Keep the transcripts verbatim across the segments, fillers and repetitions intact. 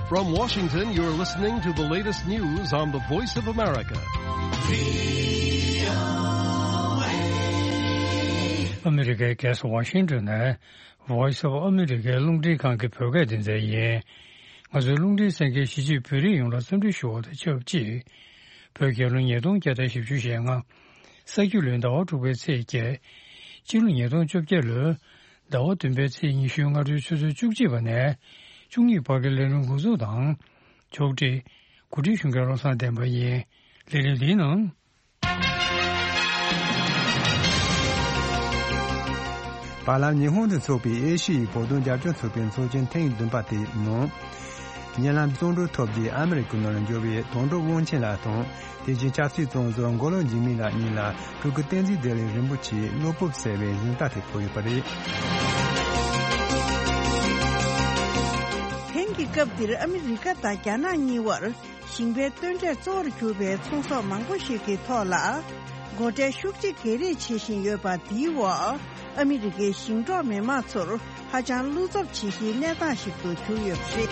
From Washington, you're listening to the latest news on the Voice of America. ཨ་མི་རི་ཀའི་རྒྱལ་ས་ཝ་ཤིང་ཏོན་ནས་Voice of America རླུང་འཕྲིན་ཁང་གི་བོད་སྐད་སྡེ་ཚན་ཡིན། ང་ཚོའི་རླུང་འཕྲིན་གསན་མཁན་གཞིས་བྱེས་བོད་རིགས་ཡོངས་ལ་འཚམས་འདྲི་ཞུ་བ་དང་ཆབས་ཅིག་བོད་རྒྱལ་ལོ་ཉིས་སྟོང་བརྒྱ་དང་བཞི་བཅུ་ཞེ་ལྔ། ས་ཁྱི་ལོའི་ཟླ་བ་དྲུག་པའི་ཚེས་བརྒྱད། སྤྱི་ལོ་ཉིས་སྟོང་བཅོ་བརྒྱད་ལོའི་ཟླ་བ་བདུན་པའི་ཚེས་ཉི་ཤུའི་སྔ་དྲོའི་ཆུ་ཚོད་བཅུ་གཅིག་པ་ནས་བཅུ་གཉིས་བར་གྱི་ལས་རིམ་འགོ་འཛུགས་དང་། ཕྱོགས་སྒྲིག་གོ་སྒྲིག་ཞུ་མཁན་བློ་བཟང་བསྟན་པ་ཡིན། ལས་རིམ་འདིའི་ནང་། བར་ལམ་ཉི་ཧོང་དུ་འཚོགས་པའི་ཨེ་ཤི་ཡའི་བོད་དོན་རྒྱབ་སྐྱོར་ཚོགས་པའི་ཚོགས་ཆེན་ཐེངས་བདུན་པ་དེའི་ནང་། ཉེ་ལམ་བཙོན་གྲོལ་ཐོབ་རྗེས་ཨ་མི་རི་ཀའི་ནང་ལ་འབྱོར་བའི་དོན་གྲུབ་དབང་ཆེན་ལགས་དང་། དེ་བཞིན་ཆབ་སྲིད་བཙོན་ཟུར་མགོ་ལོག་འཇིགས་མེད་ལགས་གཉིས་ལ་སྤྲུལ་སྐུ་བསྟན་འཛིན་བདེ་ལེགས་རིན་པོ་ཆེའི་བློ་སྤོབས་ཟེར་བའི་གཟེངས་རྟགས་དེ་ཕུལ་ཡོད་པ་རེད། དེང་གི་སྐབས་འདིར་ཨ་མི་རི་ཀ་དང་རྒྱ་ནག་གཉིས་བར་ཞིང་པའི་བསྟུན་གྲོས་གཙོ་བོར་གྱུར་པའི་ཚོང་ཟོག་མང་པོ་ཞིག་གི་ཐོག་ལ་སྒོ་ཁྲལ་ཤུགས་ཆེ་གེ་རེ་བྱེད་བཞིན་ཡོད་པ་འདིའི་འོག་ཨ་མི་རི་ཀའི་ཞིང་འབྲོག་མི་མང་ཚོར་ཧ་ཅང་བློ་འཚབ་བྱེད་གཞིའི་གནས་སྟངས་ཤིག་ཏུ་གྱུར་ཡོད་པ་རེད།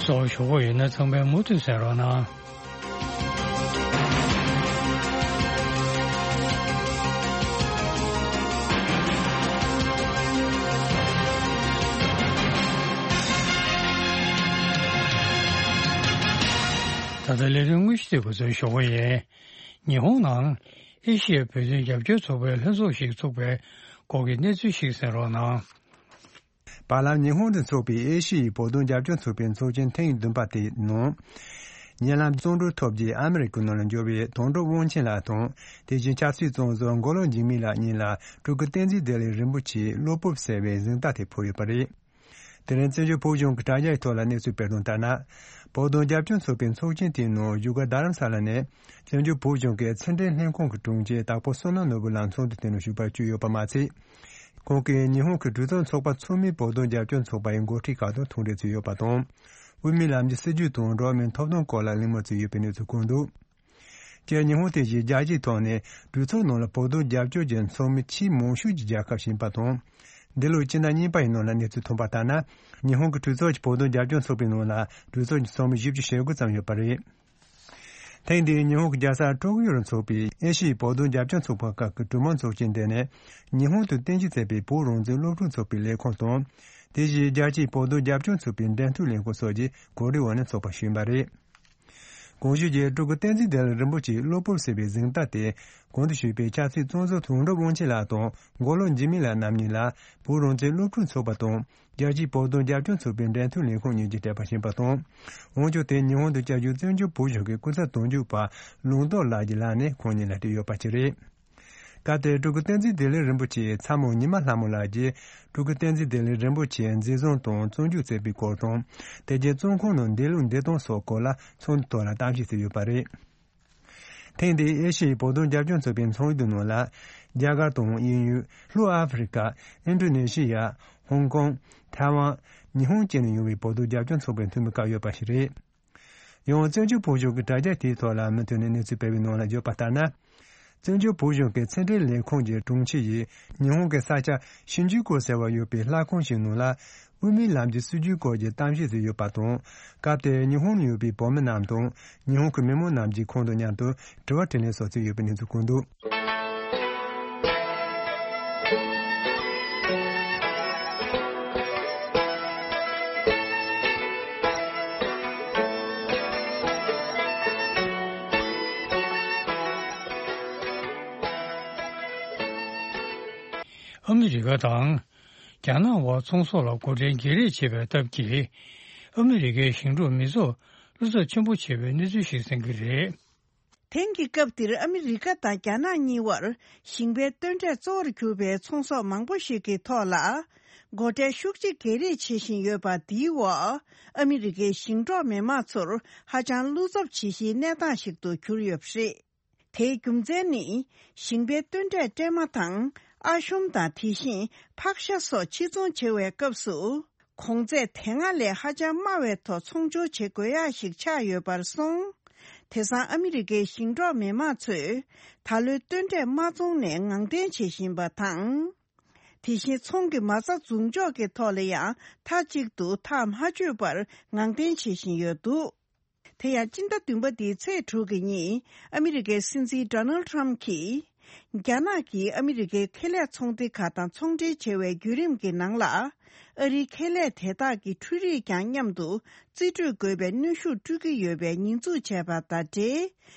སོགས་ཞུ་གི་ཡོད་ན་ཚང་མས་མུ་མཐུད་གསན་རོགས་གནང་། ད་ལྟ་ལས་དོན་དངོས་གཞི་དེ་འགོ་འཛུགས་ཞུ་གི་ཡིན། ཉི་ཧོང་ནང་ཨེ་ཤི་ཡའི་བོད་དོན་རྒྱབ་སྐྱོར་ཚོགས་པའི་ལྷན་ཚོགས་ཤིག་ཚུགས་པའི་སྐོར་གྱི་གནས་ཚུལ་ཞིག་གསན་རོགས་གནང་། བར་ལམ་ཉི་ཧོང་དུ་འཚོགས་པའི་ཨེ་ཤི་ཡའི་བོད་དོན་རྒྱབ་སྐྱོར་ཚོགས་པའི་ཚོགས་ཆེན་ཐེངས་བདུན་པ་དེའི་ནང་། ཉེ་ལམ་བཙོན་གྲོལ་ཐོབ་རྗེས་ཨ་མི་རི་ཀའི་ནང་ལ་འབྱོར་བའི་དོན་གྲུབ་དབང་ཆེན་ལགས་དང་། དེ་བཞིན་ཆབ་སྲིད་བཙོན་ཟུར་མགོ་ལོག་འཇིགས་མེད་ལགས་གཉིས་ལ་སྤྲུལ་སྐུ་བསྟན་འཛིན་བདེ་ལེགས་རིན་པོ་ཆེའི་བློ་སྤོབས་ཟེར་བའི་གཟེངས་རྟགས་དེ་ཕུལ་ཡོད་པ་རེད། དེ་རིང་བཙན་བྱོལ་བོད་གཞུང་གི་དྲ་རྒྱའི་ཐོག་ལ་གནས་ཚུལ་སྤེལ་དོན་ལྟར་ན། བོད་དོན་རྒྱབ་སྐྱོར་ཚོགས་པའི་ཚོགས་ཆེན་དེའི་ནང་བཞུགས་སྒར་རྡ་རམ་ས་ལ་ནས་བཙན་བྱོལ་བོད་གཞུང་གི་ཕྱི་འབྲེལ་ལྷན་ཁང་གི་དྲུང་ཆེ་དྭགས་པོ་བསོད་ནམས་ནོར་བུ་ལགས་ཚོགས་འདུ་དེ་ནང་ཞུགས་པར་བསྐྱོད་ཡོད་པ་མ་ཚད། ཁོང་གིས་ཉི་ཧོང་གི་གྲོས་ཚོགས་ཚོགས་པ་ཚང་མའི་བོད་དོན་རྒྱབ་སྐྱོར་ཚོགས་པ་ཡི་འགོ་ཁྲིད་ཁག་དང་ཐུག་འཕྲད་མཛད་ཡོད་པ་དང་། དབུ་མའི་ལམ་གྱི་སྲིད་བྱུས་དང་འགྲོ་བ་མིའི་ཐོབ་ཐང་སྐོར་ལ་གླེང་མོལ་མཛད་ཡོད་པའི་གནས་ཚུལ་བཀོད་འདུག་སྤྱིར་ཉི་ཧོང་དེ་བཞིན་རྒྱལ་སྤྱིའི་ཐོག་ནས་གྲོས་ཚོགས་ནང་ལ་བོད་དོན་རྒྱབ་སྐྱོར་གྱི་ཚོགས་མི་ཆེས་མང་ཤོས་ཀྱི་རྒྱལ་ཁབ་ཞིག་ཡིན་པ་དང་། འདི་ལོའི་སྤྱི་ཟླ་གཉིས་པ་ཡི་ནང་ལ་གནས་ཚུལ་ཐོན་པ་ལྟར་ན། ཉི་ཧོང་གི་གྲོས་ཚོགས་ཀྱི་བོད་དོན་རྒྱབ་སྐྱོར་ཚོགས་པའི་ནང་ལ་གྲོས་ཚོགས་ཀྱི་ཚོགས་མི་བཞི་བཅུ་ཞེ་དགུ་ཙམ་ཡོད་པ་རེད། ཐེངས་འདིའི་ཉི་ཧོང་གི་རྒྱལ་ས་ཀྲོ་ཀིའོ་རུ་འཚོགས་པའི་ཨེ་ཤི་ཡའི་བོད་དོན་རྒྱབ་སྐྱོར་ཚོགས་པ་ཁག་གི་གྲོས་མོལ་ཚོགས་ཆེན་དེ་ནི། ཉི་ཧོང་དུ་རྟེན་གཞི་བྱས་པའི་བོད་རང་བཙན་སློབ་ཕྲུག་ཚོགས་པའི་ལས་ཁུངས་དང་། དེ་བཞིན་རྒྱལ་སྤྱིའི་བོད་དོན་རྒྱབ་སྐྱོར་ཚོགས་པའི་འབྲེལ་མཐུད་ལས་ཁུངས་སོགས་ཀྱིས་གོ་སྒྲིག་འོག་ནས་འཚོགས་པ་ཞུས་པ་རེད། གོང་ཞུས་ཀྱི་སྤྲུལ་སྐུ་བསྟན་འཛིན་བདེ་ལེགས་རིན་པོ་ཆེའི་བློ་སྤོབས་ཟེར་བའི་གཟེངས་རྟགས་དེ། གོང་དུ་ཞུས་པའི་ཆབ་སྲིད་བཙོན་ཟུར་དོན་གྲུབ་དབང་ཆེན་ལགས་དང་མགོ་ལོག་འཇིགས་མེད་ལགས་རྣམ་གཉིས་ལ་བོད་རང་བཙན་སློབ་ཕྲུག་ཚོགས་པ་དང་། རྒྱལ་སྤྱིའི་བོད་དོན་རྒྱབ་སྐྱོར་ཚོགས་པའི་འབྲེལ་མཐུད་ལས་ཁུངས་གཉིས་ཀྱིས་སྤྲད་པ་ཞིག་ཡིན་པ་དང་། དབང་ཆ་དེ་ཉི་ཧོང་དུ་བསྐྱར་བཞུགས་བཙན་བྱོལ་བོད་གཞུང་གི་སྐུ་ཚབ་དོན་གཅོད་པ་ལུང་རྟོགས་ལགས་ཀྱི་ལག་ནས་ཁོང་གཉིས་ལ་སྤྲད་ཡོད་པ་ཞིག་རེད། སྐབས་དེར་སྤྲུལ་སྐུ་བསྟན་འཛིན་བདེ་ལེགས་རིན་པོ་ཆེའི་ཚ་མོ་ཉི་མ་ལྷ་མོ་ལགས་ཀྱིས། སྤྲུལ་སྐུ་བསྟན་འཛིན་བདེ་ལེགས་རིན་པོ་ཆེའི་འཛིན་བཟུང་དང་བཙོན་འཇུག་བྱས་པའི་སྐོར་དང་། དེ་རྗེས་བཙོན་ཁང་ནང་བསྡད་ལུགས་འདས་སྟངས་སོགས་སྐོར་ལ་ཚོགས་འདུ་ཐོག་ལ་གཏམ་བཤད་བྱས་ཡོད་པ་རེད། ཐེངས་འདིའི་ཨེ་ཤི་ཡའི་བོད་དོན་རྒྱབ་སྐྱོར་ཚོགས་པའི་ཚོགས་འདུ་ནང་ལ། རྒྱ་གར་དང་དབྱིན་ཡུལ། ལྷོ་ཨ་ཧྥེ་རི་ཀ། ཨིན་ཌོ་ནེ་ཤི་ཡ། ཧོང་ཀོང་། ཐའེ་ཝན། ཉི་ཧོང་བཅས་ནས་ཡོང་བའི་བོད་དོན་རྒྱབ་སྐྱོར་ཚོགས་པའི་འཐུས་མི་བཀའ་ཡོད་པ་ཞིག་རེད། ཡང་བཙན་བྱོལ་བོད་གཞུང་གི་དྲ་རྒྱ་དེའི་ཐོག་ལ་མུ་མཐུད་ནས་གནས་ཚུལ་སྤེལ་བའི་ནང་ལ་བརྗོད་པ་ལྟར་ན། བཙན་བྱོལ་བོད་གཞུང་གི་ཕྱི་འབྲེལ་ལས་ཁུངས་ཀྱི་དྲུང་ཆེ་ཡིས་ཉི་ཧོང་གི་ས་ཆ་ཤིན་ཇུ་ཀུ་ཟེར་བ་ཡོད་པའི་ལྷ་ཁང་ཞིག་ནང་ལ་དབུ་མའི་ལམ་གྱི་སྲིད་བྱུས་སྐོར་གྱི་གཏམ་བཤད་དེ་ཡོད་པ་དང་། སྐབས་དེར་ཉི་ཧོང་ནང་ཡོད་པའི་བོད་མི་རྣམས་དང་ཉི་ཧོང་གི་མི་མང་རྣམས་ཀྱིས་ཁོང་དང་མཉམ་དུ་དྲི་བ་དྲིས་ལན་སོགས་བྱས་ཡོད་པའི་གནས་ཚུལ་བཀོད་འདུག་ཨ་མི་རི་ཀ་དང་། རྒྱ་ནག་དབར་ཚོང་ཟོག་ལ་སྒོ་ཁྲལ་སྒེར་རེས་བྱེད་པའི་སྟབས་ཀྱིས། ཨ་མི་རི་ཀའི་ཞིང་འབྲོག་མི་ཚོགས་བློ་འཚབ་ཆེན་པོ་བྱེད་པའི་གནས་ཚུལ་ཞིག་གསན་གྱི་རེད། དེང་གི་སྐབས་འདིར་ཨ་མི་རི་ཀ་དང་རྒྱ་ནག་གཉིས་བར་ཞིང་པའི་བསྟུན་གྲོས་གཙོ་བོར་གྱུར་པའི་ཚོང་ཟོག་མང་པོ་ཞིག་གི་ཐོག་ལ། སྒོ་ཁྲལ་ཤུགས་ཆེ་སྒེར་རེས་བྱེད་བཞིན་ཡོད་པ་འདིའི་འོག་ཨ་མི་རི་ཀའི་ཞིང་འབྲོག་མི་མང་ཚོར་ཧ་ཅང་བློ་འཚབ་བྱེད་གཞིའི་གནས་སྟངས་ཤིག་ཏུ་གྱུར་ཡོད་པ་རེད། དེའི་རྒྱུ་མཚན་ནི། ཞིང་པའི་བསྟུན་གྲོས་སྤྲད་མ་ཐག་ཨ་ཤོམ་དང་དེ་བཞིན་ཕག་ཤ་སོགས་ཕྱིར་ཚོང་བྱེད་པའི་སྐབས་སུ། གོང་ཚད་དེ་སྔ་ལས་ཧ་ཅང་དམའ་བའི་ཐོག་ཚོང་སྦྱོར་བྱེད་དགོས་ཡག་ཞིག་ཆགས་ཡོད་པར་སོང་། དེང་སང་ཨ་མི་རི་ཀའི་ཞིང་འབྲོག་མི་མང་ཚོས་ད་ལོའི་བསྟུན་གྲོས་མ་བཙོངས་ནས་ངང་འཐེན་བྱེད་བཞིན་པ་དང་། དེ་བཞིན་ཚོང་གི་མ་རྩ་འཛུགས་འཇོག་གི་ཐོག་ལ་ཡང་མཐའ་གཅིག་ཏུ་ཐག་མ་ཆོད་པར་ངང་འཐེན་བྱེད་བཞིན་ཡོད་འདུག་དེ་ཡང་སྤྱི་ཟླ་བདུན་པ་འདིའི་ཚེས་དྲུག་གི་ཉིན་ཨ་མི་རི་ཀའི་སྲིད་འཛིན་ཌོ་ནལ་ཊམ་གྱིས། རྒྱ་ནག་གིས་ཨ་མི་རི་ཀའི་ཁེ་ལས་ཚོང་སྡེ་ཁག་དང་ཚོང་འབྲེལ་བྱེད་པའི་བརྒྱུད་རིམ་གྱི་ནང་ལ། ཨ་རིའི་ཁེ་ལས་དེ་དག་གི་འཕྲུལ་རིག་ཀྱང་མཉམ་དུ་རྩིས་སྤྲོད་དགོས་པའི་གནོན་ཤུགས་སྤྲོད་ཀྱི་ཡོད་པའི་ཉེས་འཛུགས་བྱས་པ་དང་འབྲེལ།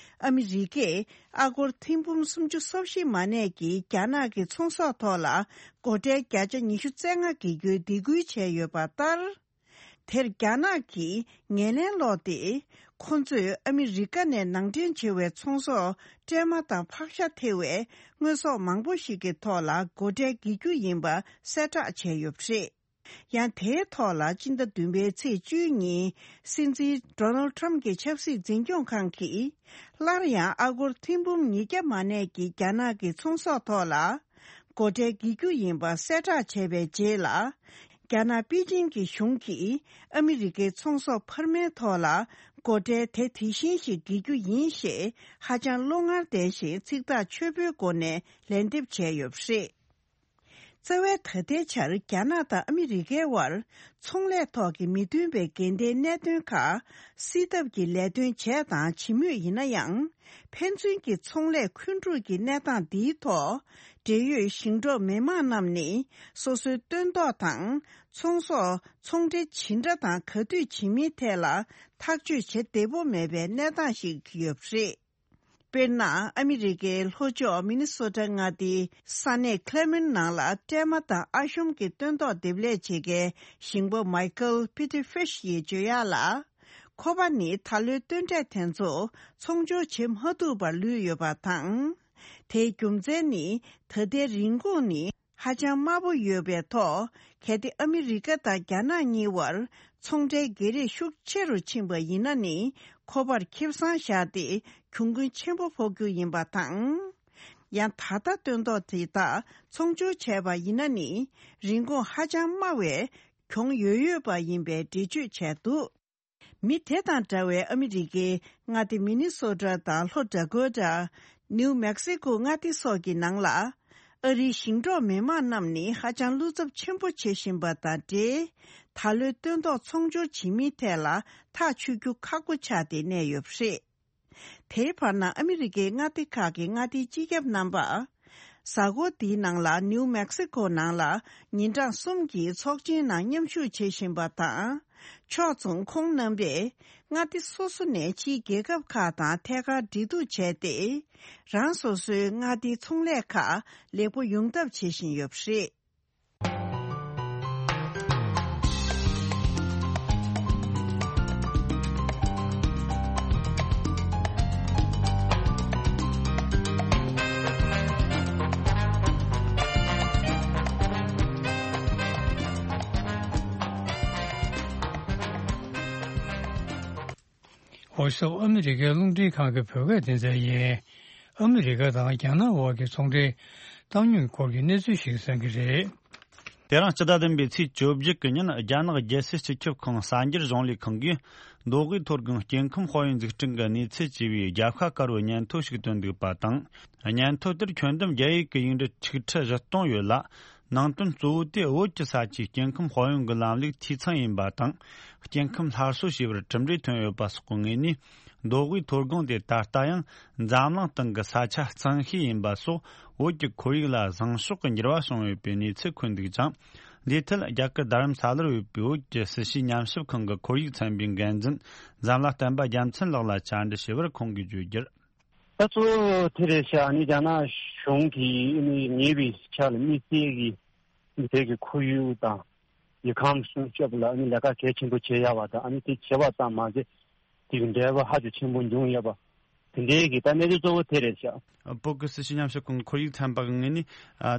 ཨ་མི་རི་ཀས་ཨ་སྒོར་ཐེར་འབུམ་སུམ་ཅུ་སོ་བཞི་མ་གནས་ཀྱི་རྒྱ་ནག་གི་ཚོང་ཟོག་ཐོག་ལ་སྒོ་ཁྲལ་བརྒྱ་ཆ་ཉི་ཤུ་རྩ་ལྔ་བཀལ་རྒྱུའི་སྡིགས་སྐུལ་བྱས་ཡོད་པ་ལྟར། དེར་རྒྱ་ནག་གིས་ངོས་ལེན་སློག་སྟེ། ཁོ་ཚོས་ཨ་མི་རི་ཀ་ནས་ནང་འདྲེན་བྱེད་པའི་ཚོང་ཟོག་སྲན་མ་དང་ཕག་ཤ་ཐེ་བའི་དངོས་ཟོག་མང་པོ་ཞིག་གི་ཐོག་ལ་སྒོ་ཁྲལ་འགེལ་རྒྱུ་ཡིན་པ་གསལ་བསྒྲགས་བྱས་ཡོད་པ་རེད། ཡང་དེའི་ཐོག་ལ་སྤྱི་ཟླ་བདུན་པའི་ཚེས་བཅུའི་ཉིན་སྲིད་འཛིན་ཌོ་ནལ་ཊམ་གྱི་ཆབ་སྲིད་འཛིན་སྐྱོང་ཁང་གིས་སླར་ཡང་ཨ་སྒོར་ཐེར་འབུམ་ཉིས་བརྒྱ་མ་གནས་ཀྱི་རྒྱ་ནག་གི་ཚོང་ཟོག་ཐོག་ལ། སྒོ་ཁྲལ་འགེལ་རྒྱུ་ཡིན་པ་གསལ་བསྒྲགས་བྱས་པའི་རྗེས་ལ། རྒྱ་ནག་པེ་ཅིང་གི་གཞུང་གིས་ཨ་མི་རི་ཀའི་ཚོང་ཟོག་འཕར་མའི་ཐོག་ལ་སྒོ་ཁྲལ་དེ་དེ་བཞིན་ཞིག་འགེལ་རྒྱུ་ཡིན་ཞེས་ཧ་ཅང་བློ་ངར་ལྡན་ཞིང་ཚིག་ཐག་ཆོད་པོའི་སྒོ་ནས་ལན་འདེབས་བྱས་ཡོད་པ་རེད། རྩ་བའི་ད་ལྟའི་ཆར་རྒྱ་ནག་དང་ཨ་མི་རི་ཀའི་དབར་ཚོང་ལས་ཐོག་གི་མི་མཐུན་པའི་འགལ་ཟླའི་གནད་དོན་ཁག་སེལ་ཐབས་ཀྱི་ལས་དོན་བྱས་དང་བྱེད་མུས་ཡིན་ན་ཡང་། ཕན་ཚུན་གྱི་ཚོང་ལས་འཁོན་འཁྲུག་གི་གནས་སྟངས་འདིའི་ཐོག་འབྲེལ་ཡོད་ཞིང་འབྲོག་མི་དམངས་རྣམས་ནི་སོ་སོའི་སྟོན་ཐོག་དང་ཚོང་ཟོག་ཚོང་འབྲེལ་ཇི་འདྲ་དང་ག་དུས་བྱེད་མིན་ཐད་ལ་ཐག་གཅོད་བྱེད་བདེ་པོ་མེད་པའི་གནས་སྟངས་ཤིག་ཡོད་པ་རེད། དཔེར་ན། ཨ་མི་རི་ཀའི་ལྷོ་ཕྱོགས་མི་ནི་སོ་ཊ་མངའ་སྡེའི་ས་གནས་ཁི་ལེ་མན་ནང་ལ་སྲན་མ་དང་ཨ་ཤོམ་གྱི་སྟོན་ཐོག་འདེབས་ལས་བྱེད་མཁན་ཞིང་པ་མའི་ཁལ་པི་ཏི་ཧྥིཤ་ཡིས་བརྗོད་ཡག་ལ། ཁོ་པ་ནི་ད་ལོའི་སྟོན་འབྲས་དེ་ཚོ་ཚོང་སྦྱོར་བྱེད་མ་ཐུབ་པར་ལུས་ཡོད་པ་དང་། དེའི་རྒྱུ་མཚན་ནི་ད་ལྟའི་རིན་གོང་ནི་ཧ་ཅང་དམའ་པོ་ཡོད་པའི་ཐོག་གལ་ཏེ་ཨ་མི་རི་ཀ་དང་རྒྱ་ནག་གཉིས་བར་ཚོང་འབྲེལ་བརྗེ་རེས་ཤུགས་ཆེ་རུ་ཕྱིན་པ་ཡིན་ན་ནི་ཁོ་པར་ཁེ་བཟང་བཞག་སྟེ་གྱོང་གུན་ཆེན་པོ་ཕོག་རྒྱུ་ཡིན་པ་དང་། ཡང་ད་ལྟ་སྟོན་ཐོག་དེ་དག་ཚོང་སྦྱོར་བྱས་པ་ཡིན་ན་ནི་རིན་གོང་ཧ་ཅང་དམའ་བས་གྱོང་ཡོད་ཡོད་པ་ཡིན་པའི་འགྲེལ་བརྗོད་བྱས་འདུག་མི་དེ་དང་འདྲ་བའི་ཨ་མི་རི་ཀའི་མངའ་སྡེ་མི་ནི་སོ་ཊ་དང་ལྷོ་ཌ་ཀོ་ཊ། ནིའུ་མེག་སི་ཀོ་མངའ་སྡེ་སོགས་ཀྱི་ནང་ལ། ཨ་རིའི་ཞིང་འབྲོག་མི་དམངས་རྣམས་ནི་ཧ་ཅང་བློ་འཚབ་ཆེན་པོ་བྱེད་བཞིན་པ་དང་འབྲེལ། ད་ལོའི་སྟོན་ཐོག་ཚོང་སྦྱོར་བྱེད་མིན་ཐད་ལ་ཐག་ཆོད་རྒྱུ་ཁག་པོ་ཆགས་ཏེ་གནས་ཡོད་པ་རེད། དེའི་བར་ན་ཨ་མི་རི་ཀའི་མངའ་སྡེ་ཁག་གི་མངའ་སྡེའི་སྤྱི་ཁྱབ་རྣམ་པ། གཟའ་འཁོར་འདིའི་ནང་ལ་ནིའུ་མེག་སི་ཀོ་ནང་ལ་ཉིན་གྲངས་གསུམ་གྱི་ཚོགས་ཆེན་ནང་མཉམ་ཞུགས་བྱེད་བཞིན་པ་དང་། ཕྱོགས་མཚུངས་ཁོང་རྣམ་པས་མངའ་སྡེ་སོ་སོ་ནས་ཕྱིའི་རྒྱལ་ཁབ་ཁག་དང་ཐད་ཀར་འབྲེལ་གཏུག་བྱས་ཏེ། རང་སོ་སོའི་མངའ་སྡེའི་ཚོང་ལས་ཁག་ལེགས་པོ་ཡོང་ཐབས་བྱེད་བཞིན་ཡོད་པ་རེད། ཝོ་ཤི་ཨ་མི་རི་ཀའི་རླུང་འཕྲིན་ཁང་གི་བོད་སྐད་སྡེ་ཚན་ཡིན། ཨ་མི་རི་ཀ་དང་རྒྱ་ནག་དབར་གྱི་ཚོང་འབྲེལ་བཏང་སྙོམས་སྐོར་གྱི་གནས་ཚུལ་ཞིག་གསན་གྱི་རེད། དེ་རིང་སྤྱི་ཟླ་བདུན་པའི་ཚེས་བཅོ་བརྒྱད་ཀྱི་ཉིན་རྒྱ་ནག་རྒྱལ་སྲིད་སྤྱི་ཁྱབ་ཁང་གསར་འགྱུར་གཞུང་ལས་ཁང་གིས་མདོ་དབུས་མཐོ་སྒང་སྐྱེ་ཁམས་དཔལ་ཡོན་འཛུགས་སྐྲུན་གྱི་གནས་ཚད་ཅེས་པའི་རྒྱབ་ཤ་དཀར་པོའི་སྙན་ཐོ་ཞིག་བཏོན་འདུག་པ་དང་། སྙན་ཐོ་དེར་ཁྱོན་བསྡོམས་རྒྱ་ཡིག་གི་ཡིག་འབྲུ་ཆིག་ཁྲི་བཞི་སྟོང་ཡོད་ལ། ནང་དོན་གཙོ་བོ་དེ་བོད་ཀྱི་ས་ཆའི་སྐྱེ་ཁམས་དཔལ་ཡོན་གྱི་ལམ་ལུགས་འཐུས་ཚང་ཡིན་པ་དང་། སྐྱེ་ཁམས་སླར་གསོ་བྱས་པར་གྲུབ་འབྲས་ཐོན་ཡོད་པ་སོགས་ཀྱི་ངོས་ནས། མདོ་དབུས་མཐོ་སྒང་དེ་ད་ལྟ་ཡང་འཛམ་གླིང་སྟེང་གི་ས་ཆ་གཙང་ཤོས་ཡིན་པ་སོགས་བོད་ཀྱི་ཁོར་ཡུག་ལ་བཟང་ཕྱོགས་ཀྱི་འགྱུར་བ་བྱུང་ཡོད་པའི་གནས་ཚུལ་འཁོད་འདུག་ཅིང་། འདིའི་ཐད་རྒྱ་གར་རྡ་རམ་ས་ལར་ཡོད་པའི་བོད་ཀྱི་སྲིད་བྱུས་ཉམས་ཞིབ་ཁང་གི་ཁོར་ཡུག་ཚན་པའི་འགན་འཛིན་འཛམ་ལྷ་བསྟན་པ་རྒྱལ་མཚན་ལགས་ལ་བཅར་འདྲི་ཞུས་པར་ཁོང་གིས་བརྗོད་རྒྱུར། ད་གཙོ་བོ་དེ་རེད་ཤག་ཨ་ནི་རྒྱ་ནག་གཞུང་གིས་ཨ་ནི་ཉེ་བའི་ཆར་ལ་དམིགས་བསལ་གྱི་ཨ་ནི་བོད་ཀྱི་ཁོར་ཡུག་དང་ཡུལ་ཁམས་སྲུང་སྐྱོབ་ལ་ཨ་ནི་ལས་ཀ་གལ་ཆེན་པོ་བྱེད་ཡག་པ་དང་ཨ་ནི་དེ་བྱེད་པ་ཙམ་མ་ཟད་དེ་གི་འབྲས་བུ་ཧ་ཅང་ཆེན་པོ་འབྱུང་ཡོད་པ་དེ་འདྲའི་གི་ད་གནས་ཚུལ་གཙོ་བོ་དེ་རེད་ཤག་བོད་ཀྱི་སྲིད་བྱུས་ཉམས་ཞིབ་ཁང་ཁོར་ཡུག་ཚན་པ་གི་ངོས་ནས་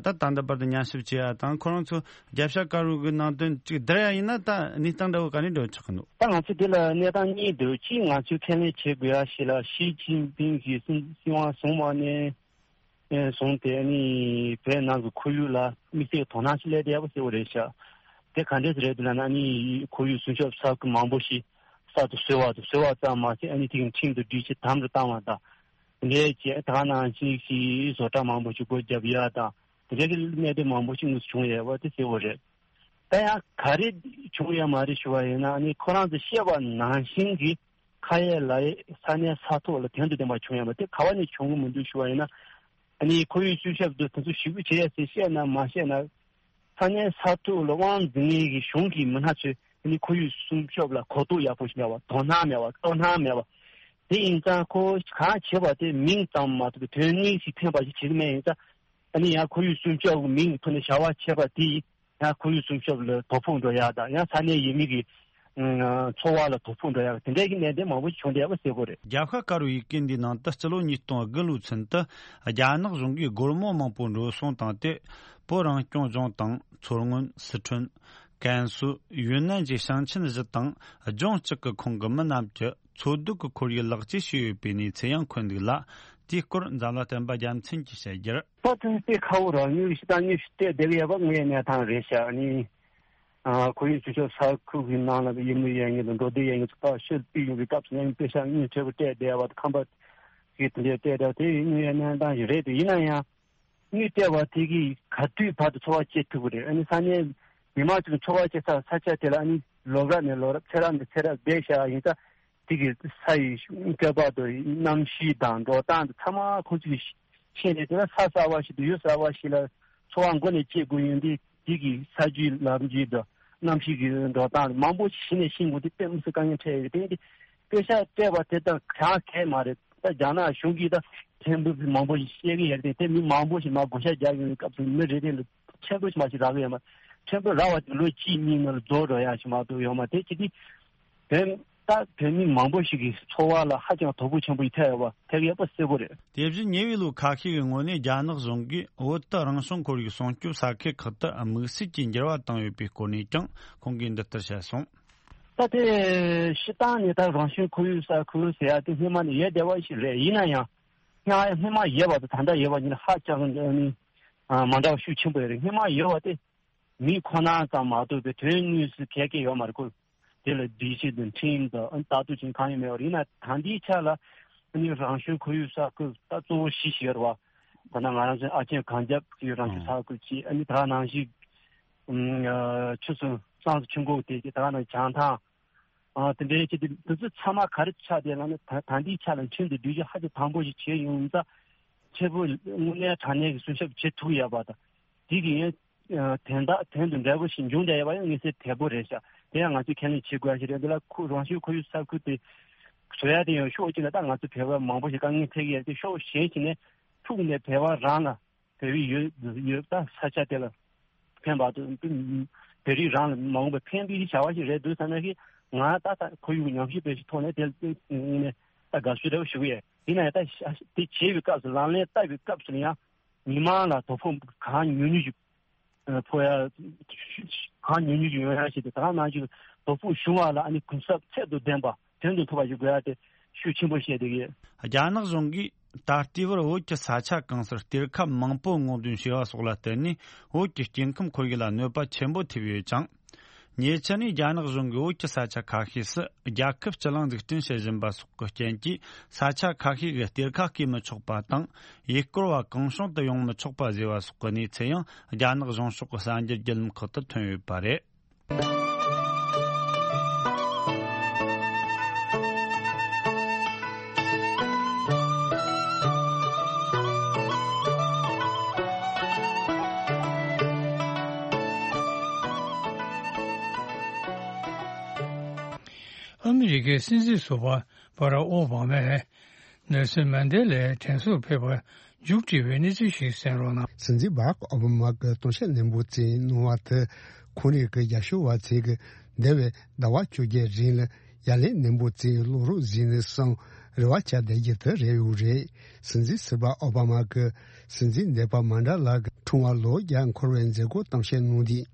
ད་ད་ལྟ་བར་དུ་ཉམས་ཞིབ་བྱེད་ཡ་དང་ཁོ་རང་ཚོ་རྒྱབ་ཤ་དཀར་པོ་གི་ནང་དོན་གཅིག་བསྡུར་ཡ་ཡིན་ན་ད་གནས་སྟངས་འདྲ་བོ་ག་ནས་འགྲོ་ཆོག་གི་འདུག་ད་ང་ཚོས་དེ་ལ་གནས་སྟངས་གཉིས་འདུག་གཅིག་ང་ཚོས་ཁས་ལེན་བྱེད་དགོས་ཡ་ཞིག་ལ་ཞི་ཅིན་ཕིང་གིས་སྲིད་སྲིད་དབང་བཟུང་བ་ནས་བཟུང་སྟེ་ཨ་ནི་བོད་ནང་གི་ཁོར་ཡུག་ལ་དམིགས་བསལ་དོ་སྣང་ཞིག་སླེབས་བསྡད་ཡ་པོ་གསལ་པོ་རེད་ཤག་དེ་ག་འདྲས་རེད་འདུག་ལབ་ན་ཨ་ནི་ཁོར་ཡུག་སྲུང་སྐྱོབ་ས་ཁུལ་མང་པོ་ཞིག་གསར་དུ་བཟོས་པ་དང་བཟོས་པ་ཙམ་མ་ཟད་ཨ་ནི་དེ་གི་ཁྲིམས་དང་སྒྲིག་གཞི་དམ་དུ་བཏང་བ་དང་དེ་འདྲས་བྱས་ད་ག་ནང་བཞིན་ཞིག་བཟོ་གྲྭ་མང་པོ་ཞིག་སྒོ་བརྒྱབ་ཡ་དང་། དེ་འདྲའི་གི་གནད་དོན་མང་པོ་ཞིག་དངོས་སུ་བྱུང་ཡོད་པ་དེ་གསལ་པོ་རེད། ད་ཡང་ག་རེ་བྱུང་ཡོད་མ་རེད་ཞུ་བ་ཡིན་ན། ཨ་ནི་ཁོ་རང་ཚོས་བཤད་པ་ནང་བཞིན་གྱི་ཁ་ཡས་ལག་ཡས་ས་གནས་ས་ཐོག་ལ་དོན་དང་ལྡན་པ་བྱུང་ཡོད་པ་དེ་ག་བ་ནས་བྱུང་གི་མི་འདུག་ཞུ་བ་ཡིན་ན། ཨ་ནི་ཁོར་ཡུག་སྲུང་སྐྱོབ་དེ་དེ་ཚོ་ཞེ་པོ་བྱེད་ཡས་ཟེར་བཤད་ན་མ་བཤད་ན། ས་གནས་ས་ཐོག་ལ་དབང་འཛིན་མཁན་གྱི་གཞུང་གི་མི་སྣ་ཚོས་ཨ་ནི་ཁོར་ཡུག་སྲུང་སྐྱོབ་ལ་གོ་རྟོགས་ཡག་པོ་ཞིག་མེད་པ། དོ་སྣང་མེད་པ། དོ་སྣང་མེད་པ། དེ་ཡིན་ཙང་ཁོ་གང་བྱེད་པ་དེ་མིང་ཙམ་མ་གཏོགས་པའི་དོན་དངོས་ཤིག་ཕན་པ་ཞིག་བྱེད་ཀྱི་མེད། ཡིན་ཙང་ཨ་ནི་ཡང་ཁོར་ཡུག་སྲུང་སྐྱོབ་ཀྱི་མིང་གི་ཐོག་ནས་བྱ་བ་བྱེད་པ་དེ་ཡིས་ཡང་ཁོར་ཡུག་སྲུང་སྐྱོབ་ལ་དོ་ཕོག་འགྲོ་ཡག་དང་། ཡང་ས་གནས་ཡུལ་མི་གི་ཨ་འཚོ་བ་ལ་དོ་ཕོག་འགྲོ་ཡག་དེ་འདྲའི་གི་གནད་དོན་མང་པོ་ཞིག་བྱུང་བསྡད་ཡོད་པ་གསལ་པོ་རེད། རྒྱལ་ཁབ་དཀར་པོའི་ཡི་གེ་འདིའི་ནང་དུ་སྤྱི་ལོ་ཉིས་སྟོང་དགུ་ལོའི་ཚུན་དུ་རྒྱ་ནག་གཞུང་གིས་སྒོར་མོ་མང་པོ་འགྲོ་སོང་བཏང་སྟེ། བོད་རང་སྐྱོང་ལྗོངས་དང་མཚོ་སྔོན། སི་ཁྲོན། ཀན་སུའུ། ཡུན་ནན་བཅས་ཞིང་ཆེན་བཞི་དང་ལྗོངས་གཅིག་གི་ཁོངས་ཀྱི་མི་རྣམས་ཀྱི་འཚོ་སྡོད་ཀྱི་ཁོར་ཡུག་ལེགས་བཅོས་བྱས་ཡོད་པའི་གནས་ཚུལ་ཡང་འཁོད་འདུག་ལ། དེའི་སྐོར་འཛམ་གླིང་བསྟན་པ་རྒྱལ་མཚན་གྱིས་བཤད་རྒྱུར། ད་དེ་དཔེ་ཁག་པོ་རེད། དངོས་ཤིག་དང་དངོས་ཤིག་བལྟས་བསྡད་ཀྱི་ཡོད་པ་དངོས་ཡོད་གནས་སྟངས་རེད་ཤག་ཨ་ནི། ཨ་ཁོར་ཡུག་སྲུང་སྐྱོབ་ས་ཁུལ་གྱི་ནང་ལ་ཡུལ་མི་ཡོད་མཁན་དང་འགྲོ་སྡོད་ཡོད་མཁན་ཚོ་ཕར་ཕྱིར་ཕུད་ཡོང་བའི་སྐབས་སུ་ཡང་དཔེ་ཤག་དངོས་འབྲས་བུ་སྤྲད་བསྡད་པ་དང་། ཁང་པ་ཞིག་དེ་འདྲ་སྤྲད་བསྡད་པ་དེ་དངོས་ཡོད་གནས་སྟངས་ཤིག་རེད་དེ། ཡིན་ན་ཡང་། དངུལ་སྤྲད་པ་དེ་གིས་ག་དུས་བར་དུ་འཚོ་བ་སྐྱེལ་ཐུབ་ཀྱི་རེད། ཨ་ནི་ས་གནས་མི་མང་ཚོས་འཚོ་བ་སྐྱེལ་ས་ས་ཆ་དེ་ལ་ཨ་ནི་ལོ་རབས་ནས་ལོ་རབས་ཚེ་རབས་ནས་ཚེ་རབས་བསྡད་བཞག་ཡིན་ཙང་། དེ་གི་ས་ཡི་སྐྱོ་པ་དང་གནམ་གཤིས་དང་འགྲོ་སྟངས་དང་ཚང་མ་ཁོང་ཚོས་ཤེས་ནས། དེ་ལ་ས་གསར་པ་ཞིག་དང་ཡུལ་གསར་པ་ཞིག་ལ་འཚོ་བ་མགོ་ནས་སྐྱེལ་དགོས་ཡོང་དུས། དེ་གི་ས་རྒྱུས་ལམ་རྒྱུས་དང་གནམ་གཤིས་ཀྱི་འགྲོ་སྟངས་མང་པོ་ཞིག་གཞི་ནས་ཤེས་དགོས་དེ་དཔེ་མི་སྲིད་དཀའ་ངལ་འཕྲད་ཡོད་རེད། དེ་ཡིན་དུས་པེ་ཤག་སྤྲད་པ་དེ་དང་གང་གལ་མ་རེད། ད་རྒྱ་ནག་གཞུང་གིས་ད་ཕྲན་བུ་མང་པོ་ཞིག་བཤད་ཀྱི་ཡོད་རེད་དེ། མི་མང་པོ་ཞིག་མར་བགོ་བཤའ་རྒྱག་ཡོང་བའི་སྐབས་སུ་མི་རེ་རེ་ལ་ཕྲན་བུ་ཞིག་མ་ཞིག་རག་གི་ཡོད་མ་རེད། ཕྲན་བུ་རག་པ་དེ་ལོ་གཅིག་གཉིས་ནང་ལ་རྫོགས་འགྲོ་ཡག་ཞིག་མ་གཏོགས་ཡོད་མ་རེད། དེ་བྱེད་དུས་བོད་ད་བོད་མི་མང་པོ་ཞིག་གི་འཚོ་བ་ལ་ཧ་ཅང་དོ་ཕོག་ཆེན་པོ་ཞིག་ཐེབས་ཡོད་པ་ཐེབས་ཡོད་པ་གསལ་པོ་རེད། དེ་བཞིན་ཉེ་བའི་ལོ་ཁ་ཤས་ཀྱི་སྔོན་ནས་རྒྱ་ནག་གཞུང་གིས་བོད་དུ་རང་བྱུང་ཁོར་ཡུག་སྲུང་སྐྱོབ་ས་ཁུལ་ཁག་ཏུ་དམིགས་བསལ་གྱི་འགྱུར་བ་བཏང་ཡོད་པའི་སྐོར་ནས་ཀྱང་ཁོང་གིས་འདི་ལྟར་བཤད་སོང་། ད་དེ་སྤྱིར་བཏང་ནས་ད་རང་བྱུང་ཁོར་ཡུག་ས་ཁུལ་ཟེར་ཡ་དེ་སྔོན་མ་ནས་ཡོད་བསྡད་པ་ཞིག་རེད། ཡིན་ན་ཡང་སྔ་སྔོན་མ་ཡོད་པ་དང་ད་ལྟ་ཡོད་པ་གཉིས་ལ་ཧ་ཅང་ནི་མ་འདྲ་བ་ཤུགས་ཆེན་པོ་ཡོད་རེད། སྔོན་མ་ཡོད་པ་དེ་མི་ཁོ་ན་ཙམ་མ་གཏོགས་པའི་དོན་དངོས་སུ་གལ་གལ་ཡོད་མ་རེད། ཁོ་དེ་ལ་སྒྲིག་གཞི་དང་ཁྲིམས་དང་ལྟ་རྟོག་བྱེད་མཁན་གང་ཡང་མེད་པ་རེད། ཡིན་ན་ད་ལྟའི་ཆ་ལ་ནི་རང་བྱུང་ཁོར་ཡུག་ས་ཁུལ་ད་གཙོ་བོ་བཞི་ཞིག་ཡོད་རེད་བ། ད་ལྟ་ང་རང་ཚོའི་ཨ་ཆེན་གངས་རྒྱབ་ཀྱི་རང་བྱུང་ས་ཁུལ་གཅིག་ཨ་ནི་ད་ག་ནང་བཞིན། ཨ་ཆུ་སོ་སང་སོ་ཆུ་འགོ་དེ་ད་ག་ནང་བྱང་ཐང་། ཨ་དེ་འདྲའི་ཆེད་དུ་དེ་ཚོ་ཚང་མ་ག་རེ་ཆགས་བསྡད་ལབ་ན། ད་ད་ལྟའི་ཆ་ལ་ཁྲིམས་དང་སྒྲིག་གཞི་ཧ་ཅང་དམ་པོ་ཞིག་བྱས་ཡོང་ཙང་། ཕྲན་བུ་དངོས་གནས་དྲང་གནས་ཀྱི་སྲུང་སྐྱོབ་བྱེད་ཐུབ་ཡོད་པ་དང་། དེ་གི་ཡང་དོན་དག་དོན་དང་འབྲས་བུ་ཞིག་འབྱུང་བསྡད་ཡོད་པ་ཡང་མངོན་གསལ་དོད་པོ་རེད་ཤག་དེ་ཡང་ང་ཚོས་ཁས་ལེན་བྱེད་དགོས་ཡ་ཞིག་རེད། འདི་ལ་ཁོ་རང་བྱུང་ཁོར་ཡུག་ས་ཁུལ་དེ་བཟོ་ཡ་དེ་ཡང་ཕྱོགས་གཅིག་ནས་ད་ང་ཚོ་བོད་པ་མང་པོ་ཞིག་དཀའ་ངལ་འཕྲད་ཀྱི་ཡོད་དེ། ཕྱོགས་གཞན་ཞིག་ནས་ཕྲུ་གུ་ནས་བོད་པ་རང་ལ་བོད་པའི་ཡོད་ཡོད་ད་ས་ཆ་དེ་ལ་ཕན་པ་དང་། བོད་རིགས་རང་ལ་མ་འོངས་པའི་ཕན་པའི་བྱ་བ་ཞིག་རེད་འདུག་བསམ་ན། ཞིག་ང་ད་ད་ཁོར་ཡུག་ཉམས་ཞིབ་པའི་ཞིག་ཐོག་ནས་དེ་ནས་ད་དགའ་བསུ་རེ་བ་ཞུ་གི་ཡོད། ཡིན་ན་ཡང་ད་དེ་བྱེད་པའི་སྐབས་སུ་ལག་ལེན་བསྟར་བའི་སྐབས་སུ་ཡང་མི་མང་ལ་དོ་ཕོག་གང་ཉུང་ཉུང་ཞིག་ཕོག་ཡ། གང་ཉུང་ཉུང་ཞིག་ཡོང་ཡ་ཞིག་དང་། ད་ག་ནང་བཞིན་དོ་ཕོག་བྱུང་བ་ལ་ཨ་ནི་གུན་གསབ་ཚད་དང་ལྡན་པ་དོན་དུ་ཐུབ་པ་ཞིག་དགོས་ཡ་དེ་ཤུགས་ཆེན་པོ་བཤད་བསྡད་ཀྱི་ཡོད། རྒྱ་ནག་གཞུང་གིས་ད་ལྟའི་བར་བོད་ཀྱི་ས་ཆ་གང་སར་གཏེར་ཁ་མང་པོ་སྔོག་འདོན་བྱས་པ་སོགས་ལ་བརྟེན་ནས་བོད་ཀྱི་སྐྱེ་ཁམས་ཁོར་ཡུག་ལ་གནོད་པ་ཆེན་པོ་ཐེབས་ཡོད་ཅིང་། ཉེ་ཆར་ནས་རྒྱ་ནག་གཞུང་གིས་བོད་ཀྱི་ས་ཆ་ཁ་ཤས་སུ་རྒྱལ་ཁབ་སྤྱི་གླིང་འཛུགས་སྐྲུན་བྱེད་བཞིན་པ་སོགས་ཀྱི་རྐྱེན་གྱིས། ས་ཆ་ཁ་ཤས་ཀྱི་གཏེར་ཁ་བརྐོས་མི་ཆོག་པ་དང་། ཡུལ་སྐོར་བ་གང་བྱུང་དུ་ཡོང་མི་ཆོག་པ་བཟོས་པ་སོགས་ཀྱི་གནས་ཚུལ་ཡང་རྒྱ་ནག་གཞུང་ཕྱོགས་ཀྱི་གསར་འགྱུར་བརྒྱུད་ལམ་ཁག་ཏུ་ཐོན་ཡོད་པ་རེད། ཨ་མི་རི་ཀའི་སྲིད་འཛིན་ཟུར་པ་བྷ་རག་ཨོ་བྷ་མས་ནེལ་སོན་མན་ཌེ་ལའི་དྲན་གསོར་ཕེབས་པར་མཇུག་སྒྲིལ་བའི་གནས་ཚུལ་ཞིག་གསན་རོགས་གནང་། སྲིད་འཛིན་བྷ་རག་ཨོ་བྷ་མ་གིས་སྟོང་བཤད་ནན་པོ་བྱས་གནང་བ་དེ། ཁོང་རང་གི་རྒྱབ་སྐྱོར་བ་ཚོས་ཀྱི་འདས་པའི་ཟླ་བ་བཅོ་བརྒྱད་རིང་ལ་ཡ་ལན་ནན་པོ་བྱས་བློ་རོགས་བྱས་ནས་སོང་རེ་བ་བཅའ་བསྡད་རྒྱུ་དེ་རེད་ཡོད་རེད། སྲིད་འཛིན་ཟུར་པ་ཨོ་བྷ་མ་གིས་སྲིད་འཛིན་འདས་པ་མན་ཌེ་ལ་གི་འཁྲུངས་པ་ལོ་བརྒྱ་འཁོར་བའི་མཛད་སྒོར་གཏམ་བཤད་གནང་དུས།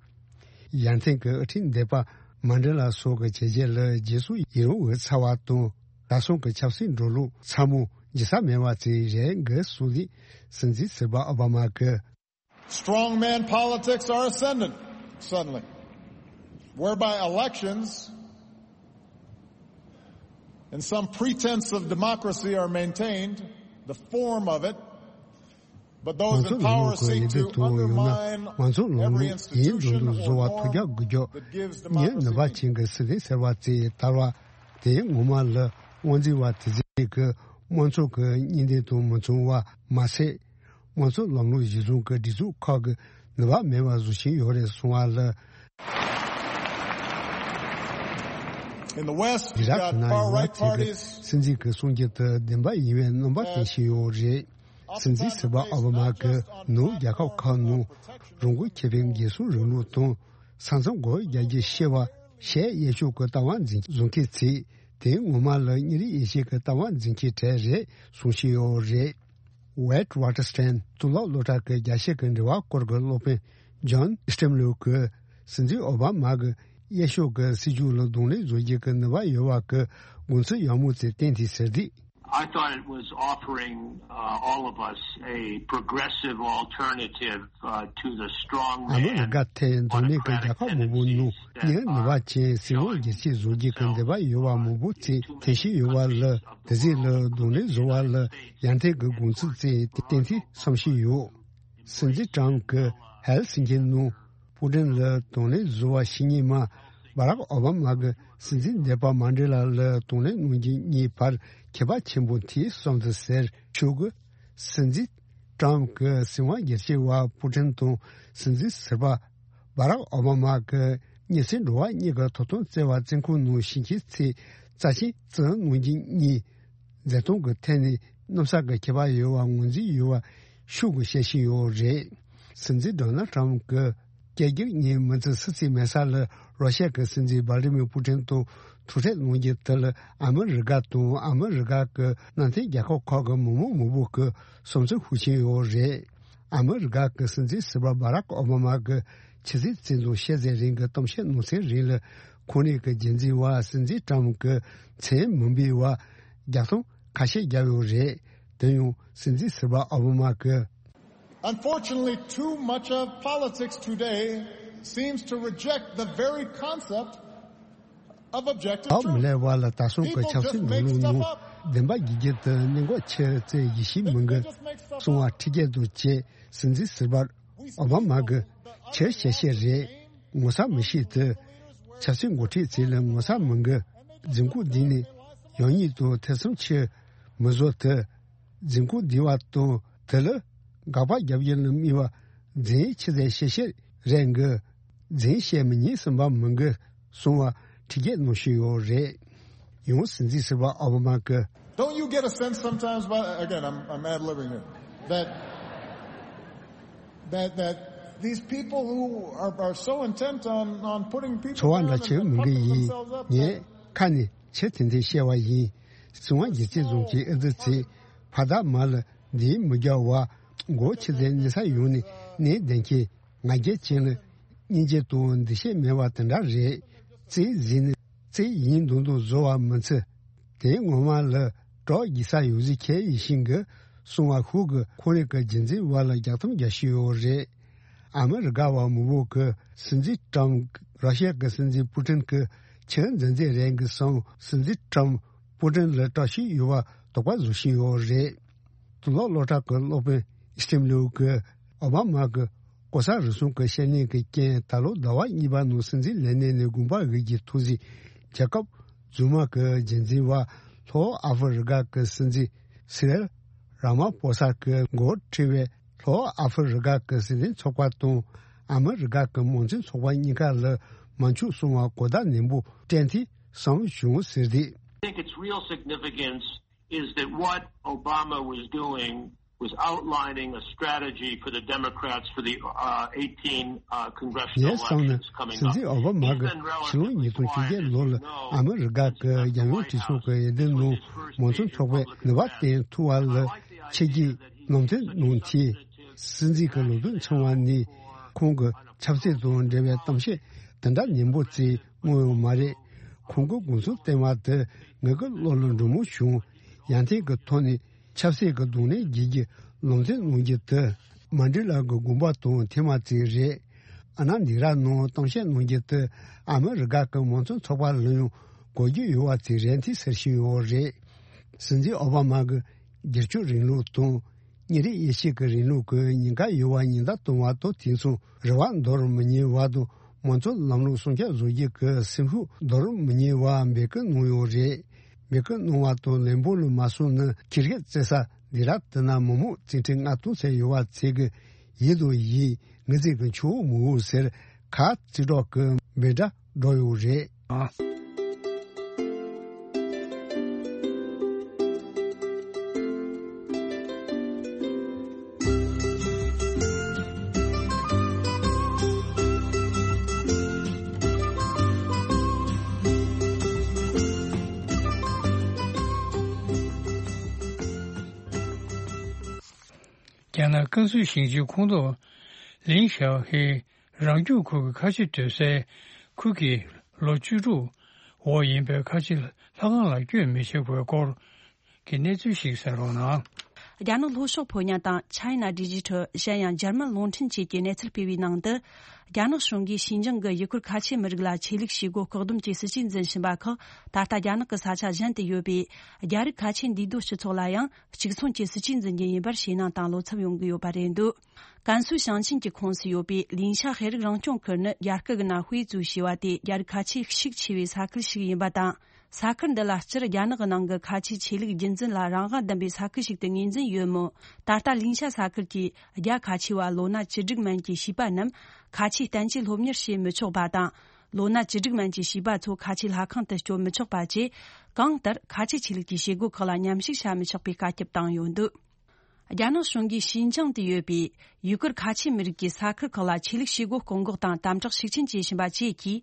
ཡར་ཐོན་གྱི་དབུ་ཁྲིད་འདས་པ་མན་ཌེ་ལ་སོགས་ཀྱི་བྱས་རྗེས་ལ་རྗེས་སུ་ཡི་རང་འོད་འཚེར་བ་དང་། ད་སོང་གི་ཆབ་སྲིད་འགྲོ་ལུགས་ཚ་མོ་འཇིགས་ས་མེད་པ་ཅིག་རེད་འགའ་སུ་ལི། སྲིད་འཛིན་ཟུར་པ་ཨོ་བྷ་མ་གིས། Strong man politics are ascendant suddenly, whereby elections and some pretense of democracy are maintained, the form of it But those in power seek to undermine every institution or law that gives democracy. མང་གཙོ་ལམ་ལུགས་ཡིན་དུ་འདུག་བཟོ་བ་ཐུགས་རྒྱག་དགོས་རྒྱུ། ངས་ནུས་པ་ཅན་གྱི་སྲིད་དོན་ཟེར་བ་དེ་དར་བ་དེ་ངོ་མ་ལ་དབང་འཛིན་པ་དེ་ཚོས་ཀྱི་དམངས་གཙོ་གི་གཉེན་སྟོན་དང་མི་མཚུངས་པ་མ་ཟད། དམངས་གཙོ་ལམ་ལུགས་གཞི་བཟུང་གི་སྒྲིག་འཛུགས་ཁག་གི་ནུས་པ་མེད་པ་བཟོ་བཞིན་ཡོད་རེད་གསུང་བ་ལ། In the West, you've got far right parties. སྲིད་འཛིན་གྱི་གསུང་རྒྱུ་དེ་བདེན་པ་ཡིན་པའི་རྣམ་པ་བསྟན་བཞིན་ཡོད་རེད། སྲིད་འཛིན་ཟུར་པ་ཨོ་བྷ་མ་གིས་ནུབ་རྒྱལ་ཁབ་ཁག་ནང་རང་འགུལ་ཁེ་ཕན་འགན་སྲུང་རིང་ལུགས་དང་ས་མཚམས་སྒོ་རྒྱག་རྒྱུ་ཞེས་པ་ཞལ་གཡས་ཕྱོགས་ཀྱི་ལྟ་བ་འཛིན་བཟོ་མཁན་ཚོས་དེ་ངོ་མ་ལ་ཉིན་རེ་ཡེ་ཤེས་ཀྱི་ལྟ་བ་འཛིན་མཁན་གྲས་རེད་གསུང་བཞིན་ཡོད་རེད། Wade Waterston གཙུག་ལག་སློབ་གྲྭ་གི་རྒྱལ་སྤྱི་གི་འབྲེལ་བ་སྐོར་གྱི་སློབ་དཔོན་John Stemlow གིས་སྲིད་འཛིན་ཨོ་བྷ་མ་གི་གཡས་ཕྱོགས་ཀྱི་སྲིད་ཇུས་ལ་གདོང་ལེན་བཟོ་རྒྱུ་གི་ནུས་པ་ཡོད་པ་གི་དགོངས་ཚུལ་ཡག་མོ་དེ་བསྟན་དེ་ཟེར་དུས། I thought it was offering, uh, all of us a progressive alternative, uh, to the strong man democratic tendencies that, uh, ཨ་མི་རི་ཀ་ཐད་མདོ་སྨད་ཀྱི་རྒྱལ་ཁབ་མང་པོ་ནང་མིའི་ནུས་པ་ཅན་སྲིད་དབང་སྒེར་གཅོད་བཟོ་རྒྱུ་གི་འདོད་པ་ཡོད་པ་མང་པོ་ཚོས་འཐེན་བཞིན་ཡོད་པ་ལ་དེ་ཚོ་ལ་གདོང་ལེན་བཟོ་བ་ལ་ཡར་ཐོན་གྱི་དགོངས་ཚུལ་བཙལ་ཏེ་བསྟན་ཏེ་བསམ་བཞིན་ཡོད། སྲིད་འཛིན་ཀྲམ་གྱིས་ཧེལ་སི་ཀི་ནང་པུ་ཀྲིན་ལ་གདོང་ལེན་བཟོ་བ་ཞིག་ཉིན་མ་བྷ་རག་ཨོ་བྷ་མ་གི་སྲིད་འཛིན་འདས་པ་མན་ཌེ་ལ་ལ་གདོང་ལེན་གནང་རྒྱུ་གཉིས་བར་ཁྱད་པར་ཆེན་པོ་དེའི་བསམ་ཚུལ་ཟེར་ཆོག་གི། སྲིད་འཛིན་ཀྲམ་གྱི་སྲིད་དབང་སྒེར་གཅོད་པ་པུ་ཀྲིན་དང་སྲིད་འཛིན་ཟུར་པ་བྷ་རག་ཨོ་བྷ་མ་གི་གཉིས་སྲིད་འགྲོ་བ་གཉིས་ཀྱི་ཐོབ་ཐང་བཙལ་བ་བཙོན་ཁང་ནང་ཞིང་ཆེན་ཚོས་རྩ་ཆེན་བཙོན་གནང་རྒྱུ་གཉིས་མཛད་སྟངས་ཀྱི་ཐད་ནས་གནམ་ས་གི་ཁྱད་པར་ཡོད་པ་ངོས་འཛིན་ཡོད་པ་ཤུགས་ཀྱིས་བཤད་བཞིན་ཡོད་རེད། སྲིད་འཛིན་ཌོ་ནལ་ཊམ་གྱི་སྐད་སྒྱུར་ཉིན་མི་ཚེ་སུ་ཚིག་མེད་ས་ལ་རོ་ཤ་གི་སྲིད་འཛིན་ཝ་ལི་མི་པུ་ཀྲིན་དང་ཐུག་འཕྲད་གནང་རྒྱུ་དེ་ལ་ཨ་མི་རི་ཀ་དང་ཨ་མི་རི་ཀ་གི་མནའ་མཐུན་རྒྱལ་ཁབ་ཁག་གི་མི་མང་མང་པོ་གི་བསམ་ཚུལ་ཤུགས་ཆེན་ཡོད་རེད། ཨ་མི་རི་ཀ་གི་སྲིད་འཛིན་ཟུར་པ་བྷ་རག་ཨོ་བྷ་མ་གི་ཆུ་ཚོད་བཙོན་དང་ཤེས་ཚད་རིང་གི་གཏམ་བཤད་གནང་ཚེ་རིང་ལ་ཁོང་རང་གི་རྒྱུན་འཛིན་པ་སྲིད་འཛིན་ཀྲམ་གྱི་མཚན་མི་འབོད་པ་རྒྱག་སྟངས་ཁ་ཤས་བརྒྱབ་ཡོད་རེད། དེ་ཡང་སྲིད་འཛིན་ཟུར་པ་ཨོ་བྷ་མ་གི། Unfortunately, too much of politics today seems to reject the very concept of objective truth. ཨ་མི་ལས་བ་ལ་ད་སོང་གི་ཆབ་སྲིད་འགྲོ་ལུགས་ནང་བདེན་པ་རྒྱུ་རྒྱུ་དུ་གནད་འགག་ཆེར་བཙལ་ཡིད་ཤེས་མི་འགི་གསུང་བ་ཁྲི་རྒྱལ་དུ་བཅས་སྲིད་འཛིན་ཟུར་པ་ཨོ་བྷ་མ་གི་ཆེར་བཤད་བཤད་རེད། ངོ་ཚ་མི་ཤེས་དུ་ཆབ་སྲིད་འགོ་ཁྲིད་ཚོས་ལ་ངོ་ཚ་མི་འགི་རྫུན་རྐུབ་འདི་ནི་ཡང་ཉིད་དུ་ཐེ་ཚོམ་ཆེ་མི་བཟོ་དུ། རྫུན་རྐུབ་འདི་བ་དང་དེ་ལ་དགག་པ་རྒྱབ་ཡུལ་ལ་དམིགས་པ་རྫུན་ཆེ་ཚད་ཤེས་བཤད་རེད་འགི། རྫུན་བཤད་མི་ཉན་སེམས་པ་མི་འགི་གསུང་བ་ཁྲི་རྒྱལ་གནང་བཞིན་ཡོད་རེད། ཡང་སྲིད་འཛིན་ཟུར་པ་ཨོ་བྷ་མ་གི། Don't you get a sense sometimes, but again, I'm, I'm ad-libbing here, that, that, that these people who are, are so intent on, on putting people down and, and puffing themselves up, that ཚོར་བ་འདྲ་ཆེ་མི་འགི་ཡིན། ངས་ཁ་ནས་ཆེ་དེ་འདྲ་བཤད་པ་ཡིན། སྲིད་དབང་སྒེར་གཅོད་བཟུང་གི་ཨེ་ཙི་ཚེ་ཕ་དག་མ་ལ་འདིའི་མི་རྒྱ་བ་མགོ་ཆེ་ཚད་གནས་ས་ཡོང་ནས་གནས་བདེན་གྱི་ང་རྒྱལ་ཅན་ལ་སྙིང་རྗེ་དང་འདུ་ཤེས་མེད་པ་དེ་འདྲ་རེད། རྩིས་ཟིན་ནས་རྩིས་ཡིན་མདོག་མདོག་བཟོ་བ་མི་ཚེ་དེ་ངོ་མ་ལ་གྲོགས་རྒྱག་ས་ཡོད་ཟིག་ཁྱེད་ཡིན་ཤིང་གི་གསུང་བ་ཤུགས་ཀྱི་ཁོ་རེ་གི་རྒྱུན་འཛིན་བ་ལ་རྒྱག་ཐམ་རྒྱག་ཤི་ཡོད་རེད། ཨ་མི་རི་ཀ་བ་མི་བོ་གི་སྲིད་འཛིན་ཀྲམ་རོ་ཤ་གི་སྲིད་འཛིན་པུ་ཀྲིན་གི་ཆེས་འཛིན་འཛིན་རེད་གི་སང་སྲིད་འཛིན་ཀྲམ་པུ་ཀྲིན་ལ་བཀྲ་ཤིས་ཡོད་པ་དོགས་པ་བཟོ་བཞིན་ཡོད་རེད། དུ་ལོག་སློབ་གྲྭ་གི་སློབ་དཔོན་སྟིམ་ལིའུ་གི་ཨོ་བྷ་མ་གི་ལྐོག་ཟ་རུལ་སུངས་ཀྱི་བཤད་ལན་གྱི་རྐྱེན་ད་ལོ་ཟླ་བ་གཉིས་པ་ནང་སྲིད་འཛིན་ལས་གནས་ནས་དགོངས་པ་འོས་ཀྱི་ཐོག་ཟིག་རྒྱལ་ཁབ་རྫུན་མ་གི་རྒྱུན་འཛིན་བ་ལྷོ་ཨ་ཧྥེ་རི་ཀ་གི་སྲིད་འཛིན་སི་རེལ་ར་མ་ཕོ་ས་གི་མགོ་ཁྲིད་པའི་ལྷོ་ཨ་ཧྥེ་རི་ཀ་གི་སྲིད་དོན་ཚོགས་པ་དང་ཨ་མི་རི་ཀ་གི་མང་གཙོའི་ཚོགས་པ་གཉིས་ཀ་ལ་མ་འཇུག་གསུང་བ་གོ་བརྡ་ནན་པོ་སྤྲད་དེ་བསམ་བྱུང་ཟེར་ཏེ། I think its real significance is that what Obama was doing was outlining a strategy for the Democrats for the, uh, eighteen, uh, congressional elections coming up. ངས་བསམ་ན་སྲིད་འཛིན་ཨོ་བྷ་མ་གི་ཕྱི་ལོ་ཉིས་སྟོང་བཅོ་བརྒྱད་ལོ་ལ་ཨ་མི་རི་ཀ་གི་རྒྱལ་ཡོངས་གྲོས་ཚོགས་ཀྱི་འོས་བསྡུ་ནང་མང་གཙོ་ཚོགས་པའི་ནུས་པ་བརྟན་ཐུབ་པ་ལ་ཆེས་ཀྱི་ལམ་སྟོན་གནང་དེ། སྲིད་འཛིན་གྱི་ལོ་རྒྱུས་ཚང་བ་ནི་ཁོང་གི་ཆབ་སྲིད་དང་འབྲེལ་བའི་གཏམ་བཤད་དེ་འདྲ་ཉན་པོ་ཙི་མངོན་ཡོད་མ་རེད། ཁོང་གི་དགོངས་ཚུལ་བསྟན་པ་དེ་ངེད་ཀྱི་བློ་ལ་འགྲོ་མོ་བྱུང་། ཡང་ཐེངས་ཀྱི་ཐོག་ནས་ཆབ་སྲིད་ཀྱི་གདོང་ལེན་བགྱིད་ཀྱི་ལམ་སྟོན་གནང་རྒྱུ་དེ་མན་ཌེ་ལ་གི་དགོངས་པ་དང་ཐེངས་མ་ཙི་རེད། ཨ་ན་ནི་ར་ནང་གཏམ་བཤད་གནང་རྒྱུ་དེ་ཨ་མི་རི་ཀ་གི་མང་གཙོ་ཚོགས་པ་ལ་ཡང་གོ་རྒྱུ་ཡོད་པ་ཙི་རེད་དེ་ཟེར་བཞིན་ཡོད་རེད། སྲིད་འཛིན་ཨོ་བྷ་མ་གི་སྒེར་གཅོད་རིང་ལུགས་དང་། ཉིན་རེའི་ཡེ་ཤུ་གི་རིང་ལུགས་ཀྱི་ཉིན་ཁ་ཡོལ་བ་ཉིན་ལྟར་གཏོང་བ་དང་དེ་མཚུངས་རེ་བ་འདོར་མི་ཉན་བ་དང་མང་གཙོ་ལམ་ལུགས་སྲུང་སྐྱོབ་བཟོ་རྒྱུ་གི་སེམས་ཤུགས་འདོར་མི་ཉན་བ་འབོད་སྐུལ་གནང་ཡོད་རེད། འབོད་སྐུལ་གནང་བ་དང་ལན་འབོར་ལ་མ་སོང་ན་ཁེར་ཡོད་བཙལ་ས་འདི་ར་དེ་ན་མི་མང་བཙན་ཁྲིད་མངའ་གཏོང་ཚད་ཡོད་པ་ཚད་ཀྱི་ཡིད་དུ་ཡིད་ངི་ཚིག་གི་ཆུ་བོ་མི་འུ་ཟེར་ཁ་རྩིས་སྒྲོག་གི་འབོད་སྒྲ་སྒྲོག་ཡོད་རེད། རྒྱ་ནག་ཀན་སུའུ་ཞིང་ཆེན་ཁོངས་གཏོགས་ལིན་ཞའོ་ཧེ་རང་སྐྱོང་ཁུལ་གྱི་ཁ་ཆེ་སྡོད་སའི་ཁུལ་གྱི་ལོ་བཅུ་དྲུག་འོག་ཡིན་པའི་ཁ་ཆེ་ལྷ་ཁང་ལ་སྐྱོན་མི་བྱེད་དགོས་སྐོར་གྱི་གནས་ཚུལ་ཞིག་གསན་རོགས་གནང་། རྒྱ་ནག་ལྷོ་ཕྱོགས་ཕོ་ཉ་དང་China Digital གཞན་ཡང་འཇར་མན་རླུང་འཕྲིན་བཅས་ཀྱིས་གནས་ཚུལ་སྤེལ་བའི་ནང་དུ། རྒྱ་ནག་གཞུང་གིས་ཞིན་ཅང་གི་ཡུ་གུར་ཁ་ཆེ་མི་རིགས་ལ་ཆོས་ལུགས་བྱེད་སྒོ་བཀག་སྡོམ་གྱི་སྲིད་ཇུས་འཛིན་བཞིན་པ་ཁག་ད་ལྟ་རྒྱ་ནག་གི་ས་ཆ་གཞན་དུ་ཡོད་པའི་རྒྱ་རིགས་ཁ་ཆེ་འདུས་སྡོད་སྤྱི་ཚོགས་ལ་ཡང་གཅིག་མཚུངས་ཀྱི་སྲིད་ཇུས་འཛིན་རྒྱུ་ཡིན་པར་ཞེད་སྣང་དང་བློ་འཚབ་ཡོང་གི་ཡོད་པ་རེད་འདུག་ཀན་སུའུ་ཞིང་ཆེན་གྱི་ཁོངས་སུ་ཡོད་པའི་ལིན་ཤ་ཤེས་རིག་རང་སྐྱོང་ཁུལ་ནི་རྒྱ་སྐད་ཀྱི་ནང་ཧུའེ་ཙུའུ་ཞེས་པ་དེ་རྒྱ་རིགས་ཁ་ཆེ་ཤུགས་ཆེ་བའི་ས་ཁུལ་ཞིག་ཡིན་པ་དང་། ས་ཁུལ་འདི་ལ་སྤྱིར་རྒྱ་ནག་གི་ནང་གི་ཁ་ཆེའི་ཆོས་ལུགས་རྒྱུན་འཛིན་ལ་རང་དབང་ལྡན་པའི་ས་ཁུལ་ཞིག་ཏུ་ངོས་འཛིན་ཡོད་མོད། ད་ལྟ་ལིན་ཤ་ས་ཁུལ་གྱི་རྒྱ་ཁ་ཆེ་བ་ལོ་ན་བཅུ་དྲུག་མན་གྱི་བྱིས་པ་རྣམས་ཁ་ཆེའི་བསྟན་བཅོས་སློབ་གཉེར་བྱེད་མི་ཆོག་པ་དང་། ལོ་ན་བཅུ་དྲུག་མན་གྱི་བྱིས་པ་ཚོ་ཁ་ཆེའི་ལྷ་ཁང་དུ་སྐྱོད་མི་ཆོག་པ་བཅས། གང་ལྟར་ཁ་ཆེའི་ཆོས་ལུགས་ཀྱི་བྱེད་སྒོ་ཁག་ལ་མཉམ་ཞུགས་བྱ་མི་ཆོག་པའི་བཀའ་ཁྱབ་བཏང་ཡོད་འདུག་རྒྱ་ནག་གཞུང་གིས་ཞིན་ཅང་དུ་ཡོད་པའི་ཡུ་གུར་ཁ་ཆེ་མི་རིགས་ཀྱི་ས་ཁུལ་ཁག་ལ་ཆོས་ལུགས་བྱེད་སྒོ་སྐོང་འགོག་དང་དམ་དྲག་ཤུགས་ཆེན་བྱེད་བཞིན་པ་བཅས་ཀྱིས།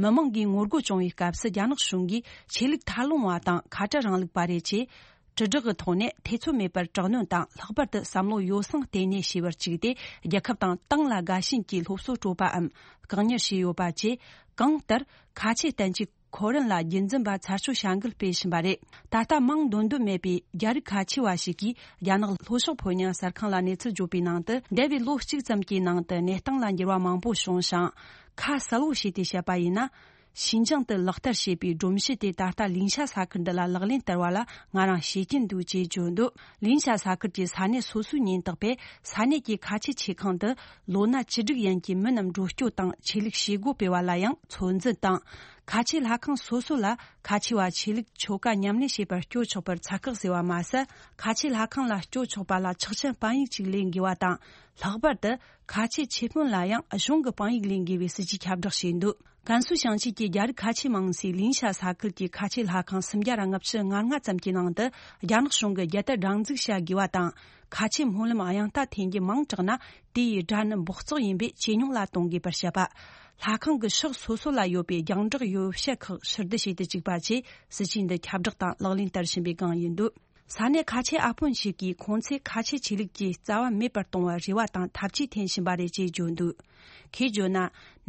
མི་མང་གིས་ངོ་རྒོལ་བྱུང་བའི་སྐབས་སུ་རྒྱ་ནག་གཞུང་གིས་ཆོས་ལུགས་མཐའ་ལྷུང་བ་དང་ཁ་བྲལ་རིང་ལུགས་པ་རེད་ཅེས། དྲིལ་བསྒྲགས་ཀྱི་ཐོག་ནས་ཐེ་ཚོམ་མེད་པར་དྲག་གནོན་དང་ལྷག་པར་དུ་བསམ་བློ་ཡོ་བསྲང་ལྟེ་གནས་བྱས་པར་བཅུག་སྟེ། རྒྱལ་ཁབ་དང་ཏང་ལ་དགའ་ཞེན་གྱི་སློབ་གསོ་སྤྲོད་པའམ་བཀག་ཉར་བྱས་ཡོད་པ་བཅས། གང་ལྟར་ཁ་ཆེ་བསྟན་བཅོས་ཁོ་རན་ལ་རྒྱུན་འཛིན་པ་ཚར་གཅོད་བྱ་འགུལ་སྤེལ་བཞིན་པ་རེད། ད་ལྟ་མིང་འདོན་འདོད་མེད་པའི་རྒྱ་རིགས་ཁ་ཆེ་བ་ཞིག་གིས་རྒྱ་ནག་ལྷོ་ཕྱོགས་ཕོ་ཉ་གསར་ཁང་ལ་གནས་ཚུལ་བརྗོད་པའི་ནང་དུ། འདས་པའི་ལོ་གཅིག་ཙམ་གྱི་ནང་དུ་གནས་སྟངས་ལ་འགྱུར་བ་མང་པོ་བྱུང་ཞིང་། ཁ་གསལ་བོ་བྱས་ཏེ་བཤད་པ་ཡིན་ན། ཞིན་ཅང་དུ་ལག་བསྟར་བྱེད་པའི་སྒྲོམ་གཞི་དེ་ད་ལྟ་ལིན་ཤ་ས་ཁུལ་འདི་ལ་ལག་ལེན་བསྟར་བ་ལ་ང་རང་ཤེས་ཀྱིན་འདུག་ཅེས་བརྗོད་འདུག་ལིན་ཤ་ས་ཁུལ་གྱི་ས་གནས་སོ་སོའི་ཉེན་རྟོག་པས་ས་གནས་ཀྱི་ཁ་ཆེ་ཆེ་ཁང་དུ་ལོ་ན་བཅུ་དྲུག་ཡན་གྱི་མི་རྣམས་འགྲོ་སྐྱོད་དང་ཆོས་ལུགས་བྱེད་སྒོ་སྤེལ་བ་ལ་ཡང་ཚོད་འཛིན་དང་། ཁ་ཆེ་ལྷ་ཁང་སོ་སོ་ལ་ཁ་ཆེ་བ་ཆོས་ལུགས་ཆོ་ག་ཉམས་ལེན་བྱེད་པར་སྐྱོད་ཆོག་པར་ཚད་བཀག་བཟོས་པ་མ་ཟད། ཁ་ཆེ་ལྷ་ཁང་ལ་སྐྱོད་ཆོག་པ་ལ་ཆོག་མཆན་དཔང་ཡིག་ཅིག་ལེན་དགོས་པ་དང་། ལྷག་པར་དུ་ཁ་ཆེ་ཆེ་དཔོན་ལ་ཡང་གཞུང་གི་དཔང་ཡིག་ལེན་དགོས་པའི་སྲིད་ཇུས་ཁྱབ་བསྒྲགས་བྱས་འདུག་ཀན་སུའུ་ཞིང་ཆེན་གྱི་རྒྱ་རིགས་ཁ་ཆེ་མང་སའི་ལིན་ཤ་ས་ཁུལ་གྱི་ཁ་ཆེ་ལྷ་ཁང་སུམ་བརྒྱ་ལྔ་བཅུ་ང་ལྔ་ཙམ་གྱི་ནང་དུ་རྒྱ་ནག་གཞུང་གིས་རྒྱལ་དར་སྒྲེང་འཛུགས་བྱ་དགོས་པ་དང་། ཁ་ཆེ་སྨོན་ལམ་དབྱངས་རྟ་འཐེན་རྒྱུ་མང་དྲགས་ན་དེ་ཡི་སྒྲ་ནི་འབོགས་བཙོག་ཡིན་པས་ཇེ་ཉུང་ལ་གཏོང་དགོས་པར་བཤད་པ། ལྷ་ཁང་གི་ཕྱོགས་སོ་སོ་ལ་ཡོད་པའི་རྒྱང་བསྒྲགས་ཡོ་བྱད་ཁག་ཕྱིར་བསྡུ་བྱེད་དུ་བཅུག་པ་བཅས་སྲིད་ཇུས་འདི་ཁྱབ་བསྒྲགས་དང་ལག་ལེན་བསྟར་བཞིན་པའི་སྒང་ཡིན་འདུག་ས་གནས་ཁ་ཆེ་ཨ་ཕོན་ཞིག་གིས་ཁོང་ཚོས་ཁ་ཆེ་ཆོས་ལུགས་ཀྱི་རྩ་བ་མེད་པར་གཏོང་བར་རེ་བ་དང་ཐབས་ཇུས་འཐེན་བཞིན་པ་རེད་ཅེས་བརྗོད་འདུག་ཁོས་བརྗོད་ན།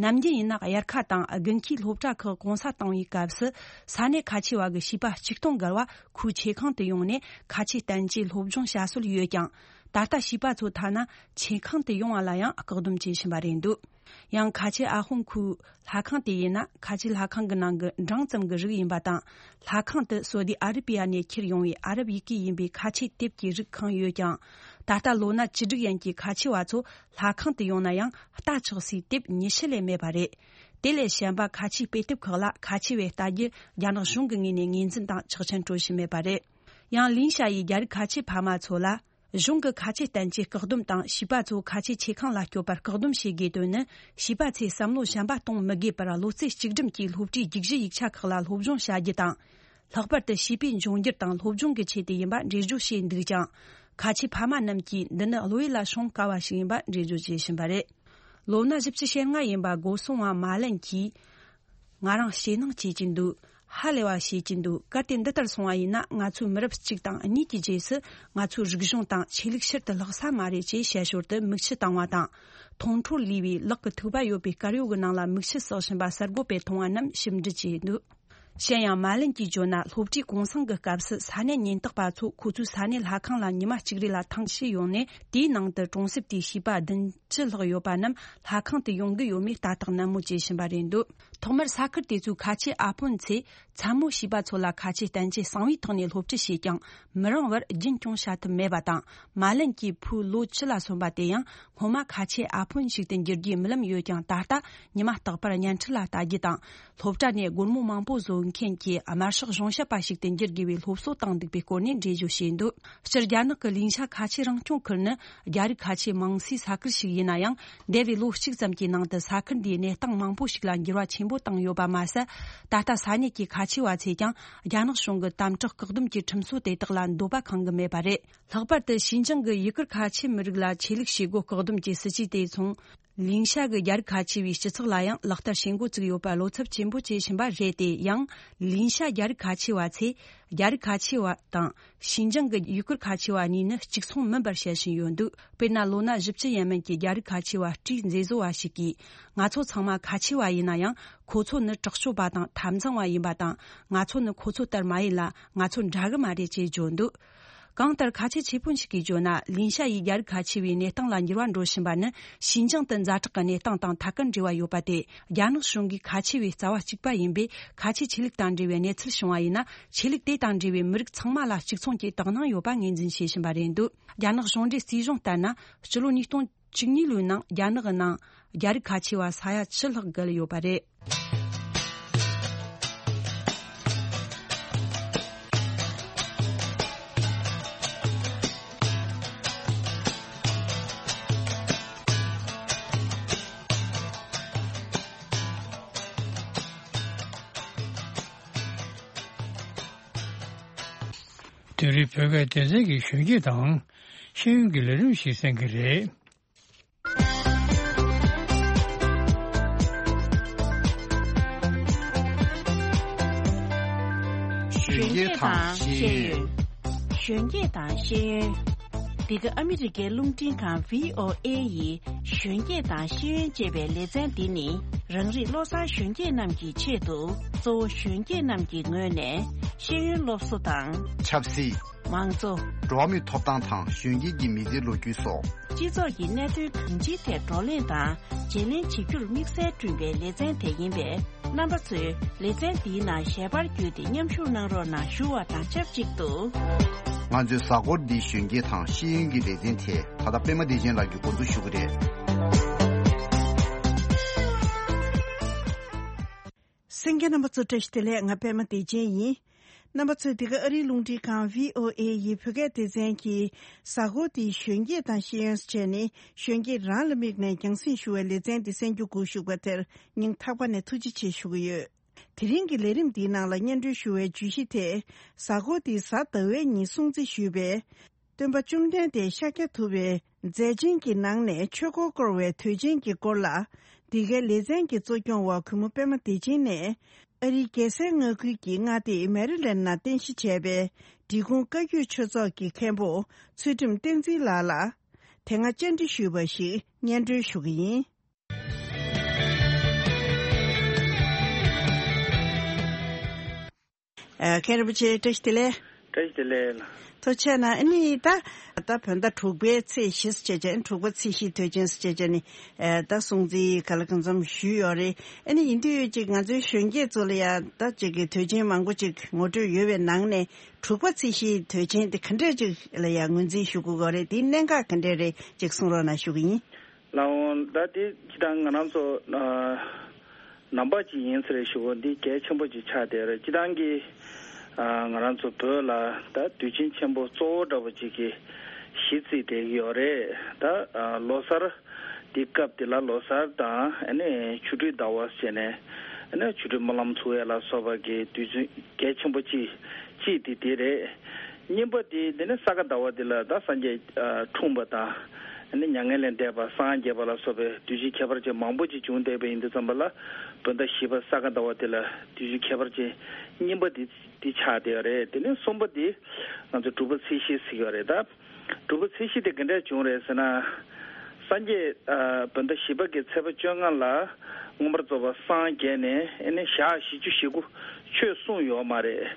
ནམ་རྒྱུན་ཡིན་ན་དབྱར་ཁ་དང་དགུན་ཁའི་སློབ་གྲྭ་ཁག་གུང་སེང་བཏང་བའི་སྐབས་སུ་ས་གནས་ཁ་ཆེ་བ་གི་བྱིས་པ་གཅིག་སྟོང་བརྒལ་བ་ཁོའི་ཆོས་ཁང་དུ་ཡོང་ནས་ཁ་ཆེ་བསྟན་བཅོས་སློབ་སྦྱོང་བྱ་སྲོལ་ཡོད་ཀྱང་། ད་ལྟ་བྱིས་པ་ཚོ་ཐ་ན་ཆོས་ཁང་དུ་ཡོང་བ་ལ་ཡང་བཀག་སྡོམ་བྱེད་བཞིན་པ་རེད་འདུག་ཡང་ཁ་ཆེ་ཨ་ཧོང་ཁུའུ་ལྷ་ཁང་དེ་ཡིན་ན་ཁ་ཆེ་ལྷ་ཁང་གི་ནང་གི་འབྲིང་ཙམ་གྱི་རིགས་ཡིན་པ་དང་། ལྷ་ཁང་དུ་སོ་དི་ཨ་རི་པི་ཡ་ནས་ཁྱེར་ཡོང་བའི་ཨ་རབ་ཡི་གེ་ཡིན་པའི་ཁ་ཆེ་དེབ་ཀྱི་རིགས་གང་ཡོད་ཀྱང་། ད་ལྟ་ལོ་ན་བཅུ་དྲུག་ཡན་གྱི་ཁ་ཆེ་བ་ཚོ་ལྷ་ཁང་དུ་ཡོང་ན་ཡང་ལྟ་ཆོག་སའི་དེབ་ཉི་ཤུ་ལས་མེད་པ་རེད། དེ་ལས་གཞན་པ་ཁ་ཆེའི་དཔེ་དེབ་ཁག་ལ་ཁ་ཆེ་བས་ལྟ་རྒྱུ་རྒྱ་ནག་གཞུང་གི་ངོས་ནས་ངོས་འཛིན་དང་ཆོག་མཆན་སྤྲོད་བཞིན་མེད་པ་རེད། ཡང་ལིན་ཤ་ཡི་རྒྱ་རིགས་ཁ་ཆེ་ཕ་མ་ཚོ་ལ། གཞུང་གི་ཁ་ཆེ་བསྟན་བཅོས་བཀག་སྡོམ་དང་བྱིས་པ་ཚོ་ཁ་ཆེ་ཆོས་ཁང་ལ་སྐྱོད་པར་བཀག་སྡོམ་བྱེད་དགོས་དོན་ནི། བྱིས་པ་ཚོས་བསམ་བློ་གཞན་པ་གཏོང་མི་དགོས་པར་བློ་རྩེ་གཅིག་སྒྲིམ་གྱིས་སློབ་གྲྭའི་རྒྱུགས་གཞི་ཡིག་ཆ་ཁག་ལ་སློབ་སྦྱོང་བྱ་རྒྱུ་དང་། ལྷག་པར་དུ་བྱིས་པའི་འབྱུང་འགྱུར་དང་སློབ་སྦྱོང་གི་ཆེད་དུ་ཡིན་པ་འགྲེལ་བརྗོད་བྱས་འདུག་ཀྱང་། ཁ་ཆེ་ཕ་མ་རྣམས་ཀྱིས་འདི་ནི་བློ་ཡུལ་ལ་ཤོང་དཀའ་བ་ཞིག་ཡིན་པ་འགྲེལ་བརྗོད་བྱེད་བཞིན་པ་རེད། ལོ་ན་བཞི་བཅུ་ཞེ་ལྔ་ཡིན་པ་སྒོ་སྲུང་བ་མ་ལན་གྱིས། ང་རང་ཞེད་སྣང་སྐྱེ་གྱིན་འདུག་ཧ་ལས་པ་བྱེད་ཀྱིན་འདུག་གལ་ཏེ་འདི་ལྟར་སོང་བ་ཡིན་ན། ང་ཚོའི་མི་རབས་གཅིག་དང་གཉིས་ཀྱི་རྗེས་སུ་ང་ཚོའི་རིག་གཞུང་དང་ཆོས་ལུགས་ཕྱིར་དུ་ལྷག་ས་མ་རེད་ཅེས་བཤད་ཞོར་དུ་མིག་ཆུ་བཏང་བ་དང་། མཐོང་འཕྲོ་ལུས་པའི་ལག་གི་ཐིགས་པ་ཡོད་པའི་དཀར་ཡོལ་གྱི་ནང་ལ་མིག་ཆུ་བསགས་བཞིན་པ་གསར་འགོད་པས་མཐོང་བ་རྣམས་ཞིབ་འབྲི་བྱས་འདུག་གཞན་ཡང་། མཱ་ལིན་གྱིས་བརྗོད་ན། སློབ་གྲྭའི་གུང་སེང་གི་སྐབས་སུ་ས་གནས་ཉེན་རྟོག་པ་ཚོ་ཁོ་ཚོའི་ས་གནས་ལྷ་ཁང་ལ་ཉི་མ་གཅིག་རེ་ལ་ཐེངས་ཤིག་ཡོང་ནས། དེའི་ནང་དུ་གྲོང་གསེབ་དེའི་བྱིས་པ་བདུན་ཅུ་ལྷག་ཡོད་པ་རྣམས་ལྷ་ཁང་དུ་ཡོང་གི་ཡོད་མེད་ལྟ་རྟོག་ནན་མོ་བྱེད་བཞིན་པ་རེད་འདུག་ཐོག་མར་ས་ཁུལ་དེ་ཚོའི་ཁ་ཆེ་ཨ་ཕོན་ཚོས་མཚན་མོ་བྱིས་པ་ཚོ་ལ་ཁ་ཆེ་བསྟན་ཆེད་གསང་བའི་ཐོག་ནས་སློབ་ཁྲིད་བྱས་ཀྱང་། མི་རིང་བར་རྒྱུན་སྐྱོང་བྱ་ཐུབ་མེད་པ་དང་། མཱ་ལིན་གྱི་བུ་ལོ་བཅུ་ལ་སོན་པ་དེ་ཡང་སྔོན་མ་ཁ་ཆེ་ཨ་ཕོན་ཞིག་ཏུ་འགྱུར་རྒྱུའི་རྨི་ལམ་ཡོད་ཀྱང་། ད་ལྟ་ཉི་མ་རྟག་པར་བརྙན་འཕྲིན་ལ་ལྟ་རྒྱུ་དང་། སློབ་གྲྭ་ནས་སྒོར་མོ་མང་པོ་བཟོ་མཁན་གྱི་དམར་ཤོག་གཞུང་ཞབས་པ་ཞིག་ཏུ་འགྱུར་དགོས་པའི་སློབ་གསོ་བཏང་འདུག་པའི་སྐོར་ནས་འགྲེལ་བརྗོད་བྱས་འདུག་སྤྱིར། རྒྱ་ནག་གི་ལིང་ཤ་ཁ་ཆེ་རང་སྐྱོང་ཁུལ་ནི་རྒྱ་རིགས་ཁ་ཆེ་མང་སའི་ས་ཁུལ་ཞིག་ཡིན་ན་ཡང་། འདས་པའི་ལོ་གཅིག་ཙམ་གྱི་ནང་དུ་ས་ཁུལ་འདིའི་གནས་སྟངས་མང་པོ་ཞིག་ལ་འགྱུར་བ་ཆེན་པོ་བཏང་ཡོད་པ་མ་ཟད། ད་ལྟ་ས་གནས་ཀྱི་ཁ་ཆེ་བ་ཚོས་ཀྱང་རྒྱ་ནག་གཞུང་གི་དམ་དྲག་བཀག་སྡོམ་གྱི་ཁྲིམས་སྲོལ་དེ་དག་ལ་འདོད་པ་ཁེངས་ཀྱི་མེད་པ་རེད། ལྷག་པར་དུ་ཞིན་ཅང་གི་ཡུ་གུར་ཁ་ཆེ་མི་རིགས་ལ་ཆོས་ལུགས་བྱེད་སྒོ་བཀག་སྡོམ་གྱི་སྲིད་ཇུས་དེ་མཚུངས། ལིང་ཤ་གི་རྒྱ་རིགས་ཁ་ཆེ་བའི་སྤྱི་ཚོགས་ལ་ཡང་ལག་བསྟར་བྱེད་འགོ་བཙུགས་ཡོད་པར་བློ་འཚབ་ཆེན་པོ་བྱེད་བཞིན་པ་རེད་དེ། ཡང་། ལིང་ཤ་རྒྱ་རིགས་ཁ་ཆེ་བ་ཚོས་རྒྱ་རིགས་ཁ་ཆེ་བ་དང་ཞིན་ཅང་གི་ཡུ་གུར་ཁ་ཆེ་བ་གཉིས་ནི་གཅིག་མཚུངས་མིན་པར་བཤད་བཞིན་ཡོད་འདུག་དཔེར་ན། ལོ་ན་བཞི་བཅུ་ཡས་མན་གྱི་རྒྱ་རིགས་ཁ་ཆེ་བ་སྤྲུལ་མཛེས་བཟོ་བ་ཞིག་གིས། ང་ཚོ་ཚང་མ་ཁ་ཆེ་བ་ཡིན་ན་ཡང་། ཁོ་ཚོ་ནི་དྲག་སྤྱོད་པ་དང་འཐབ་འཛིང་བ་ཡིན་པ་དང་། ང་ཚོ་ནི་ཁོ་ཚོ་ལྟར་མ་ཡིན་ལ། ང་ཚོ་འདྲ་གི་མ་རེད་ཅེས་བརྗོད་འདུག་གང་ལྟར། ཁ་ཆེ་ཆེ་དཔོན་ཞིག་གིས་བརྗོད་ན། ལིན་ཤ་ཡི་རྒྱ་རིགས་ཁ་ཆེ་བའི་གནས་སྟངས་ལ་འགྱུར་བ་འགྲོ་བཞིན་པ་ནི་ཞིན་ཅང་དུ་ཛ་དྲག་གི་གནས་སྟངས་དང་ཐད་ཀར་འབྲེལ་བ་ཡོད་པ་སྟེ། རྒྱ་ནག་གཞུང་གིས་ཁ་ཆེ་བའི་རྩ་བ་གཅིག་པ་ཡིན་པས། ཁ་ཆེ་ཆོས་ལུགས་དང་འབྲེལ་བའི་གནས་ཚུལ་བྱུང་བ་ཡིན་ན། ཆོས་ལུགས་དེ་དང་འབྲེལ་བའི་མི་རིགས་ཚང་མ་ལ་གཅིག་མཚུངས་ཀྱི་དོ་སྣང་ཡོད་པ་ངོས་འཛིན་བྱེད་བཞིན་པ་རེད་འདུག་རྒྱ་ནག་གཞུང་འབྲེལ་རྩིས་གཞུང་ལྟར་ན། སྤྱི་ལོ་ཉིས་སྟོང་བཅུ་གཉིས་ལོའི་ནང་རྒྱ་ནག་གི་ནང་རྒྱ་རིགས་ཁ་ཆེ་བ་ས་ཡ་བཅུ་ལྷག་བརྒལ་ཡོད་པ་རེད། དེ་རིང་བོད་སྐད་སྡེ་ཚན་གྱི་གཞོན་སྐྱེས་དང་ཤེས་ཡོན་གྱི་ལས་རིམ་ཞིག་གསན་གྱི་རེད། གཞོན་སྐྱེས་དང་ཤེས་ཡོན། གཞོན་སྐྱེས་དང་ཤེས་ཡོན། འདི་ག་ཨ་མི་རི་ཀའི་རླུང་འཕྲིན་ཁང་བྷི་ཨོ་ཨེ་ཡི་གཞོན་སྐྱེས་དང་ཤེས་ཡོན་ཅེས་པའི་ལེ་ཚན་འདི་ནི། རང་རིགས་བློ་བཟང་གཞོན་སྐྱེས་རྣམས་ཀྱི་ཆེད་དུ། གཙོ་བོ་གཞོན་སྐྱེས་རྣམས་ཀྱི་ངོས་ནས་ཤེས་ཡོན་སློབ་གསོ་དང་། ཆབ་སྲིད། མང་གཙོ། འགྲོ་བ་མིའི་ཐོབ་ཐང་དང་གཞོན་སྐྱེས་ཀྱི་མི་ཚེའི་ལོ་རྒྱུས་སོགས། སྤྱི་ཚོགས་ཀྱི་གནད་དོན་གང་ཅིའི་ཐད་བགྲོ་གླེང་དང་བརྗེ་ལེན་བྱེད་རྒྱུར་དམིགས་བསལ་བསྐྲུན་པའི་ལེ་ཚན་དེ་ཡིན་པས། རྣམ་པ་ཚོས་ལེ་ཚན་འདིའི་ནང་ཞལ་པར་བརྒྱུད་དེ་མཉམ་ཞུགས་གནང་རོགས་གནང་ཞུ་བ་དང་ཆབས་ཅིག་ཏུ། ང་ཚོའི་གཟའ་འཁོར་འདིའི་གཞོན་སྐྱེས་དང་ཤེས་ཡོན་གྱི་ལེ་ཚན་དེ་ད་ལྟ་པད་མ་བདེ་ཆེན་ལགས་ཀྱིས་འགོ་འཛུགས་ཞུ་གི་རེད། གསན་མཁན་རྣམ་པ་ཚོ་བཀྲ་ཤིས་བདེ་ལེགས། ང་པད་མ་བདེ་ཆེན་ཡིན། རྣམ་པ་ཚོས་འདི་ག་ཨ་རིའི་རླུང་འཕྲིན་ཁང་བྷི་ཨོ་ཨེ་ཡི་བོད་སྐད་སྡེ་ཚན་གྱི་གཟའ་འཁོར་འདིའི་གཞོན་སྐྱེས་དང་ཤེས་ཡོན་ཟེར་བྱས་ནས་གཞོན་སྐྱེས་རང་ལ་དམིགས་ནས་རྒྱང་སྲིང་ཞུ་བའི་ལེ་ཚན་འདི་གསན་རྒྱུ་སྒུག་བཞུགས་པ་དེར་སྙིང་ཐག་པ་ནས་ཐུགས་རྗེ་ཆེ་ཞུ་གི་ཡོད། དེ་རིང་གི་ལས་རིམ་འདིའི་ནང་ལ་སྙན་སྒྲོན་ཞུ་བའི་བརྗོད་གཞི་དེ། གཟའ་འཁོར་འདིའི་གཟའ་ཟླ་བའི་ཉིན་སྲུང་བརྩི་ཞུས་པའི། སྟོན་པ་བཅོམ་ལྡན་འདས་ཤཱཀྱ་ཐུབ་པའི་མཛད་ཆེན་གྱི་ནང་ནས་ཆོས་འཁོར་བསྐོར་བའི་དུས་ཆེན་གྱི་སྐོར་ལ། འདི་གའི་ལེ་ཚན་གྱི་གཙོ་སྐྱོང་བ་གུས་མོ་པད་མ་བདེ་ཆེན་ནས། ཨ་རིའི་རྒྱལ་སའི་མངའ་ཁུལ་གྱི་མངའ་སྡེ་མེ་རི་ལན་ནང་རྟེན་གཞི་བྱས་པའི་འབྲི་གུང་བཀའ་བརྒྱུད་ཆོས་ཚོགས་ཀྱི་མཁན་པོ་ཚུལ་ཁྲིམས་བསྟན་འཛིན་ལགས་ལ། དེ་སྔ་བཅར་འདྲི་ཞུས་པ་ཞིག་སྙན་སྒྲོན་ཞུ་གི་ཡིན། ཨ། མཁན་རིན་པོ་ཆེ་བཀྲ་ཤིས་བདེ་ལེགས། བཀྲ་ཤིས་བདེ་ལེགས། ཐུགས་རྗེ་གནང་། ཨ་ནི་ད་ད་བོད་ཟླ་དྲུག་པའི་ཚེས་བཞི་ཟེར་བྱས་ནས་དྲུག་པ་ཚེས་བཞིའི་དུས་ཆེན་ཟེར་བྱས་ནས་ཨ་ད་སྲུང་བརྩི་ག་ལ་གང་འཚམ་ཞུས་ཡོད་རེད། ཨ་ནི་ཡིན་དུས་ཅིག་ང་ཚོའི་གཞོན་སྐྱེས་ཚོ་ལ་ཡང་ད་ཅིག་གི་དུས་ཆེན་མང་པོ་ཅིག་ངོ་སྤྲོད་ཡོད་པའི་ནང་ནས་དྲུག་པ་ཚེས་བཞིའི་དུས་ཆེན་དེ་ག་འདྲས་ཅིག་ལ་ཡང་ངོས་འཛིན་ཞུ་དགོས་ཀྱི་རེད། དེའི་གནད་འགག་ག་འདྲས་རེད་ཅིག་གསུང་རོགས་གནང་ཞུ་གི་ཡིན། ལགས་འོང་། ད་དེ་སྤྱིར་བཏང་ང་རང་ཚོ་ཨ་ནང་པ་ཅིག་ཡིན་ས་རེད་ཞུ་བ་འདི་གལ་ཆེན་པོ་ཅིག་ཆགས་བསྡད་རེད། སྤྱིར་བཏང་གི་ཨ་ང་རང་ཚོ་བོད་ལ་ད་དུས་ཆེན་ཆེན་པོ་གཙོ་བོ་འདྲ་པོ་ཅིག་གི་གཞི་རྩིས་བསྡད་ཀྱི་ཡོད་རེད། ད་ཨ་ལོ་གསར་འདི་སྐབས་འདི་ལ་ལོ་གསར་དང་ཨ་ནི་ཆུ་སྦྲུལ་ཟླ་བ་ཟེར་ནས་ཨ་ནི་ཆུ་སྦྲུལ་སྨོན་ལམ་ཚུགས་ཡས་ལ་སོགས་པ་གི་དུས་ཚོད་གལ་ཆེན་པོ་ཅིག་གཅིག་དེ་དེ་རེད། གཉིས་པ་དེ་དེ་ནི་ས་ག་ཟླ་བ་དེ་ལ་ད་སངས་རྒྱས་ཨ་འཁྲུངས་པ་དང་། ཨ་ནི་མྱ་ངན་ལས་འདས་པ་སངས་རྒྱས་པ་ལ་སོགས་པའི་དུས་ཆེན་ཁྱད་པར་ཅན་མང་པོ་ཅིག་བྱུང་བསྡད་པ་ཡིན་དུས་ཙམ་པ་ལ། བོད་ཟླ་བཞི་པ་ས་ག་ཟླ་བ་དེ་ལ་དུས་ཆེན་ཁྱད་པར་ཅན་གཉིས་པ་དེ་དེ་ཆགས་བསྡད་ཡོད་རེད། དེ་ནས་གསུམ་པ་དེ་ང་ཚོ་དྲུག་པ་ཚེས་བཞི་ཟེར་གྱི་ཡོད་རེད་ད། དྲུག་པ་ཚེས་བཞི་དེ་ག་འདྲས་བྱུང་རེད་ཟེར་ན། སངས་རྒྱས་ཨ་བོད་ཟླ་བཞི་པ་གི་ཚེས་པ་བཅོ་ལྔ་ལ་མངོན་པར་རྫོགས་པར་སངས་རྒྱས་ནས་ཨ་ནི་ཞག་བཞི་བཅུ་ཞེ་དགུ་ཆོས་གསུངས་ཡོད་མ་རེད།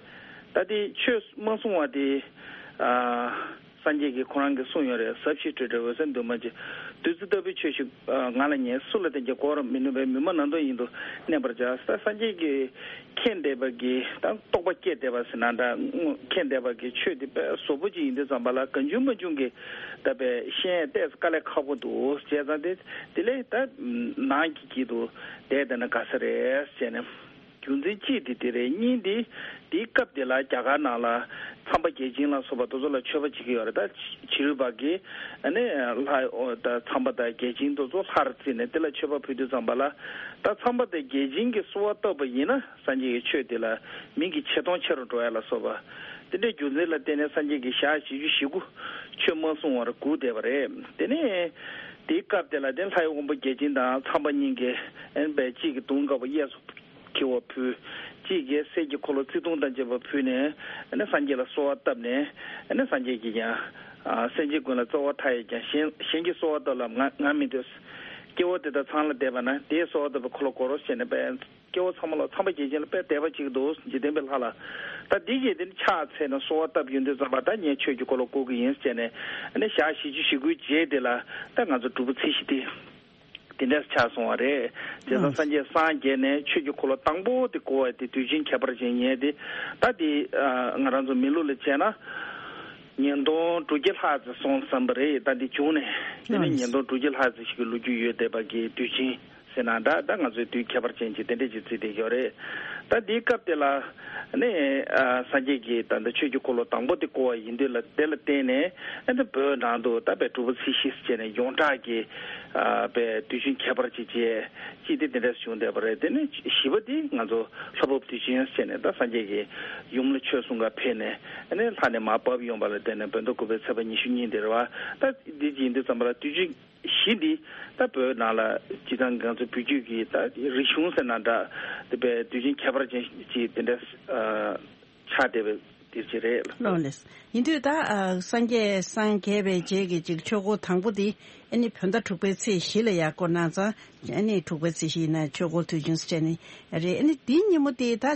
ད་དེ་ཆོས་མ་གསུང་བ་དེ་ཨ་སངས་རྒྱས་ཀྱིས་ཁོ་རང་གིས་གསུངས་ཡོད་རེད། ཟབ་ཞི་སྤྲོས་བྲལ་འོད་གསལ་འདུས་མ་བྱས། བདུད་རྩི་ལྟ་བུའི་ཆོས་ཤིག་ཨ་ང་ལ་ཉོན། སུ་ལ་བསྟན་ཀྱང་གོ་བར་མི་ནུས་པས། མི་སྨྲ་ནམ་དུ་ཡིན་དུ་གནས་པར་བྱ། ད་སངས་རྒྱས་ཀྱིས་མཁྱེན་བསྡད་པ་གི་ད་རྟོགས་པ་སྐྱེས་བསྡད་པ་ཟེར་ན་འདྲ། མཁྱེན་བསྡད་པ་གི་ཆོས་དེ་དཔེ་ཟབ་པོ་ཅིག་ཡིན་དུས་ཙམ་པ་ལ་གང་བྱུང་མང་བྱུང་གི་ད་དཔེ་ཤེས་ཡས་ཏོག་ཙམ་དཀའ་ལས་ཁག་པོ་འདུག་བྱས་ཙང་དེ་དེ་ལས་ད་ནང་གི་དཀྱིལ་དུ་བསྡད་བསྡད་ན་དགའ་ས་རེད་ཟེར་ནས། རྒྱུ་མཚན་གཅིག་དེ་དེ་རེད། གཉིས་དེ་དེའི་སྐབས་དེ་ལ་རྒྱ་གར་ནང་ལ་ཚངས་པ་བརྒྱ་བྱིན་ལ་སོགས་པ་དེ་ཚོ་ལ་མཆོད་པ་བྱེད་ཀྱི་ཡོད་རེད། ད་ཕྱི་རོལ་པ་གིས་ཨ་ནི་ལྷ་ཨོ་ད་ཚངས་པ་དང་བརྒྱ་བྱིན་དེ་ཚོ་ལྷར་བརྩིས་ནས་དེ་ལ་མཆོད་པ་ཕུལ་དུས་ཙམ་པ་ལ། ད་ཚངས་པ་དང་བརྒྱ་བྱིན་གྱིས་གསོལ་བ་བཏབ་པ་ཡིན་ན་སངས་རྒྱས་ཀྱི་ཆོས་དེ་ལ་མིང་གི་ཆེ་མཐོང་ཆེ་རུ་འགྲོ་ཡ་ལ་སོགས་པ་དེ་འདྲའི་རྒྱུ་མཚན་ལ་བརྟེན་ནས་སངས་རྒྱས་ཀྱིས་ཞག་བཞི་བཅུ་ཞེ་དགུ་ཆོས་མ་གསུང་བར་སྒུག་བསྡད་པ་རེད། དེ་ནས་དེའི་སྐབས་དེ་ལ་དེ་ལྷའི་དབང་པོ་བརྒྱ་བྱིན་དང་ཚངས་པ་གཉིས་ཀྱིས་ཨེ་ནི་པའི་གཅིག་གིས་དུང་དཀར་པོ་གཡས་སུ་འཁྱིལ་བ་ཕུལ། གཅིག་གིས་གསེར་གྱི་འཁོར་ལོ་བརྩེ་དུང་དང་བཅས་པ་ཕུལ་ནས་ཨ་ནི་སངས་རྒྱས་ལ་གསོལ་བ་བཏབ་ནས་ཨ་ནི་སངས་རྒྱས་ཀྱིས་ཀྱང་ཨ་སེམས་ཅན་ཀུན་ལ་སྩོལ་བ་མཐའ་ཡས་ཀྱང་གཞན་གཞན་གྱིས་གསོལ་བ་བཏབ་ལ་ང་ང་མི་འདོད། སྐྱེ་བོ་དེ་དག་ཚང་ལ་བསྟན་པ་ན་དེས་གསོལ་བ་བཏབ་པའི་འཁོར་ལོ་བསྐོར་རོ་ཞེས་ནས་པས། སྐྱེ་བོ་ཚང་མ་ལ་ཚངས་པ་བརྒྱ་བྱིན་ལ་དཔེ་དད་པ་ཅིག་འདུག་འཇིག་རྟེན་པའི་ལྷ་ལ། ད་འདི་གས་དེ་ནི་ཕྱག་འཚལ་ནས་གསོལ་བ་བཏབ་ཡོང་དུས་ཙམ་པ་ད་ངས་ཆོས་ཀྱི་འཁོར་ལོ་བསྐོར་གྱི་ཡིན་ཟེར་ནས་ཨ་ནི་ཞག་བཞི་བཅུ་ཞེ་དགུའི་རྗེས་དེ་ལ་ད་ང་ཚོ་སྒྲུབ་པ་ཚེས་བཞི་དེ། དེ་འདྲ་ཆགས་སོང་བ་རེད། བྱས་ཙང་ཨང་། སངས་རྒྱས་སངས་རྒྱས་ནས་ཆོས་ཀྱི་འཁོར་ལོ་དང་པོ་དེ་བསྐོར་བ་དེ་དུས་ཆེན་ཁྱད་པར་ཅན་ཡིན་ཏེ། ད་དེ་ཨ་ང་རང་ཚོ་མི་ལུགས་ལ་བྱས་ན། ཉིས་སྟོང་དྲུག་བརྒྱ་ལྷག་ཙམ་སོང་བསམ་པ་རེད། ད་འདི་བྱུང་ནས་དེ་ནས་ཨང་། ཉིས་སྟོང་དྲུག་བརྒྱ་ལྷག་ཙམ་ཞིག་གི་ལོ་རྒྱུས་ཡོད་བསྡད་པ་གི་དུས་ཆེན་ཟེར་ན་འདྲ། ད་ང་ཚོའི་དུས་ཁྱད་པར་ཅན་གྱི་དེ་འདྲ་ཅིག་བརྩིས་བསྡད་ཡོད་རེད། ད་འདིའི་སྐབས་དེ་ལ་ནི་ཨ་སངས་རྒྱས་ཀྱིས་ད་ལྟ་ཆོས་ཀྱི་འཁོར་ལོ་དང་པོ་དེ་བསྐོར་བ་ཡིན་དུས་ལ་དེ་ལ་བརྟེན་ནས་ཨ་ནི་བོད་ནང་དུ་ད་དཔེ་སྒྲུབ་པ་ཚེས་བཞི་ཟེར་ནས་ཡོངས་གྲགས་ཀྱི་ཨ་དཔེ་དུས་ཆེན་ཁྱད་པར་ཅིག་བྱས་ཅིག་དེ་དེ་འདྲ་བྱུང་བསྡད་པ་རེད། དེ་ནས་བཞི་པ་དེ་ང་ཚོ་ལྷ་བབས་དུས་ཆེན་ཟེར་ནས་ད་སངས་རྒྱས་ཀྱིས་ཡུམ་ལ་ཆོས་གསུང་གར་ཕེབས་ནས་ཨ་ནི་ལྷ་ནས་མར་བབས་ཡོང་བ་ལ་བརྟེན་ནས་བོད་ཟླ་དགུ་པའི་ཚེས་པ་ཉི་ཤུ་གཉིས་དེ་རེད་བ། ད་འདི་ཅིག་ཡིན་དུས་ཙམ་པ་ལ་དུས་ཆེན་བཞི་འདི་ད་བོད་ནང་ལ་སྤྱིར་བཏང་ང་ཚོ་བོད་བརྒྱུད་ཀྱི་ད་རིག་གཞུང་ཟེར་ན་འདྲ། དེ་བས་དུས་ཆེན་ཁྱད་པར་ཅན་ཅིག་དེ་འདྲ་ཨ་ཆགས་བསྡད་པའི་དུས་ཚོད་རེད། ལགས་ལགས། ཡིན་དུས་ད་ཨ་སངས་རྒྱས་སངས་རྒྱས་པའི་རྗེས་ཀྱི་ཅིག་ཆོས་འཁོར་དང་པོ་འདི་ཨ་ནི་བོད་ཟླ་དྲུག་པའི་ཚེས་བཞི་ལ་ཡར་བསྐོར་གནང་ཙང་ཨ་ནི་དྲུག་པའི་ཚེས་བཞི་ཡིན་ན་ཆོས་འཁོར་དུས་ཆེན་ཟེར་ནི་རེད། ཨ་ནི་འདིའི་ཉིན་མོ་དེ་ད་ཨ་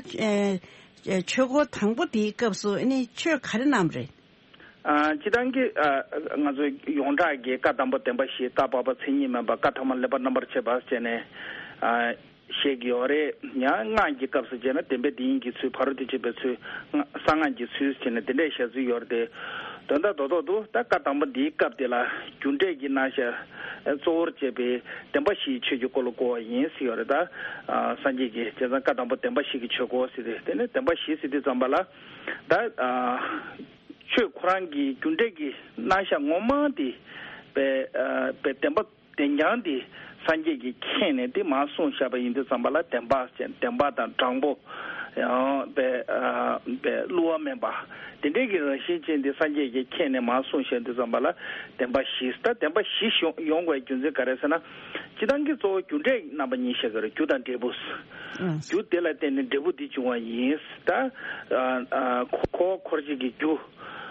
ཆོས་འཁོར་དང་པོ་དེའི་སྐབས་སུ་ཨ་ནི་ཆོས་ག་རེ་གནང་བ་རེད། ཨ་སྤྱིར་བཏང་གི་ཨ་ང་ཚོ་ཡོངས་གྲགས་ཀྱི་བཀའ་དང་པོ་བདེན་པ་བཞི། བཀའ་བར་པ་མཚན་ཉིད་མེད་པ། བཀའ་ཐ་མ་ལེགས་པར་རྣམ་པར་འབྱེད་པ་བྱས་ནས་ཨ་བཤད་ཀྱི་ཡོད་རེད། ཡང་སྔགས་ཀྱི་སྐབས་སུ་བྱས་ན་བདེན་པའི་དེ་ཉིད་ཀྱི་ཚུལ། ཕ་རོལ་ཏུ་ཕྱིན་པའི་ཚུལ། སྔགས་གསང་སྔགས་ཀྱི་ཚུལ་བྱས་ནས་དེ་འདྲའི་བཤད་ཚུལ་ཡོད་རེད་དེ། དོན་དག་རྡོག་རྡོག་ཏུ་ད་བཀའ་དང་པོ་འདིའི་སྐབས་དེ་ལ་རྒྱུ་འབྲས་ཀྱི་རྣམ་གཞག་གཙོ་བོར་བྱས་པའི་བདེན་པ་བཞིའི་ཆོས་ཀྱི་འཁོར་ལོ་བསྐོར་བ་ཡིན་ཟེར་ཡོད་རེད། ད་ཨ་སངས་རྒྱས་ཀྱིས་བྱས་ཙང་བཀའ་དང་པོ་བདེན་པ་བཞི་གི་ཆོས་འཁོར་ཟེར་ཏེ། དེ་ནས་བདེན་པ་བཞི་ཟེར་དུས་ཙམ་པ་ལ་ད་ཨ། ཆོས་ཁོ་རང་གི་རྒྱུ་འབྲས་ཀྱི་རྣམ་གཞག་ངོ་མ་དེ་པའི་ཨ་པའི་བདེན་པ་བདེན་རྐྱང་དེ་སངས་རྒྱས་ཀྱིས་མཁྱེན་ནས་དེ་མར་གསུངས་བཞག་པ་ཡིན་དུས་ཙམ་པ་ལ་བདེན་པ་ཅན། བདེན་པ་དང་དྲང་པོ། ཡང་པའི་ཨ་པའི་བསླུ་བ་མེད་པ། དེ་འདྲའི་གི་རང་བཞིན་ཅན་དེ་སངས་རྒྱས་ཀྱིས་མཁྱེན་ནས་མར་གསུངས་བཞག་དུས་ཙམ་པ་ལ་བདེན་པ་བཞི། ད་བདེན་པ་བཞི་ཡོང་ཡོང་དགོས་རྒྱུ་མཚན་ག་རེ་ཟེར་ན། སྤྱིར་བཏང་གི་གཙོ་བོ་རྒྱུ་འབྲས་རྣམ་པ་གཉིས་བཤད་ཀྱི་རེད། རྒྱུ་དང་འབྲས་བུ། ཨང་། རྒྱུ་དེ་ལ་བརྟེན་ནས་འབྲས་བུ་འདི་འབྱུང་བ་ཡིན། ད་ཨ་ཨ་འཁོར་བ་འཁོར་བྱེད་ཀྱི་རྒྱུ་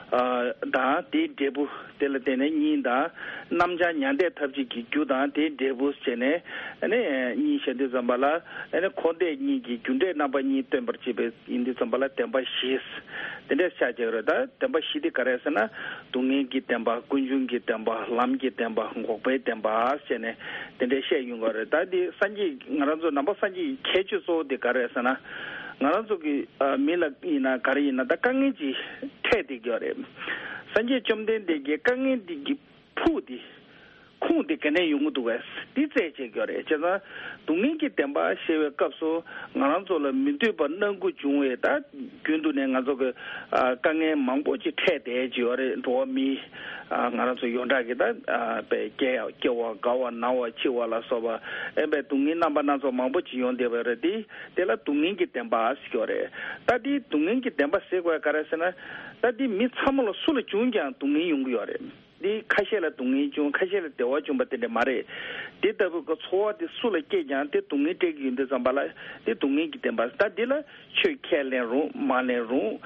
ཨ་དང་དེའི་འབྲས་བུ། དེ་ལ་བརྟེན་ནས་གཉིས་དང་། རྣམ་བྱང་མྱང་འདས་ཐམས་ཅད་ཀྱི་རྒྱུ་དང་དེའི་འབྲས་བུ་བྱས་ནས་ཨ་ནི་གཉིས་བཤད་དུས་ཙམ་པ་ལ་ཨ་ནི་འཁོར་འདས་གཉིས་ཀྱི་རྒྱུ་འབྲས་རྣམ་པ་གཉིས་སྟོན་པར་བྱེད་པའི་ཡིན་དུས་ཙམ་པ་ལ་བདེན་པ་བཞི། དེ་འདྲ་ཆགས་ཀྱི་རེད། ད་བདེན་པ་བཞི་དེ་ག་རེ་ཟེར་ན། སྡུག་བསྔལ་གྱི་བདེན་པ། ཀུན་འབྱུང་གི་བདེན་པ། ལམ་གྱི་བདེན་པ། འགོག་པའི་བདེན་པ་བྱས་ནས་དེ་འདྲ་བཤད་ཡོང་གི་རེད། ད་འདི་སངས་རྒྱས་ང་རང་ཚོ་ནང་པ་སངས་རྒྱས་ཀྱི་ཁྱད་ཆོས་གཙོ་བོ་དེ་ག་རེ་རེད་ཟེར་ན། ང་རང་ཚོ་གི་ཨ་མི་ལ་ཡིན་ན་ག་རེ་ཡིན་ན་ད་དཀའ་ངལ་ཅིག་འཕྲད་བསྡད་ཀྱི་ཡོད་རེད། སངས་རྒྱས་བཅོམ་ལྡན་འདས་ཀྱིས་དཀའ་ངལ་འདི་གི་ཕུགས་འདི། ཁུངས་དེ་ག་ནས་ཡོང་གི་འདུག་བས། འདི་རྩད་བཅད་ཀྱི་ཡོད་རེད། བྱས་ཙང་སྡུག་བསྔལ་གྱི་བདེན་པ་བཤད་པའི་སྐབས་སུ་ང་རང་ཚོ་ལ་མི་འདོད་པ་སྣ་དགུ་འབྱུང་བས། ད་རྒྱུན་དུ་ནས་ང་ཚོ་གི་ཨ་དཀའ་ངལ་མང་པོ་ཅིག་འཕྲད་བསྡད་ཀྱི་ཡོད་རེད། འགྲོ་བ་མི་ཨ་ང་རང་ཚོ་ཡོངས་གྲགས་ཀྱི་ད་ཨ་པའི་སྐྱེ་སྐྱེ་བ་རྒ་བ་ན་བ་འཆི་བ་ལ་སོགས་པ་ཨེ་པའི་སྡུག་བསྔལ་རྣམ་པ་སྣ་ཚོགས་མང་པོ་ཅིག་ཡོང་བསྡད་པ་རེད། དེ་དེ་ལ་སྡུག་བསྔལ་གྱི་བདེན་པ་ཟེར་གྱི་ཡོད་རེད། ད་དེ་སྡུག་བསྔལ་གྱི་བདེན་པ་ཟེར་དགོས་ག་རེ་ཟེར་ན། ད་དེ་མི་ཚང་མ་ལ་སུ་ལ་བྱུང་ཀྱང་སྡུག་བསྔལ་ཡོང་གི་ཡོད་རེད། འདི་ཁ་ཤས་ལ་སྡུག་བསྔལ་བྱུང་། ཁ་ཤས་ལ་བདེ་བ་བྱུང་བ་དེ་འདྲ་མ་རེད། དེ་ལྟ་བུའི་གི་ཚོར་བ་དེ་སུ་ལ་སྐྱེས་ཀྱང་དེ་སྡུག་བསྔལ་སྤྲད་ཀྱི་ཡོད་དུས་ཙམ་པ་ལ་དེ་སྡུག་བསྔལ་གྱི་བདེན་པ། ད་འདི་ལ་ཆོས་ཁས་ལེན་རུང་མ་ལེན་རུང་།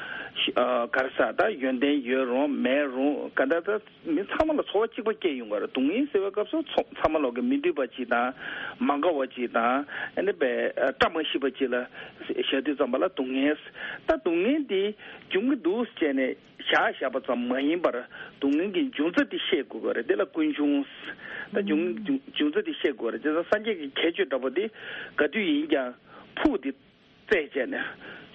ཨ་ག་རེ་ཟེར། ད་ཡོན་ཏན་ཡོད་རུང་མེད་རུང་ག་འདྲ། ད་མི་ཚང་མ་ལ་ཚོར་བ་གཅིག་པ་སྐྱེ་ཡོང་གི་རེད། སྡུག་བསྔལ་ཟེར་བའི་སྐབས་སུ་ཚོ་ཚང་མ་ལོག་གི་མི་འདོད་པ་ཅིག་དང་མ་དགའ་བ་ཅིག་དང་ཨ་ནི་བས་བཀྲ་མ་ཤིས་པ་ཅིག་ལ་བཞག་དུས་ཙམ་པ་ལ་སྡུག་བསྔལ། ད་སྡུག་བསྔལ་འདི་འབྱུང་གི་འདུག་ཟེར་ནས་བཞག་བཞག་པ་ཙམ་མ་ཡིན་པར་སྡུག་བསྔལ་གྱི་འབྱུང་རྩ་དེ་ཤེས་དགོས་ཀྱི་རེད། དེ་ལ་ཀུན་འབྱུང་། ད་འབྱུང་འབྱུང་འབྱུང་རྩ་དེ་ཤེས་དགོས་རེད། དེ་ཚོ་སངས་རྒྱས་ཀྱི་ཁྱད་ཆོས་འདྲ་པོ་དེ་ག་དུས་ཡིན་ཀྱང་ཕུག་དེ་རྩད་བཅད་ནས་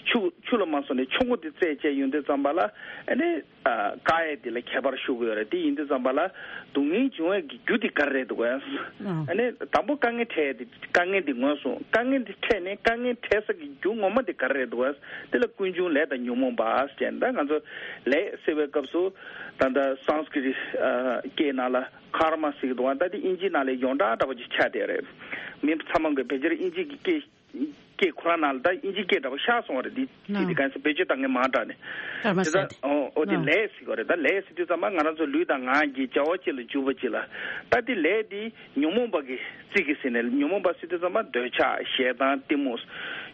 ཆུ་ཆུ་ལ་མ་སོང་ནས་ཆུ་མགོ་དེ་རྩད་བཅད་ཡོང་དུས་ཙམ་པ་ལ་ཨ་ནི་ཨ་དཀའ་ཡས་དེ་ལ་ཁྱད་པར་ཞུ་དགོས་རེད། དེ་ཡིན་དུས་ཙམ་པ་ལ་སྡུག་བསྔལ་འབྱུང་བའི་གི་རྒྱུ་དེ་ག་རེ་རེད་འདུག་གས། ཨ་ནི་དང་པོ་དཀའ་ངལ་འཕྲད་དེ་དཀའ་ངལ་དེ་ངོས་བཟུང་། དཀའ་ངལ་དེ་འཕྲད་ནས་དཀའ་ངལ་འཕྲད་ས་གི་རྒྱུ་ངོ་མ་དེ་ག་རེ་རེད་འདུག་གས། དེ་ལ་ཀུན་འབྱུང་ལས་དང་ཉོན་མོངས་པ་ཟེར། ད་ང་ཚོ་ལས་ཟེར་བའི་སྐབས་སུ་ད་ལྟ་སཾ་སྐྲྀ་ཏ་སྐད་ནང་ལ་ཀརྨ་ཟེར་གི་འདུག་གས། ད་དེ་དབྱིན་ཇི་ནང་ལ་ཡོངས་གྲགས་འདྲ་པོ་ཅིག་ཆགས་བསྡད་རེད། མི་ཚང་མ་གི་ཕལ་ཆེར་དབྱིན་ཇི་གི་སྐད་སྐད་ཁོ་རང་ནང་ལ་ད་དབྱིན་ཇི་སྐད་འདྲ་པོ་ཤར་སོང་བ་རེད། འདི་ཅི་སྟེ་གང་ཟེར་བེད་སྤྱོད་བཏང་མཁན་མང་དྲགས་ནས། ཀརྨ་དེ་ད་ཟེར་ཏེ། ཨོ་ཨོ་དེ་ལས་ཟེར་གྱི་རེད། ད་ལས་ཟེར་དུས་ཙམ་པ་ང་རང་ཚོ་ལུས་དང་ངག་གི་བྱ་བ་གཅིག་ལ་འཇུག་པ་གཅིག་ལ། ད་དེ་ལས་དེ་ཉོན་མོངས་པ་གི་རྩིས་ཀྱི་ཟེར་ནས། ཉོན་མོངས་པ་ཟེར་དུས་ཙམ་པ་འདོད་ཆགས་ཞེ་སྡང་གཏི་མུག་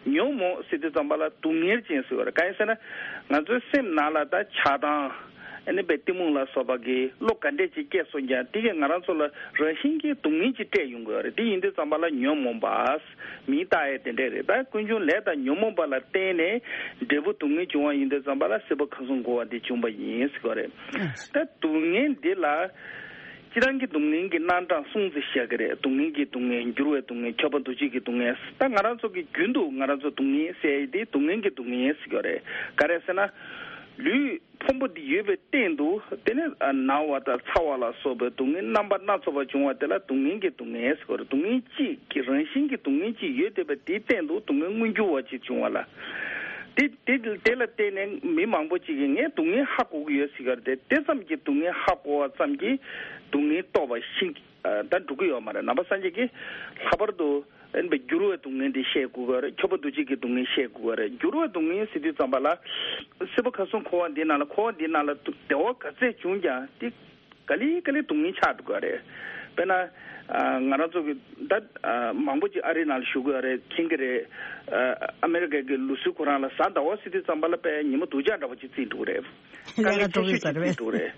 ཉོན་མོངས་ཟེར་དུས་ཙམ་པ་ལ་སྡུག་བསྔལ་ཅན་ཟེར་གྱི་རེད། གང་ཡིན་ཟེར་ན་ང་ཚོའི་སེམས་ནང་ལ་ད་ཆགས་སྡང་ཨ་ནི་བས་གཏི་མུག་ལ་སོགས་པ་གི་བློ་ག་འདྲས་ཅིག་སྐྱེས་སོང་ཀྱང་དེ་གས་ང་རང་ཚོ་ལ་རང་བཞིན་གྱིས་སྡུག་བསྔལ་ཅིག་སྤྲད་ཡོང་གི་ཡོད་རེད། དེ་ཡིན་དུས་ཙམ་པ་ལ་ཉོན་མོངས་པ། མིང་བཏགས་ཡས་དེ་འདྲས་རེད། ད་ཀུན་འབྱུང་ལས་དང་ཉོན་མོངས་པ་ལ་བརྟེན་ནས་འབྲས་བུ་སྡུག་བསྔལ་བྱུང་བ་ཡིན་དུས་ཙམ་པ་ལ་སྲིད་པ་ཁམས་གསུམ་འཁོར་བ་འདི་བྱུང་བ་ཡིན་ཟེར་གྱི་རེད། ད་སྡུག་བསྔལ་འདི་ལ་སྤྱིར་བཏང་གི་སྡུག་བསྔལ་གྱི་རྣམ་གྲངས་གསུམ་ཙམ་བཤད་ཀྱི་རེད། སྡུག་བསྔལ་གྱི་སྡུག་བསྔལ། འགྱུར་བའི་སྡུག་བསྔལ། ཁྱབ་པ་འདུ་བྱེད་ཀྱི་སྡུག་བསྔལ། ད་ང་རང་ཚོ་གི་རྒྱུན་དུ་ང་རང་ཚོ་སྡུག་བསྔལ་ཟེར་ཡས་དེ་སྡུག་བསྔལ་གྱི་སྡུག་བསྔལ་ཟེར་གྱི་རེད། ག་རེ་ཟེར་ན་ལུས་ཕུང་པོ་འདི་ཡོད་པའི་སྟེང་དུ་དེ་ནི་ན་བ་དང་ཚ་བ་ལ་སོགས་པའི་སྡུག་བསྔལ་རྣམ་པ་སྣ་ཚོགས་པ་བྱུང་བ་དེ་ལ་སྡུག་བསྔལ་གྱི་སྡུག་བསྔལ་ཟེར་གྱི་རེད། སྡུག་བསྔལ་གཅིག་གི་རང་བཞིན་གྱི་སྡུག་བསྔལ་གཅིག་ཡོད་བསྡད་པ་དེའི་སྟེང་དུ་སྡུག་བསྔལ་མངོན་གྱུར་བ་ཅིག་བྱུང་བ་ལ། དེ་དེ་དེ་ལ་བརྟེན་ནས་མི་མང་པོ་ཅིག་གིས་ངས་སྡུག་བསྔལ་ཧ་གོ་གི་ཡོད་ཟེར་གྱི་རེད་དེ། དེ་ཙམ་གྱིས་སྡུག་བསྔལ་ཧ་གོ་བ་ཙམ་གྱིས་སྡུག་བསྔལ་རྟོགས་པ་ཤིན་ད་འགྲུབ་ཀྱི་ཡོད་མ་རེད། ནང་པ་སངས་རྒྱས་ཀྱིས་ལྷག་པར་དུ་ཨེ་འགྱུར་བའི་སྡུག་བསྔལ་འདི་བཤད་དགོས་ཀྱི་རེད། ཁྱབ་པ་འདུ་བྱེད་ཀྱི་སྡུག་བསྔལ་བཤད་དགོས་ཀྱི་རེད། འགྱུར་བའི་སྡུག་བསྔལ་ཟེར་དུས་ཙམ་པ་ལ་སྲིད་པ་ཁམས་གསུམ་འཁོར་བ་འདི་ནང་ལ། འཁོར་བ་འདི་ནང་ལ་བདེ་བ་ག་ཚད་བྱུང་ཀྱང་དེ་ག་ལེ་ག་ལེ་སྡུག་བསྔལ་ཆགས་འགྲོ་གི་རེད། དཔེར་ན་ང་རང་ཚོ་གི་ད་མང་པོ་ཅིག་ཨ་རི་ནང་ལ་བཞུགས་ཀྱི་རེད། མཁྱེན་གྱི་རེད། ཨ་མེ་རི་ཀ་གི་ལུགས་སྲོལ་ཁོ་རང་ལ་གཟའ་ཟླ་བ་ཟེར་དུས་ཙམ་པ་ལ་དཔེ་ཉི་མ་སྡུག་ཅག་འདྲ་པོ་ཅིག་བརྩིས་འགྲོ་གི་རེད། དཀའ་ངལ་ཆེ་ཤོས་ཅིག་བརྩིས་འགྲོ་གི་རེད།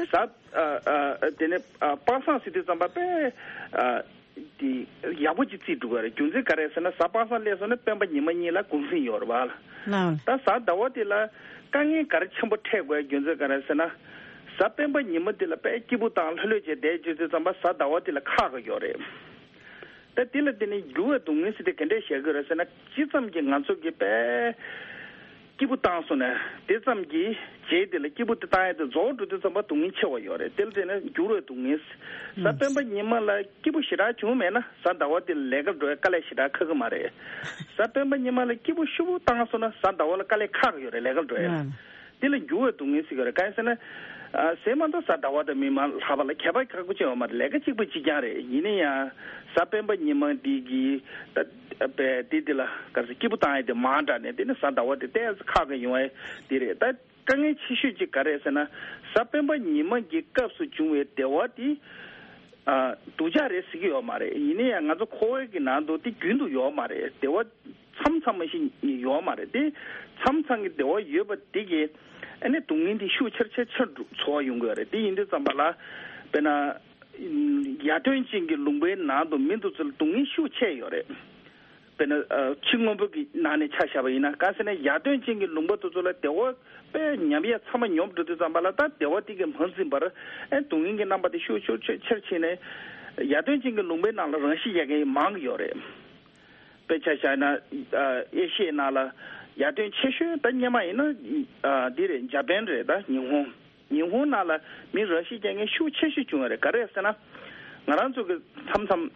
གཟའ་ཨ་ཨ་དེ་ནས་ཨ་པ་སངས་ཟེར་དུས་ཙམ་པ་དཔེ་ཨ་དེ་ཡག་པོ་ཅིག་བརྩིས་འགྲོ་གི་རེད། རྒྱུ་མཚན་ག་རེ་ཟེར་ན་གཟའ་པ་སངས་སླེབས་སོང་ན་སྤེན་པ་ཉི་མ་གཉིས་ལ་གུང་གསེང་ཡོད་རེད་པ། ལགས། ད་གཟའ་ཟླ་བ་དེ་ལ་དཀའ་ངལ་ག་རེ་ཆེན་པོ་འཕྲད་དགོས་རྒྱུ་མཚན་ག་རེ་ཟེར་ན། གཟའ་སྤེན་པ་ཉི་མ་དེ་ལ་དཔེ་སྐྱིད་པོ་དང་ལྷོད་ལྷོད་བྱས་བསྡད་རྒྱུ་དུས་ཙམ་པ་གཟའ་ཟླ་བ་དེ་ལ་ཁག་གི་ཡོད་རེད། ད་དེ་ལ་བརྟེན་ནས་འགྱུར་བའི་སྡུག་བསྔལ་ཟེར་དེ་ག་འདྲས་བཤད་དགོས་རེད་ཟེར་ན། ཅི་ཙམ་གྱིས་ང་ཚོ་གི་དཔེ་སྐྱིད་པོ་བཏང་སོང་ན་དེ་ཙམ་གྱིས་རྗེས་དེ་ལ་སྐྱིད་པོ་དེ་བཏང་ཡ་དེ་རྫོགས་འགྲོ་དུས་ཙམ་པ་སྡུག་བསྔལ་ཆེ་བ་ཡོད་རེད། དེ་ལ་བརྟེན་ནས་འགྱུར་བའི་སྡུག་བསྔལ། གཟའ་སྤེན་པ་ཉི་མ་ལ་སྐྱིད་པོ་ཞེ་དྲག་བྱུང་མེད་ན་གཟའ་ཟླ་བ་དེ་ལ་ལས་ཀ་འགྲོ་ཡ་དཀའ་ལས་ཞེ་དྲག་ཁག་གི་མ་རེད། གཟའ་སྤེན་པ་ཉི་མ་ལ་སྐྱིད་པོ་ཤུགས་པོ་བཏང་སོང་ན་གཟའ་ཟླ་བ་ལ་དཀའ་ལས་ཁག་གི་ཡོད་རེད། ལས་ཀ་འགྲོ་ཡ། དེ་ལ་འགྱུར་བའི་སྡུག་བསྔལ་ཟེར་གྱི་རེད། གང་ཡིན་ཟེར་ན། ཨ་ཟེར་མ་གཏོགས་གཟའ་ཟླ་བ་དང་མི་མང་ལྷག་པ་ལ་ཁྱད་པར་ཁག་པོ་ཅིག་ཡོད་མ་རེད། ལས་ཀ་གཅིག་པ་གཅིག་རྐྱང་རེད། ཡིན་ན་ཡང་གཟའ་སྤེན་པ་ཉི་མ་འདི་གི་ད་པའི་དེ་དེ་ལ་ག་ཟེར་སྐྱིད་པོ་བཏང་ཡ་དེ་མང་དྲགས་ནས་དེ་ནི་གཟའ་ཟླ་བ་དེ་ཏོག་ཙམ་ཁག་གི་ཡོང་ཡ་དེ་རེད། ད་དཀའ་ངལ་ཆེ་ཤོས་ཅིག་ག་རེད་ཟེར་ན། གཟའ་སྤེན་པ་ཉི་མ་གི་སྐབས་སུ་བྱུང་བའི་བདེ་བ་དེ་ཨ་སྡུག་ཅག་རེད་ཟེར་གྱི་ཡོད་མ་རེད། ཡིན་ན་ཡང་ང་ཚོ་འཁོར་བའི་གི་ནང་དུ་དེ་རྒྱུན་དུ་ཡོད་མ་རེད། བདེ་བ་མཚམས་མཚམས་མ་ཞིག་ཡོད་མ་རེད་དེ། མཚམས་མཚམས་ཀྱི་བདེ་བ་ཡོད་པ་དེ་གས་ཨ་ནི་སྡུག་བསྔལ་དེ་ཤུགས་ཆེར་ཆེར་ཆེར་འགྲོ་ཚོར་བ་ཡོང་གི་ཡོད་རེད། དེ་ཡིན་དུས་ཙམ་པ་ལ་དཔེར་ན་ཡར་ཐོན་ཅན་གྱི་ལུང་པའི་ནང་དུ་མི་འདི་ཚོ་ལ་སྡུག་བསྔལ་ཤུགས་ཆེ་ཡོད་རེད། དཔེར་ན་ཕྱི་སྔོན་པོ་གི་ནང་ནས་ཆ་བཞག་པ་ཡིན་ན། གང་ཟེར་ན་ཡར་ཐོན་ཅན་གྱི་ལུང་པ་དེ་ཚོ་ལ་བདེ་བ་དཔེ་ཉམས་ཡས་ཚང་མ་ཉོབ་འགྲོ་དུས་ཙམ་པ་ལ་ད་བདེ་བ་དེ་གས་མ་འཛིན་པར་ཨ་སྡུག་བསྔལ་གྱི་རྣམ་པ་དེ་ཤུགས་ཆེར་ཆེར་ཕྱིན་ནས་ཡར་ཐོན་ཅན་གྱི་ལུང་པའི་ནང་ལ་རང་ཤི་རྒྱག་མཁན་མང་གི་ཡོད་རེད། དཔེ་ཆ་བཞག་ན་ཨ་ཨེ་ཤི་ཡའི་ནང་ལ་ཡར་ཐོན་ཆེ་ཤོས་ད་སྔོན་མ་ཡིན་ན་ཨ་འདི་རེད། འཇར་པན་རེད། ད་ཉི་ཧོང་། ཉི་ཧོང་ནང་ལ་མི་རང་ཤི་རྒྱག་མཁན་ཤུགས་ཆེ་ཤོས་བྱུང་བ་རེད། ག་རེ་ཟེར་ན་ང་རང་ཚོ་གི་མཚམས་མཚམས་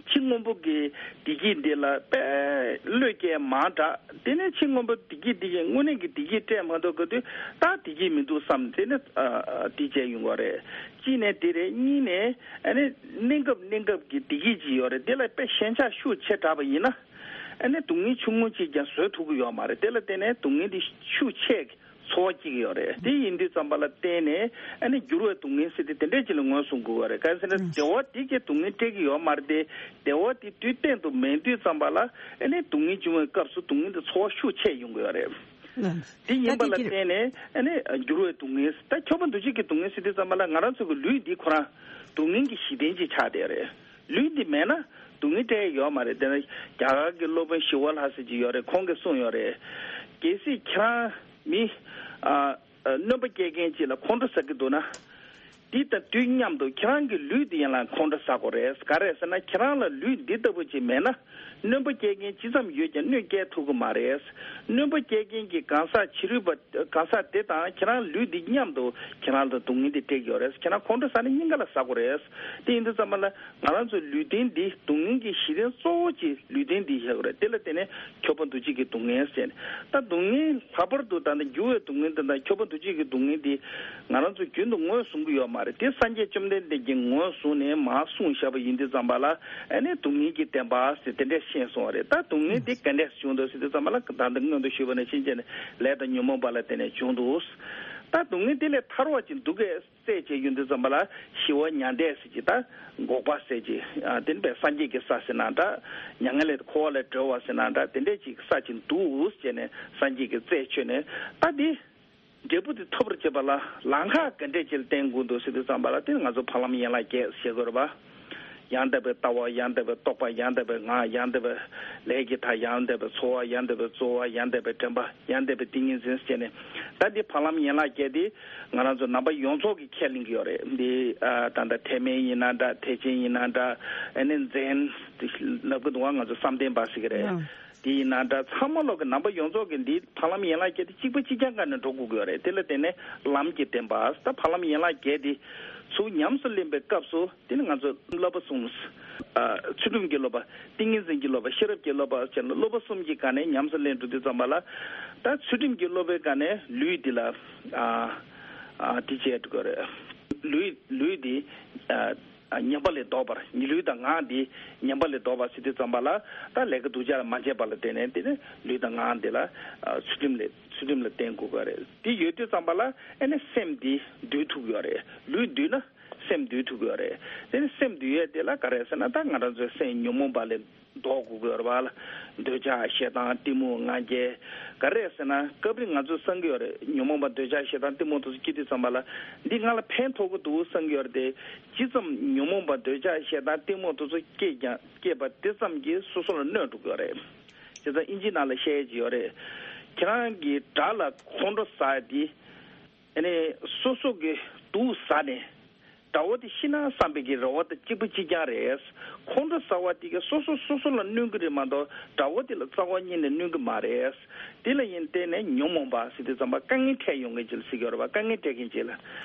ཕྱི་སྔོན་པོ་གི་བདེ་སྐྱིད་འདི་ལ་དཔེ་བློས་བཀལ་མང་དྲགས། དེ་ནས་ཕྱི་སྔོན་པོ་བདེ་སྐྱིད་འདི་གི་དངོས་གནས་ཀྱི་བདེ་སྐྱིད་སྤྲད་མ་ཐུབ་གི་དུས་ད་བདེ་སྐྱིད་མི་འདུག་བསམ། དེ་ནས་ཨ་ཨ་དེ་བྱས་ཡོང་བ་རེད། གཅིག་ནས་དེ་རེད། གཉིས་ནས་ཨ་ནི་གནས་སྐབས་གནས་སྐབས་ཀྱི་བདེ་སྐྱིད་ཅིག་ཡོད་རེད། དེ་ལ་དཔེ་ཞེན་ཆགས་ཤུགས་ཆེ་དྲགས་པ་ཡིན་ན་ཨ་ནི་སྡུག་བསྔལ་ཆུང་ངུ་ཅིག་ཀྱང་བཟོད་ཐུབ་ཀྱི་ཡོད་མ་རེད། དེ་ལ་བརྟེན་ནས་སྡུག་བསྔལ་འདི་ཤུགས་ཆེ་གི་ཚོར་བ་སྐྱེ་གི་ཡོད་རེད། དེ་ཡིན་དུས་ཙམ་པ་ལ་བརྟེན་ནས་ཨ་ནི་འགྱུར་བའི་སྡུག་བསྔལ་ཟེར་དེ་དེ་འདྲས་ཅིག་ལ་ངོས་བཟུང་དགོས་པ་རེད། གང་ཡིན་ཟེར་ན་བདེ་བ་དེ་གིས་སྡུག་བསྔལ་སྤྲད་ཀྱི་ཡོད་མ་རེད་དེ། བདེ་བ་དེ་དུས་གཏན་དུ་མེད་དུས་ཙམ་པ་ལ་ཨ་ནི་སྡུག་བསྔལ་བྱུང་བའི་སྐབས་སུ་སྡུག་བསྔལ་དེ་ཚོར་བ་ཤུགས་ཆེ་ཡོང་གི་ཡོད་རེད། དེ་ཡིན་པ་ལ་བརྟེན་ནས་ཨ་ནི་འགྱུར་བའི་སྡུག་བསྔལ། ད་འཁྱོག་པ་འདུ་བྱེད་ཀྱི་སྡུག་བསྔལ་ཟེར་དུས་ཙམ་པ་ལ་ང་རང་ཚོ་གི་ལུས་འདི་ཁོ་རང་སྡུག་བསྔལ་གྱི་གཞི་རྟེན་ཅིག་ཆགས་བསྡད་ཡོད་རེད། ལུས་འདི་མེད་ན་སྡུག་བསྔལ་སྤྲད་ཡ་ཡོད་མ་རེད། དེ་ནས་རྒྱ་གར་གྱི་སློབ་དཔོན་ཞི་བ་ལྷ་ཟེར་གྱི་ཡོད་རེད། ཁོང་གིས་གསུངས་ཡོད་རེད། གལ་སྲིད་ཁྱེད་རང་མི་ཨ་ཨ་སྣོན་པ་སྐྱེལ་མཁན་ཅིག་ལ་ཁོང་ཁྲོ་ཟ་གི་འདུག་ན། དེ་དང་དུས་མཉམ་དུ་ཁྱེད་རང་གི་ལུས་འདི་ཡང་ལ་ཁོང་ཁྲོ་ཟ་དགོས་རེད། ག་རེ་ཟེར་ན་ཁྱེད་རང་ལ་ལུས་འདི་ལྟ་བུ་ཅིག་མེད་ན། སྣོན་པ་སྐྱེལ་མཁན་ཅི་ཙམ་ཡོད་ཀྱང་གནོད་སྐྱེལ་ཐུབ་ཀྱི་མ་རེད། སྣོན་པ་སྐྱེལ་མཁན་གྱི་གང་ཟག་ཕྱི་རོལ་པ་གང་ཟག་དེ་དང་ཁྱེད་རང་ལུས་འདི་མཉམ་དུ་ཁྱེད་རང་ལ་སྡུག་བསྔལ་འདི་སྤྲད་ཀྱི་ཡོད་རེད། ཁྱེད་རང་ཁོང་ཁྲོ་ཟ་ན་སྙིང་ག་ལ་ཟ་དགོས་རེད། དེ་ཡིན་དུས་ཙམ་པ་ལ་ང་རང་ཚོའི་ལུས་རྟེན་འདི་སྡུག་བསྔལ་གྱི་གཞི་རྟེན་གཙོ་བོ་གཅིག་ལུས་རྟེན་འདི་ཡོད་རེད། དེ་ལ་བརྟེན་ནས་འཁྱོག་པ་འདུ་བྱེད་ཀྱི་སྡུག་བསྔལ་ཟེར་ནས། ད་སྡུག་བསྔལ་ལྷག་པར་དུ་ད་ལྟ་འགྱུར་བའི་སྡུག་བསྔལ་དེ་དང་འཁྱོག་པ་འདུ་བྱེད་ཀྱི་སྡུག་བསྔལ་འདི་ང་རང་ཚོ་རྒྱུན་དུ་ངོས་བཟུང་གི་ཡོད་མ་རེད། དེ་སངས་རྒྱས་བཅོམ་ལྡན་འདས་ཀྱིས་ངོས་བཟུང་ནས་མར་གསུངས་བཞག་པ་ཡིན་དུས་ཙམ་པ་ལ་ཨ་ནི་སྡུག་བསྔལ་གྱི་བདེན་པ་ཟེར་དེ་འདྲས་ཤེས་སོང་བ་རེད། ད་སྡུག་བསྔལ་འདི་ག་འདྲས་བྱུང་འདུག་ཟེར་དུས་ཙམ་པ་ལ་ད་ལྟ་སྔོན་དུ་ཞུས་པ་ནང་བཞིན་བྱས་ནས་ལས་དང་ཉོན་མོངས་པ་ལ་བརྟེན་ནས་བྱུང་འདུག་ད་སྡུག་བསྔལ་འདི་ལས་ཐར་བ་ཅིག་འདུག་གས། རྩད་བཅད་ཡོང་དུས་ཙམ་པ་ལ་ཞི་བ་མྱང་འདས་ཟེར་གྱི་ད་འགོག་པ་ཟེར་གྱི་ཨ་དེ་ནི་པའི་སངས་རྒྱས་ཀྱི་ས་ཟེར་ན་འདྲ། མྱ་ངན་ལས་འཁོར་བ་ལས་གྲོལ་བ་ཟེར་ན་འདྲ། དེ་འདྲས་ཅིག་ས་ཅིག་འདུག་ཟེར་ནས་སངས་རྒྱས་ཀྱི་རྩད་ཆོད་ནས། ད་འདི་འབྲས་བུ་དེ་ཐོབ་པར་བྱེད་པ་ལ་ལམ་ཁ་ག་འདྲས་ཅིག་ལ་བརྟེན་དགོས་འདུག་ཟེར་དུས་ཙམ་པ་ལ་དེ་ནི་ང་ཚོ་འཕགས་ལམ་ཡན་ལག་བརྒྱད་ཟེར་དགོས་རེད་པ། ཡང་དག་པའི་ལྟ་བ། ཡང་དག་པའི་རྟོག་པ། ཡང་དག་པའི་ངག། ཡང་དག་པའི་ལས་ཀྱི་མཐའ། ཡང་དག་པའི་འཚོ་བ། ཡང་དག་པའི་རྩོལ་བ། ཡང་དག་པའི་དྲན་པ། ཡང་དག་པའི་ཏིང་ངེ་འཛིན་ཟེར་ནས། ད་འདི་འཕགས་ལམ་ཡན་ལག་བརྒྱད་འདི་ང་རང་ཚོ་ནང་པ་ཡོངས་རྫོགས་ཀྱིས་ཁས་ལེན་གྱི་ཡོད་རེད། འདི་ཨ་ད་ལྟ་ཐེག་དམན་ཡིན་ན་འདྲ། ཐེག་ཆེན་ཡིན་ན་འདྲ། ཨ་ནི་ཛེན་ལབ་ཀྱི་འདུག་བ། ང་ཚོ་བསམ་གཏན་པ་ཟེར་གྱི་རེད། ཨང་། འདི་ཡིན་ན་འདྲ། ཚང་མ་ལོག་གི་ནང་པ་ཡོངས་རྫོགས་ཀྱིས་འདི་འཕགས་ལམ་ཡན་ལག་བརྒྱད་འདི་གཅིག་པ་གཅིག་རྐྱང་སྒང་ནས་འགྲོ་དགོས་ཀྱི་ཡོད་རེད། དེ་ལ་བརྟེན་ནས་ལམ་གྱི་བདེན་པ། ད་འཕགས་ལམ་ཡན་ལག་བརྒྱད་འདི་ཚུར་ཉམས་སུ་ལེན་པའི་སྐབས་སུ། དེ་ནི་ང་ཚོ་བསླབ་པ་གསུམ། ཨ་ཚུལ་ཁྲིམས་ཀྱི་བསླབ་པ། ཏིང་ངེ་འཛིན་གྱི་བསླབ་པ། ཤེས་རབ་ཀྱི་བསླབ་པ་བྱས་ན་བསླབ་པ་གསུམ་གྱི་སྒང་ནས་ཉམས་སུ་ལེན་འགྲོ་དུས་ཙམ་པ་ལ། ད་ཚུལ་ཁྲིམས་ཀྱི་བསླབ་པའི་སྒང་ནས་ལུས་འདི་ལ་ཨ་ཨ་དེ་བྱས་འགྲོ་གི་རེད། ལུས་ལུས་འདི་ཨ་ཨ་ཉམས་པ་ལས་ལྡོག་པར། ལུས་དང་ངག་འདི་ཉམས་པ་ལས་ལྡོག་པ་ཟེར་དུས་ཙམ་པ་ལ། ད་ལས་ཀ་སྡུག་ཅག་ལ་མ་བྱས་པ་ལ་བརྟེན་ནས་དེ་ནི་ལུས་དང་ངག་འདི་ལ་ཨ་ཚུལ་ཁྲིམས་ལས་ཚུལ་ཁྲིམས་ལ་བརྟེན་དགོས་པ་རེད། དེ་ཡོད་དུས་ཙམ་པ་ལ་ཨ་ནི་སེམས་འདི་འདུལ་ཐུབ་ཀྱི་ཡོད་རེད། ལུས་འདུལ་ན། སེམས་འདུལ་ཐུབ་ཀྱི་ཡོད་རེད། དེ་ནི་སེམས་འདུལ་ཡས་དེ་ལ་ག་རེ་ཟེར་ན། ད་ང་རང་ཚོའི་སེམས་ཉོན་མོངས་པ་ལས་ལྡོག་དགོས་ཀྱི་ཡོད་རེད་པ་ལ། འདོད་ཆགས་ཞེ་སྡང་གཏི་མུག་ང་རྒྱལ། ག་རེ་ཟེར་ན་སྐབས་རེ་ང་ཚོས་བསམ་གྱི་ཡོད་རེད། ཉོན་མོངས་པ་འདོད་ཆགས་ཞེ་སྡང་གཏི་མུག་དེ་ཚོ་སྐྱེ་དུས་ཙམ་པ་ལ་འདི་ང་ལ་ཕན་ཐོགས་ཀྱི་འདུག་བསམ་གྱི་ཡོད་རེད་དེ། ཇི་ཙམ་ཉོན་མོངས་པ་འདོད་ཆགས་ཞེ་སྡང་གཏི་མུག་དེ་ཚོ་སྐྱེས་ཀྱང་སྐྱེས་པ་དེ་ཙམ་གྱིས་སོ་སོ་ལ་གནོད་འགྲོ་གི་ཡོད་རེད། བྱས་ཙང་ཨིན་ཇི་ནང་ལ་བཤད་ཀྱི་ཡོད་རེད། ཁྱེད་རང་གིས་དགྲ་ལ་ཁོང་ཁྲོ་ཟ་ཡ་དེ། ཨ་ནི་སོ་སོ་གི་དུག་ཟ་ནས་དགྲ་བོ་དེ་ཤི་ན་བསམ་པའི་གི་རེ་བ་དང་གཅིག་པ་གཅིག་རྐྱང་རེད། ཁོང་ཁྲོ་ཟ་བ་དེ་གི་སོ་སོ་སོ་སོ་ལ་གནོད་གི་རེད་མ་གཏོགས་དགྲ་བོ་དེ་ལ་རྩ་བ་ཉིད་ནས་གནོད་གི་མ་རེད། དེ་ལ་ཡིན་བརྟེན་ནས་ཉོན་མོངས་པ་ཟེར་དུས་ཙམ་པ་དཀའ་ངལ་འཕྲད་ཡོང་མཁན་ཅིག་ལ་ཟེར་གི་ཡོད་རེད་པ། དཀའ་ངལ་འཕྲད་མཁན་ཅིག་ལ།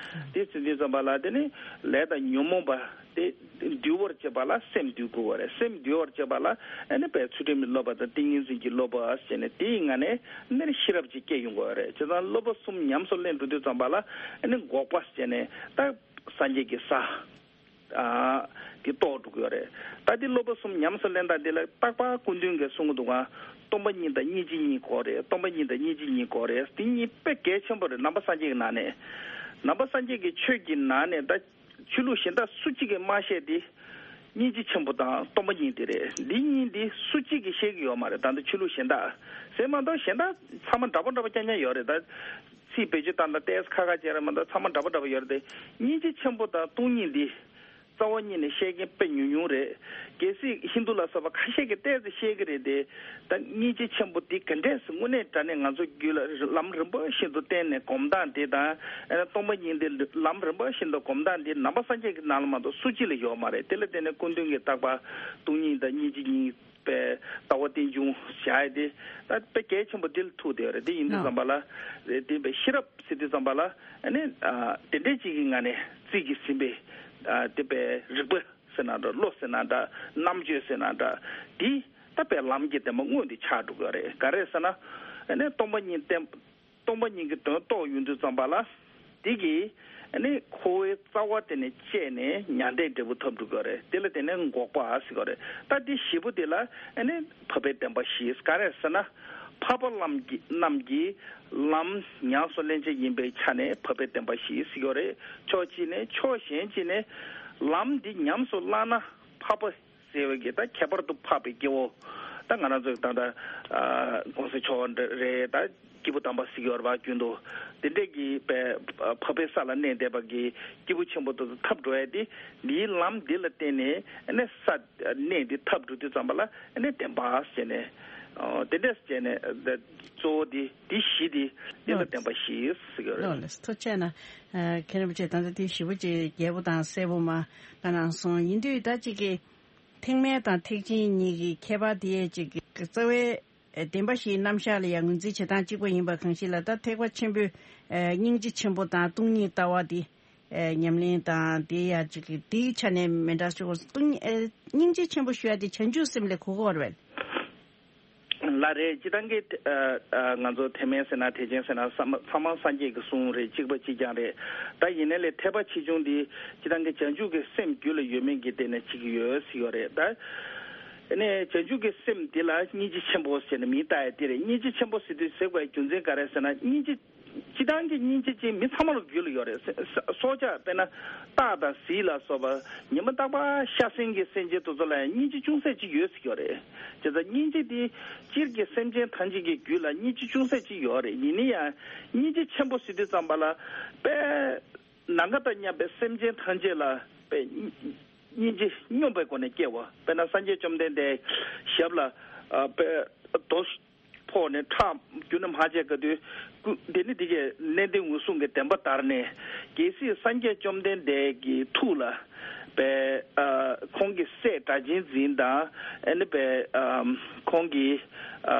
དེ་ཟེར་དུས་ཙམ་པ་ལ་དེ་ནི་ལས་དང་ཉོན་མོངས་པ་དེ་འདུལ་བར་བྱེད་པ་ལ་སེམས་འདུལ་དགོས་པ་རེད། སེམས་འདུལ་བར་བྱེད་པ་ལ་ཨ་ནི་པའི་ཚུལ་ཁྲིམས་ཀྱི་བསླབ་པ་དང་ཏིང་ངེ་འཛིན་གྱི་བསླབ་པ་ཟེར་ནས་དེའི་ངང་ནས་ཨ་ནི་ཤེས་རབ་ཅིག་སྐྱེ་ཡོང་དགོས་པ་རེད། བྱས་ཙང་བསླབ་པ་གསུམ་ཉམས་སུ་ལེན་འགྲོ་དུས་ཙམ་པ་ལ་ཨ་ནི་འགོག་པ་ཟེར་ནས་ད་སངས་རྒྱས་ཀྱི་ས་ཨ་དེ་རྟོགས་འགྲོ་གི་ཡོད་རེད། ད་དེ་བསླབ་པ་གསུམ་ཉམས་སུ་ལེན་སྟངས་དེ་ལ་རྟག་པར་སྐུ་མདུན་གྱིས་གསུང་གི་འདུག་ག་སྟོང་པ་ཉིད་དང་སྙིང་རྗེ་གཉིས་དགོས་རེད། སྟོང་པ་ཉིད་དང་སྙིང་རྗེ་གཉིས་དགོས་རེད། དེ་གཉིས་དཔེ་གལ་ཆེན་པོ་རེད། ནང་པ་སངས་རྒྱས་ཀྱི་ནང་ནས། ནང་པ་སངས་རྒྱས་ཀྱི་ཆོས་ཀྱི་ནང་ནས་ད། ཆོས་ལུགས་གཞན་དག་སུ་གཅིག་གིས་མ་བཤད་དེ། སྙིང་རྗེ་ཆེན་པོ་དང་སྟོང་པ་ཉིད་དེ་རེད། འདི་གཉིས་འདི་སུ་གཅིག་གིས་བཤད་ཀྱི་ཡོད་མ་རེད། ད་ལྟ་ཆོས་ལུགས་གཞན་དག་ཟེར་མ་གཏོགས་གཞན་དག་ཚང་མ་འདྲ་པོ་འདྲ་པོ་རྐྱང་རྐྱང་ཡོད་རེད། ད་ཚིག་བེད་སྤྱོད་བཏང་སྟངས་ཏོག་ཙམ་ཁག་ཁག་ཅིག་རེད་མ་གཏོགས་ཚང་མ་འདྲ་པོ་འདྲ་པོ་ཡོད་རེད་དེ། སྙིང་རྗེ་ཆེན་པོ་དང་སྟོང་ཉིད་འདི་རྩ་བ་ཉིད་ནས་བཤད་མཁན་དཔེ་ཉུང་ཉུང་རེད། གལ་སྲིད་ཧིན་དུ་ལ་སོགས་པ་ཁ་ཤས་ཀྱིས་ཏོག་ཙམ་བཤད་ཀྱི་རེད་དེ། ད་སྙིང་རྗེ་ཆེན་པོ་འདི་ག་འདྲས་སེ་དངོས་གནས་དྲང་གནས་ང་ཚོ་རྒྱུད་ལ་ལམ་རིམ་པ་བཞིན་དུ་བསྟེན་ནས་སྒོམ་སྟངས་འདི་དང་། ཨ་ནི་སྟོང་པ་ཉིད་འདི་ལམ་རིམ་པ་བཞིན་དུ་སྒོམ་སྟངས་འདི་ནང་པ་སངས་རྒྱས་ཀྱི་ནང་ལ་མ་གཏོགས་སུ་གཅིག་ལ་ཡོད་མ་རེད། དེ་ལ་བརྟེན་ནས་སྐུ་མདུན་གྱིས་རྟག་པར་སྟོང་ཉིད་དང་སྙིང་རྗེ་གཉིས་པའི་ལྟ་བ་རྟེན་འབྱུང་བྱ་ཡ་དེ་ད་དཔེ་གལ་ཆེན་པོ་འདི་ལ་ཐུག་བསྡད་ཡོད་རེད། དེ་ཡིན་དུས་ཙམ་པ་ལ་རེད་དེ་བས་ཤེས་རབ་ཟེར་དུས་ཙམ་པ་ལ་ཨ་ནི་ཨ་དེ་འདྲས་ཅིག་གི་ངང་ནས་རྩིས་ཀྱིས་ཟིན་པའི་ཨ་དེ་བས་རིག་པ་ཟེར་ན་འདྲ། བློ་ཟེར་ན་འདྲ། རྣམ་དཔྱོད་ཟེར་ན་འདྲ། འདི་ད་དཔེ་ལམ་གྱི་བདེན་པ་མངོན་དུ་ཆགས་འགྲོ་གི་རེད། ག་རེ་ཟེར་ན་ཨ་ནི་སྟོང་པ་ཉིད་བསྟན། སྟོང་པ་ཉིད་ཀྱི་དོན་རྟོགས་ཡོང་དུས་ཙམ་པ་ལ་འདི་གིས་ཨ་ནི་འཁོར་བའི་རྩ་བ་དེ་ནས་བཅད་ནས་མྱང་འདས་འབྲས་བུ་ཐོབ་འགྲོ་གི་རེད། དེ་ལ་དེ་ནས་འགོག་པ་ཟེར་གི་རེད། ད་འདི་བཞི་པོ་དེ་ལ་ཨ་ནི་འཕགས་པའི་བདེན་པ་བཞི། ག་རེ་ཟེར་ན། འཕགས་པ་ལམ་གྱི་རྣམས་ཀྱི་ལམ་ཉམས་སུ་ལེན་བྱེད་ཡིན་པའི་ཆ་ནས་འཕགས་པའི་བདེན་པ་བཞི་ཟེར་གྱི་ཡོད་རེད། ཕྱོགས་གཅིག་ནས། ཕྱོགས་གཞན་གཅིག་ནས་ལམ་འདི་ཉམས་སུ་བླངས་ན་འཕགས་པ་ཟེར་བའི་གི་ད་ཁྱད་པར་དུ་འཕགས་པའི་སྐྱེ་བོ། ད་ང་རང་ཚོའི་ད་ལྟ་ཨ་གོང་ས་མཆོག་རེད། ད་སྐྱེས་བུ་དམ་པ་ཟེར་གྱི་ཡོད་རེད་པ། རྒྱུན་དུ་དེ་འདྲས་ཀྱི་པའི་འཕགས་པའི་ས་ལ་གནས་བསྡད་པ་གི་སྐྱེས་བུ་ཆེན་པོ་དེ་ཚོ་འཐབ་འགྲོ་ཡ་དེ་འདིའི་ལམ་འདི་ལ་བརྟེན་ནས་ཨ་ནི་ས་གནས་འདི་འཐབ་འགྲོ་དུས་ཙམ་པ་ལ་ཨ་ནི་བདེན་པ་ཟེར་ནས། ཨོ། དེ་འདྲས་བྱས་ནས་ད་གཙོ་བོ་འདི་འདི་བཞི་འདི་འདི་ལ་ལགས། བདེན་པ་བཞི་ཟེར་གྱི་ཡོད་རེད། ལགས་ལགས། ཐུགས་རྗེ་ཆེ་གནང་། ཨ་མཁན་རིན་པོ་ཆེ་ད་ལྟ་དེ་ཞིབ་པོ་ཅིག་རྒྱས་པོ་དང་གསལ་པོ་མ་བཀའ་གནང་སོང་། ཡིན་དུས་ད་ཅིག་གི་ཐེག་དམན་དང་ཐེག་ཆེན་གཉིས་ཀྱི་ཁྱད་པར་དེ་ཅིག་གི་རྩ་བའི་ཨེ་བདེན་པ་བཞིའི་རྣམ་གཞག་ལ་ཡང་ངོས་འཛིན་བྱེད་སྟངས་གཅིག་པ་ཡིན་པ་གང་ཞིག་ལ། ད་ཐེག་པ་ཆེན་པོའི་ཨེ་སྙིང་རྗེ་ཆེན་པོ་དང་སྟོང་ཉིད་ལྟ་བ་དེ་ཨེ་ཉམས་ལེན་དང་དེ་ཡང་ཅིག་གི་དེའི་ཆ་ནས་མི་འདྲ་ཞིག་སྟོང་ཨེ་སྙིང་རྗེ་ཆེན་པོ་ཞུ་ཡ་དེ་བྱང་ཆུབ་སེམས་ལ་གོ་གི་ཡོད་རེད། ལགས་རེད། སྤྱིར་བཏང་གི་ཨ་ཨ་ང་ཚོ་ཐེག་དམན་ཟེར་ན་ཐེག་ཆེན་ཟེར་ན་ཚང་མ་ཚང་མ་སངས་རྒྱས་ཀྱི་གསུང་རེད། གཅིག་པ་གཅིག་རྐྱང་རེད། ད་ཡིན་ནའི་ལས་ཐེག་པ་ཆེ་ཆུང་འདི་སྤྱིར་བཏང་གི་བྱང་ཆུབ་ཀྱི་སེམས་རྒྱུད་ལ་ཡོད་མེད་ཀྱི་སྟེང་ནས་ཅིག་ཡོད་ཟེར་ཡོད་རེད། ད་ཨ་ནི་བྱང་ཆུབ་ཀྱི་སེམས་འདི་ལ་སྙིང་རྗེ་ཆེན་པོ་ཟེར་ནས་མིང་བཏགས་ཡ་དེ་རེད། སྙིང་རྗེ་ཆེན་པོ་ཟེར་དུས་ཟེར་དགོས་པའི་རྒྱུ་མཚན་ག་རེ་ཟེར་ན། སྙིང་རྗེ་སྤྱིར་བཏང་གི་སྙིང་རྗེ་ཅན་མི་ཚང་མ་ལ་རྒྱུད་ལ་ཡོད་རེད། ས་ས་སྲོག་ཆགས་དཔེར་ན་སྟག་དང་གཟིག་ལ་སོགས་པ་ཉི་མ་རྟག་པར་ཤ་ཟན་གྱི་སེམས་ཅན་དེ་ཚོ་ལ་ཡང་སྙིང་རྗེ་ཅུང་ཟད་ཅིག་ཡོད་ཟེར་གྱི་ཡོད་རེད། བྱས་ཙང་སྙིང་རྗེ་དེ་སྤྱིར་གྱི་སེམས་ཅན་ཐམས་ཅད་ཀྱི་རྒྱུད་ལ་སྙིང་རྗེ་ཅུང་ཟད་ཅིག་ཡོད་རེད། ཡིན་ན་ཡང་སྙིང་རྗེ་ཆེན་པོ་ཟེར་དུས་ཙམ་པ་ལ་དཔེ་ནམ་མཁའ་དང་མཉམ་པའི་སེམས་ཅན་ཐམས་ཅད་ལ་དཔེ་སྙིང་རྗེ་སྙོམས་པའི་སྒོ་ནས་སྐྱེ་བ། དཔེར་ན་སངས་རྒྱས་བཅོམ་ལྡན་འདས་ཞབས་ལ་ཨ་དཔེ་རྡོ་ཕོག་ནས་ཁྲག་རྒྱུ་ནི་མ་བྱས་ག་དུས་སྐུ་དེ་ནི་འདི་གའི་ནན་ཏན་འོད་སྲུང་གི་བདེན་པ་དར་ནས། གལ་སྲིད་སངས་རྒྱས་བཅོམ་ལྡན་འདས་ཀྱི་ཐུགས་ལ་པའི་ཨ་ཁོང་གི་སྲས་སྒྲ་གཅན་འཛིན་དང་ཨ་ནི་པའི་ཨ་ཁོང་གི་ཨ་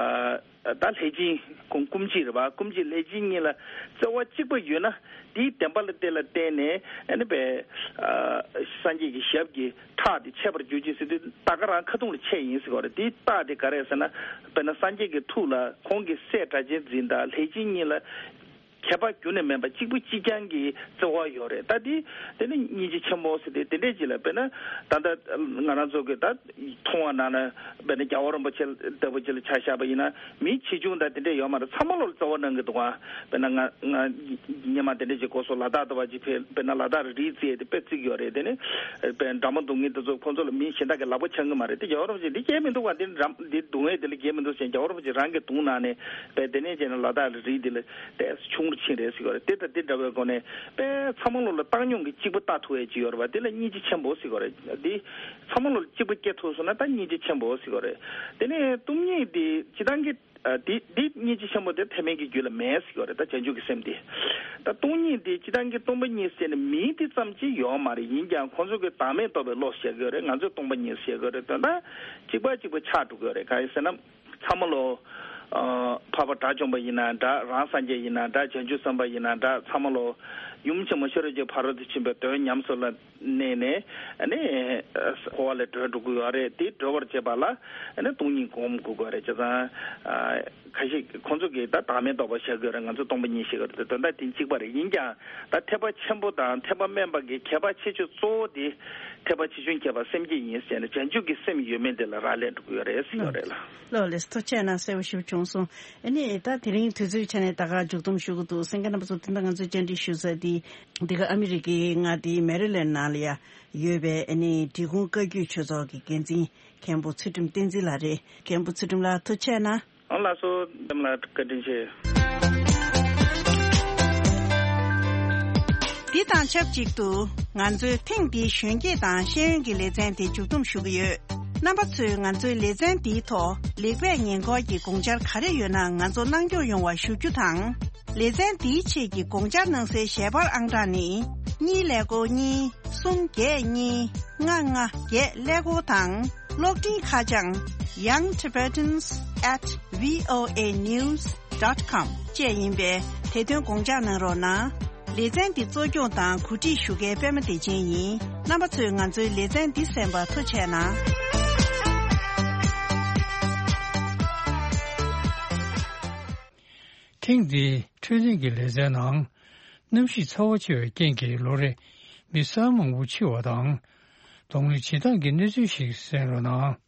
ད་ལྷས་སྦྱིན་ཁོང་སྐུ་མཆེད་རེད་པ། སྐུ་མཆེད་ལྷས་སྦྱིན་གཉིས་ལ་བརྩེ་བ་གཅིག་པ་ཡོད་ན། དེའི་བདེན་པ་ལ་དེ་ལ་བརྟེན་ནས་ཨ་ནི་པའི་ཨ་སངས་རྒྱས་ཀྱི་ཞབས་ཀྱི་ཁྲག་དེ་ཆད་པར་འགྱུར་གྱི་ཟེར་དུས་ད་ག་རང་ཁ་ཐུག་ལ་ཆད་ཡིན་ཟེར་བ་རེད། དེའི་རྟགས་དེ་ག་རེ་ཟེར་ན། དཔེར་ན་སངས་རྒྱས་ཀྱི་ཐུགས་ལ་ཁོང་གི་སྲས་སྒྲ་གཅན་འཛིན་དང་ལྷས་སྦྱིན་གཉིས་ལ་ཁྱད་པར་རྒྱུན་ནས་མེད་པ་གཅིག་པུ་གཅིག་རྐྱང་གི་བརྩེ་བ་ཡོད་རེད། ད་དེ་དེ་ནི་སྙིང་རྗེ་ཆེན་པོ་ཟེར་ཏེ་དེ་འདྲས་ཅིག་ལ། དཔེར་ན་ད་ལྟ་ང་རང་ཚོ་གི་ད་མཐོང་བ་ནང་ན་དཔེར་ན་རྒྱལ་བ་རིན་པོ་ཆེ་ལྟ་བུ་ཅིག་ལ་ཆ་བཞག་པ་ཡིན་ན། མི་ཆེ་ཆུང་དང་དེ་འདྲས་ཡོད་མ་རེད། ཚང་མ་ལོ་ལ་བརྩེ་བ་གནང་གི་འདུག་ག་དཔེར་ན་ང་ང་སྔོན་མ་དེ་འདྲས་ཅིག་གོ་སོང་། ལ་དྭགས་དུ་བ་ཅིག་ཕེབས། དཔེར་ན་ལ་དྭགས་རི་རྩེ་དེ་དཔེ་བརྩི་གི་ཡོད་རེད། དེ་ནི་དཔེར་ན་འདྲ་མོ་འདུག་མཁན་དེ་ཚོ་ཁོང་ཚོ་ལ་མི་གཞན་དག་གིས་ལག་པ་འཆང་གི་མ་རེད། དེ་རྒྱལ་བ་རིན་པོ་ཆེ་འདི་སྐྱེལ་མི་འདུག་ག་འདི་འདྲ་འདི་སྡུག་བསྔལ་དེ་ལ་སྐྱེལ་མི་འདུག་ཟེར། རྒྱལ་བ་རིན་པོ་ཆེ་རང་གིས་བརྡུངས་གནང་ནས་དཔེ་དེ་ནས་བྱས་ན་ལ་དྭགས་རི་རྩེ་དེ་ལ་ཏོག་ཙམ་ཆུང་རུ་ཕྱིན་རེད་ཟེར་གི་ཡོད་རེད། དེ་ལྟ་དེ་འདྲ་བའི་སྒོ་ནས་དཔེ་ཚང་མ་ལོ་ལ་བཏང་སྙོམས་ཀྱི་གཅིག་པ་ལྟ་ཐུབ་ཡས་ཅིག་ཡོད་རེད་པ། དེ་ལ་སྙིང་རྗེ་ཆེན་པོ་ཟེར་གི་ཡོད་རེད། དེ་ཚང་མ་ལོ་ལ་གཅིག་པ་སྐྱེ་ཐུབ་སོང་ན་ད་སྙིང་རྗེ་ཆེན་པོ་ཟེར་གི་ཡོད་རེད། དེ་ནས་སྟོང་ཉིད་དེ་སྤྱིར་བཏང་གི་ཨ་དེ་དེ་སྙིང་རྗེ་ཆེན་པོ་དེ་ཐེག་དམན་གྱི་རྒྱུད་ལ་མེད་ཟེར་གི་ཡོད་རེད། ད་བྱང་ཆུབ་ཀྱི་སེམས་དེ། ད་སྟོང་ཉིད་དེ་སྤྱིར་བཏང་གི་སྟོང་པ་ཉིད་ཟེར་ནས་མིང་དེ་ཙམ་གཅིག་ཡོད་མ་རེད། ཡིན་ཀྱང་ཁོང་ཚོ་གི་བདག་མེད་རྟོགས་པའི་བློ་ཟེར་གི་ཡོད་རེད། ང་ཚོས་སྟོང་པ་ཉིད་ཟེར་གི་ཡོད་རེད། དོན་དག་གཅིག་པ་གཅིག་པ་ཆགས་འགྲོ་གི་ཡོད་རེད། གང་ཡིན་ཟེར་ན། ཚང་མ་ལོ། ཨ་འཕགས་པ་དགྲ་བཅོམ་པ་ཡིན་ན་འདྲ། རང་སངས་རྒྱས་ཡིན་ན་འདྲ། བྱང་ཆུབ་སེམས་དཔའ་ཡིན་ན་འདྲ། ཚང་མ་ལོ་ཡུམ་ཆེན་མོ་ཤེས་རབ་ཀྱི་ཕ་རོལ་ཏུ་ཕྱིན་པའི་དོན་ཉམས་སུ་ལ་གནས་ནས་ཨ་ནི་འཁོར་བ་ལས་གྲོལ་འགྲོ་གི་ཡོད་རེད། དེ་གྲོལ་བར་བྱེད་པ་ལ་ཨ་ནི་སྟོང་ཉིད་སྒོམ་དགོས་ཀྱི་ཡོད་རེད། བྱས་ཙང་ཨ་ཁ་ཤས་ཁོང་ཚོ་གིས་ད་བདག་མེད་རྟོགས་པ་བཞག་གི་ཡོད་རེད། ང་ཚོ་སྟོང་པ་ཉིད་བཞག་གི་ཡོད་རེད། དོན་དག་དེ་གཅིག་པ་རེད། ཡིན་ཀྱང་ད་ཐེག་པ་ཆེན་པོ་དང་ཐེག་པ་དམན་པ་གི་ཁྱད་པར་ཁྱད་ཆོས་གཙོ་བོ་དེ་ཐེག་པ་ཆེ་ཆུང་ཁྱད་པར་སེམས་བསྐྱེད་ཡིན་ཟེར་ནས་བྱང་ཆུབ་ཀྱི་སེམས་ཡོད་མེད་དེ་ལ་རག་ལས་འགྲོ་གི་ཡོད་རེད་ཟེར་གི་ཡོད་རེད་ལགས། ལགས་ལགས། ཐུགས་རྗེ་གནང་། གསལ་པོ་ཞིབ་བྱུང་སོང་། ཨ་ནི་ད་དེ་རིང་དུས་ཚོད་ཆ་ནས་ད་ག་མཇུག་སྡོམ་ཞུ་གི་འདུག་གསན་མཁན་རྣམ་པ་ཚོ་དེ་འདྲ་ང་ཚོའི་བཅར་འདྲི་ཞུ་ས་དེ་འདི་ག་ཨ་མི་རི་ཀའི་མངའ་སྡེའི་མེ་རི་ལེན་ནང་ལ་ཡ་ཡོད་པའི་ཨ་ནི་འབྲི་གུང་བཀའ་བརྒྱུད་ཆོས་ཚོགས་ཀྱི་འགན་འཛིན་མཁན་པོ་ཚུལ་ཁྲིམས་བསྟན་འཛིན་ལགས་རེད། མཁན་པོ་ཚུལ་ཁྲིམས་ལགས་ཐུགས་རྗེ་གནང་། ཨང་ལགས་སོ། འདེམས་ལ་བཀའ་དྲིན་ཆེ། འདི་དང་ཆབས་ཅིག་ཏུ་ང་ཚོའི་ཐེངས་འདིའི་གཞོན་སྐྱེས་དང་ཤེས་ཡོན་གྱི་ལེ་ཚན་དེ་མཇུག་སྡོམ་ཞུ་གི་ཡོད། རྣམ་པ་ཚོས་ང་ཚོའི་ལེ་ཚན་འདིའི་ཐོག་ལེགས་སྤེལ་ཉེས་འཁོར་གྱི་དགོངས་འཆར་ག་རེ་ཡོད་ན་ང་ཚོ་གནང་སྐྱོང་ཡོང་བ་ཞུ་རྒྱུ་དང་། ལེ་ཚན་འདིའི་ཆེད་ཀྱི་དགོངས་འཆར་གནང་སའི་ཞལ་པར་ཨང་གྲངས་ནི། གཉིས་ཀླད་ཀོར་གཉིས། གསུམ་བརྒྱད་གཉིས། ལྔ་ལྔ་བརྒྱད་ཀླད་ཀོར་དང་། གློག་འཕྲིན་ཁ་བྱང་young tibetans at voanews dot com བཅས་ཡིན་པས་དེ་དོན་དགོངས་འཇགས་གནང་རོགས་གནང་། ལེ་ཚན་འདི་གཙོ་སྐྱོང་དང་གོ་སྒྲིག་ཞུ་མཁན་པད་མ་བདེ་ཆེན་ཡིན། རྣམ་པ་ཚོས་ང་ཚོའི་ལེ་ཚན་འདི་གསན་པར་ཐུགས་རྗེ་གནང་། ཐེངས་འདིའི་འཕྲོད་བསྟེན་གྱི་ལེ་ཚན་ནང་། གནམ་གཤིས་ཚ་བ་ཆེ་བའི་རྐྱེན་གྱིས་ལོ་རེ་མི་གསར་མང་པོ་འཆི་བ་དང་། གདོང་ལེན་བྱེད་སྟངས་ཀྱི་གནས་ཚུལ་ཞིག་གསན་རོགས་གནང་།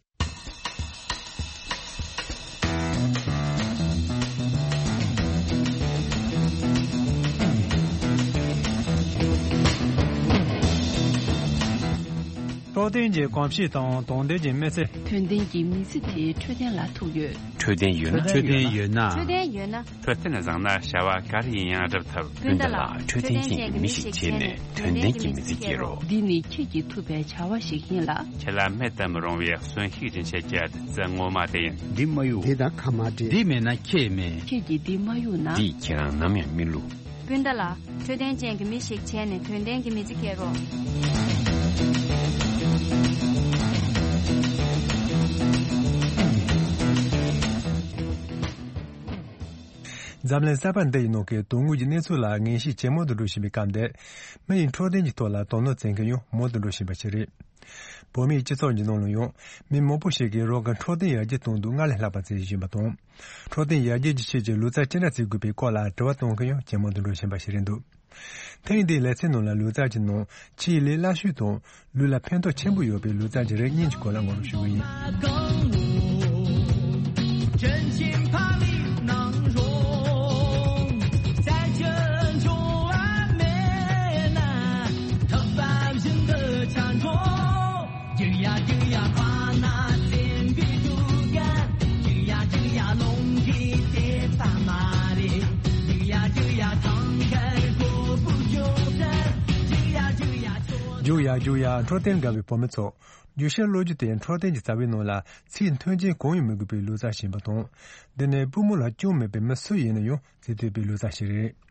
འཕྲོད་བསྟེན་གྱི་གོམས་གཤིས་དང་དོན་ལྡན་གྱི་མི་ཚེ། དོན་ལྡན་གྱི་མི་ཚེ་དེ་འཕྲོད་བསྟེན་ལ་ཐུག་ཡོད། འཕྲོད་བསྟེན་ཡོད་ན། འཕྲོད་བསྟེན་ཡོད་ན། འཕྲོད་བསྟེན་བཟང་ན་བྱ་བ་ག་རེ་ཡིན་ཡང་སྒྲུབ་ཐུབ། སྤུན་ཟླ་ལགས། འཕྲོད་བསྟེན་ཅན་གྱི་མི་ཞིག་བྱས་ནས་དོན་ལྡན་གྱི་མི་ཚེ་སྐྱེལ་རོགས། འདི་ནི་ཁྱེད་ཀྱིས་ཐུབ་པའི་བྱ་བ་ཞིག་ཡིན་ལ། ཁྱེད་ལ་མེད་དུ་མི་རུང་བའི་གསོན་ཤུགས་སྦྱིན་བྱེད་ཀྱི་བདུད་རྩི་ངོ་མ་དེ་ཡིན། འདི་མ་གཡུག་དེ་དང་ཁ་མ་འདྲེས། འདི་མེད་ན་ཁྱེད་མེད། ཁྱེད་ཀྱིས་འདི་མ་གཡུག་ན། འདིས་ཁྱེད་རང་ནམ་ཡང་མི་བསླུ། སྤུན་ཟླ་ལགས། འཕྲོད་བསྟེན་ཅན་གྱི་མི་ཞིག་བྱས་ནས་དོན་ལྡན་གྱི་མི་ཚེ་སྐྱེལ་རོགས། འཛམ་གླིང་གསར་པ་འདི་ཡི་ནང་གི་དོན་དངོས་ཀྱི་གནས་ཚུལ་ལ་ངེས་ཤེས་ཇེ་མང་དུ་འགྲོ་བཞིན་པའི་སྐབས་འདིར། མི་ཡི་འཕྲོད་བསྟེན་གྱི་ཐོག་ལ་དོ་སྣང་བྱེད་མཁན་ཡང་མང་དུ་འགྲོ་བཞིན་པ་ཞིག་རེད། བོད་མིའི་སྤྱི་ཚོགས་ཀྱི་ནང་ལ་ཡང་མི་མང་པོ་ཞིག་གིས་རང་གི་འཕྲོད་བསྟེན་ཡར་རྒྱས་གཏོང་དུས་སྔར་ལས་ལྷག་པ་བྱེད་བཞིན་པ་དང་། འཕྲོད་བསྟེན་ཡར་རྒྱས་ཀྱི་ཆེད་ཀྱི་ལུས་རྩལ་ཅི་འདྲ་བྱེད་དགོས་པའི་སྐོར་ལ་དྲི་བ་གཏོང་མཁན་ཡང་ཇེ་མང་དུ་འགྲོ་བཞིན་པ་ཞིག་རེད་འདུག་ཐེངས་འདིའི་ལེ་ཚན་ནང་ལ་ལུས་རྩལ་གྱི་ནང་ཆེས་ལས་སླ་ཤོས་དང་ལུས་ལ་ཕན་ཐོགས་ཆེན་པོ་ཡོད་པའི་ལུས་རྩལ་གྱི་རིགས་གཉིས་ཀྱི་སྐོར་ལ་ངོ་སྤྲོད་ཞུ་གི་ཡིན། རྒྱུག་ཡ་རྒྱུག་ཡ་ཕ་ན་བཙན་པོའི་དུག་ཡ། རྒྱུག་ཡ་རྒྱུག་ཡ་རླུང་གིས་བདེ་པ་མ་རེད། རྒྱུག་ཡ་རྒྱུག་ཡ་ཐང་གར་གོ་བུ་རྒྱུག་ས། རྒྱུག་ཡ་རྒྱུག་ཡ་ཚོ། རྒྱུག་ཡ་རྒྱུག་ཡ་འཕྲོད་བསྟེན་དགའ་བའི་བུ་མོ་ཚོ། རྒྱུག་ཤར་གློད་རྒྱུ་དེ་འཕྲོད་བསྟེན་གྱི་རྩ་བའི་ནང་ལ་ཚིག་མཐུན་རྐྱེན་གང་ཡང་མི་དགོས་པའི་ལུས་རྩལ་ཞིག་ཡིན་པ་དང་། འདི་ནི་པུས་མོ་ལ་སྐྱོན་མེད་པའི་མི་སུ་ཡིན་ན་ཡང་བྱེད་ཐུབ་པའི་ལུས་རྩལ་ཞིག་རེད།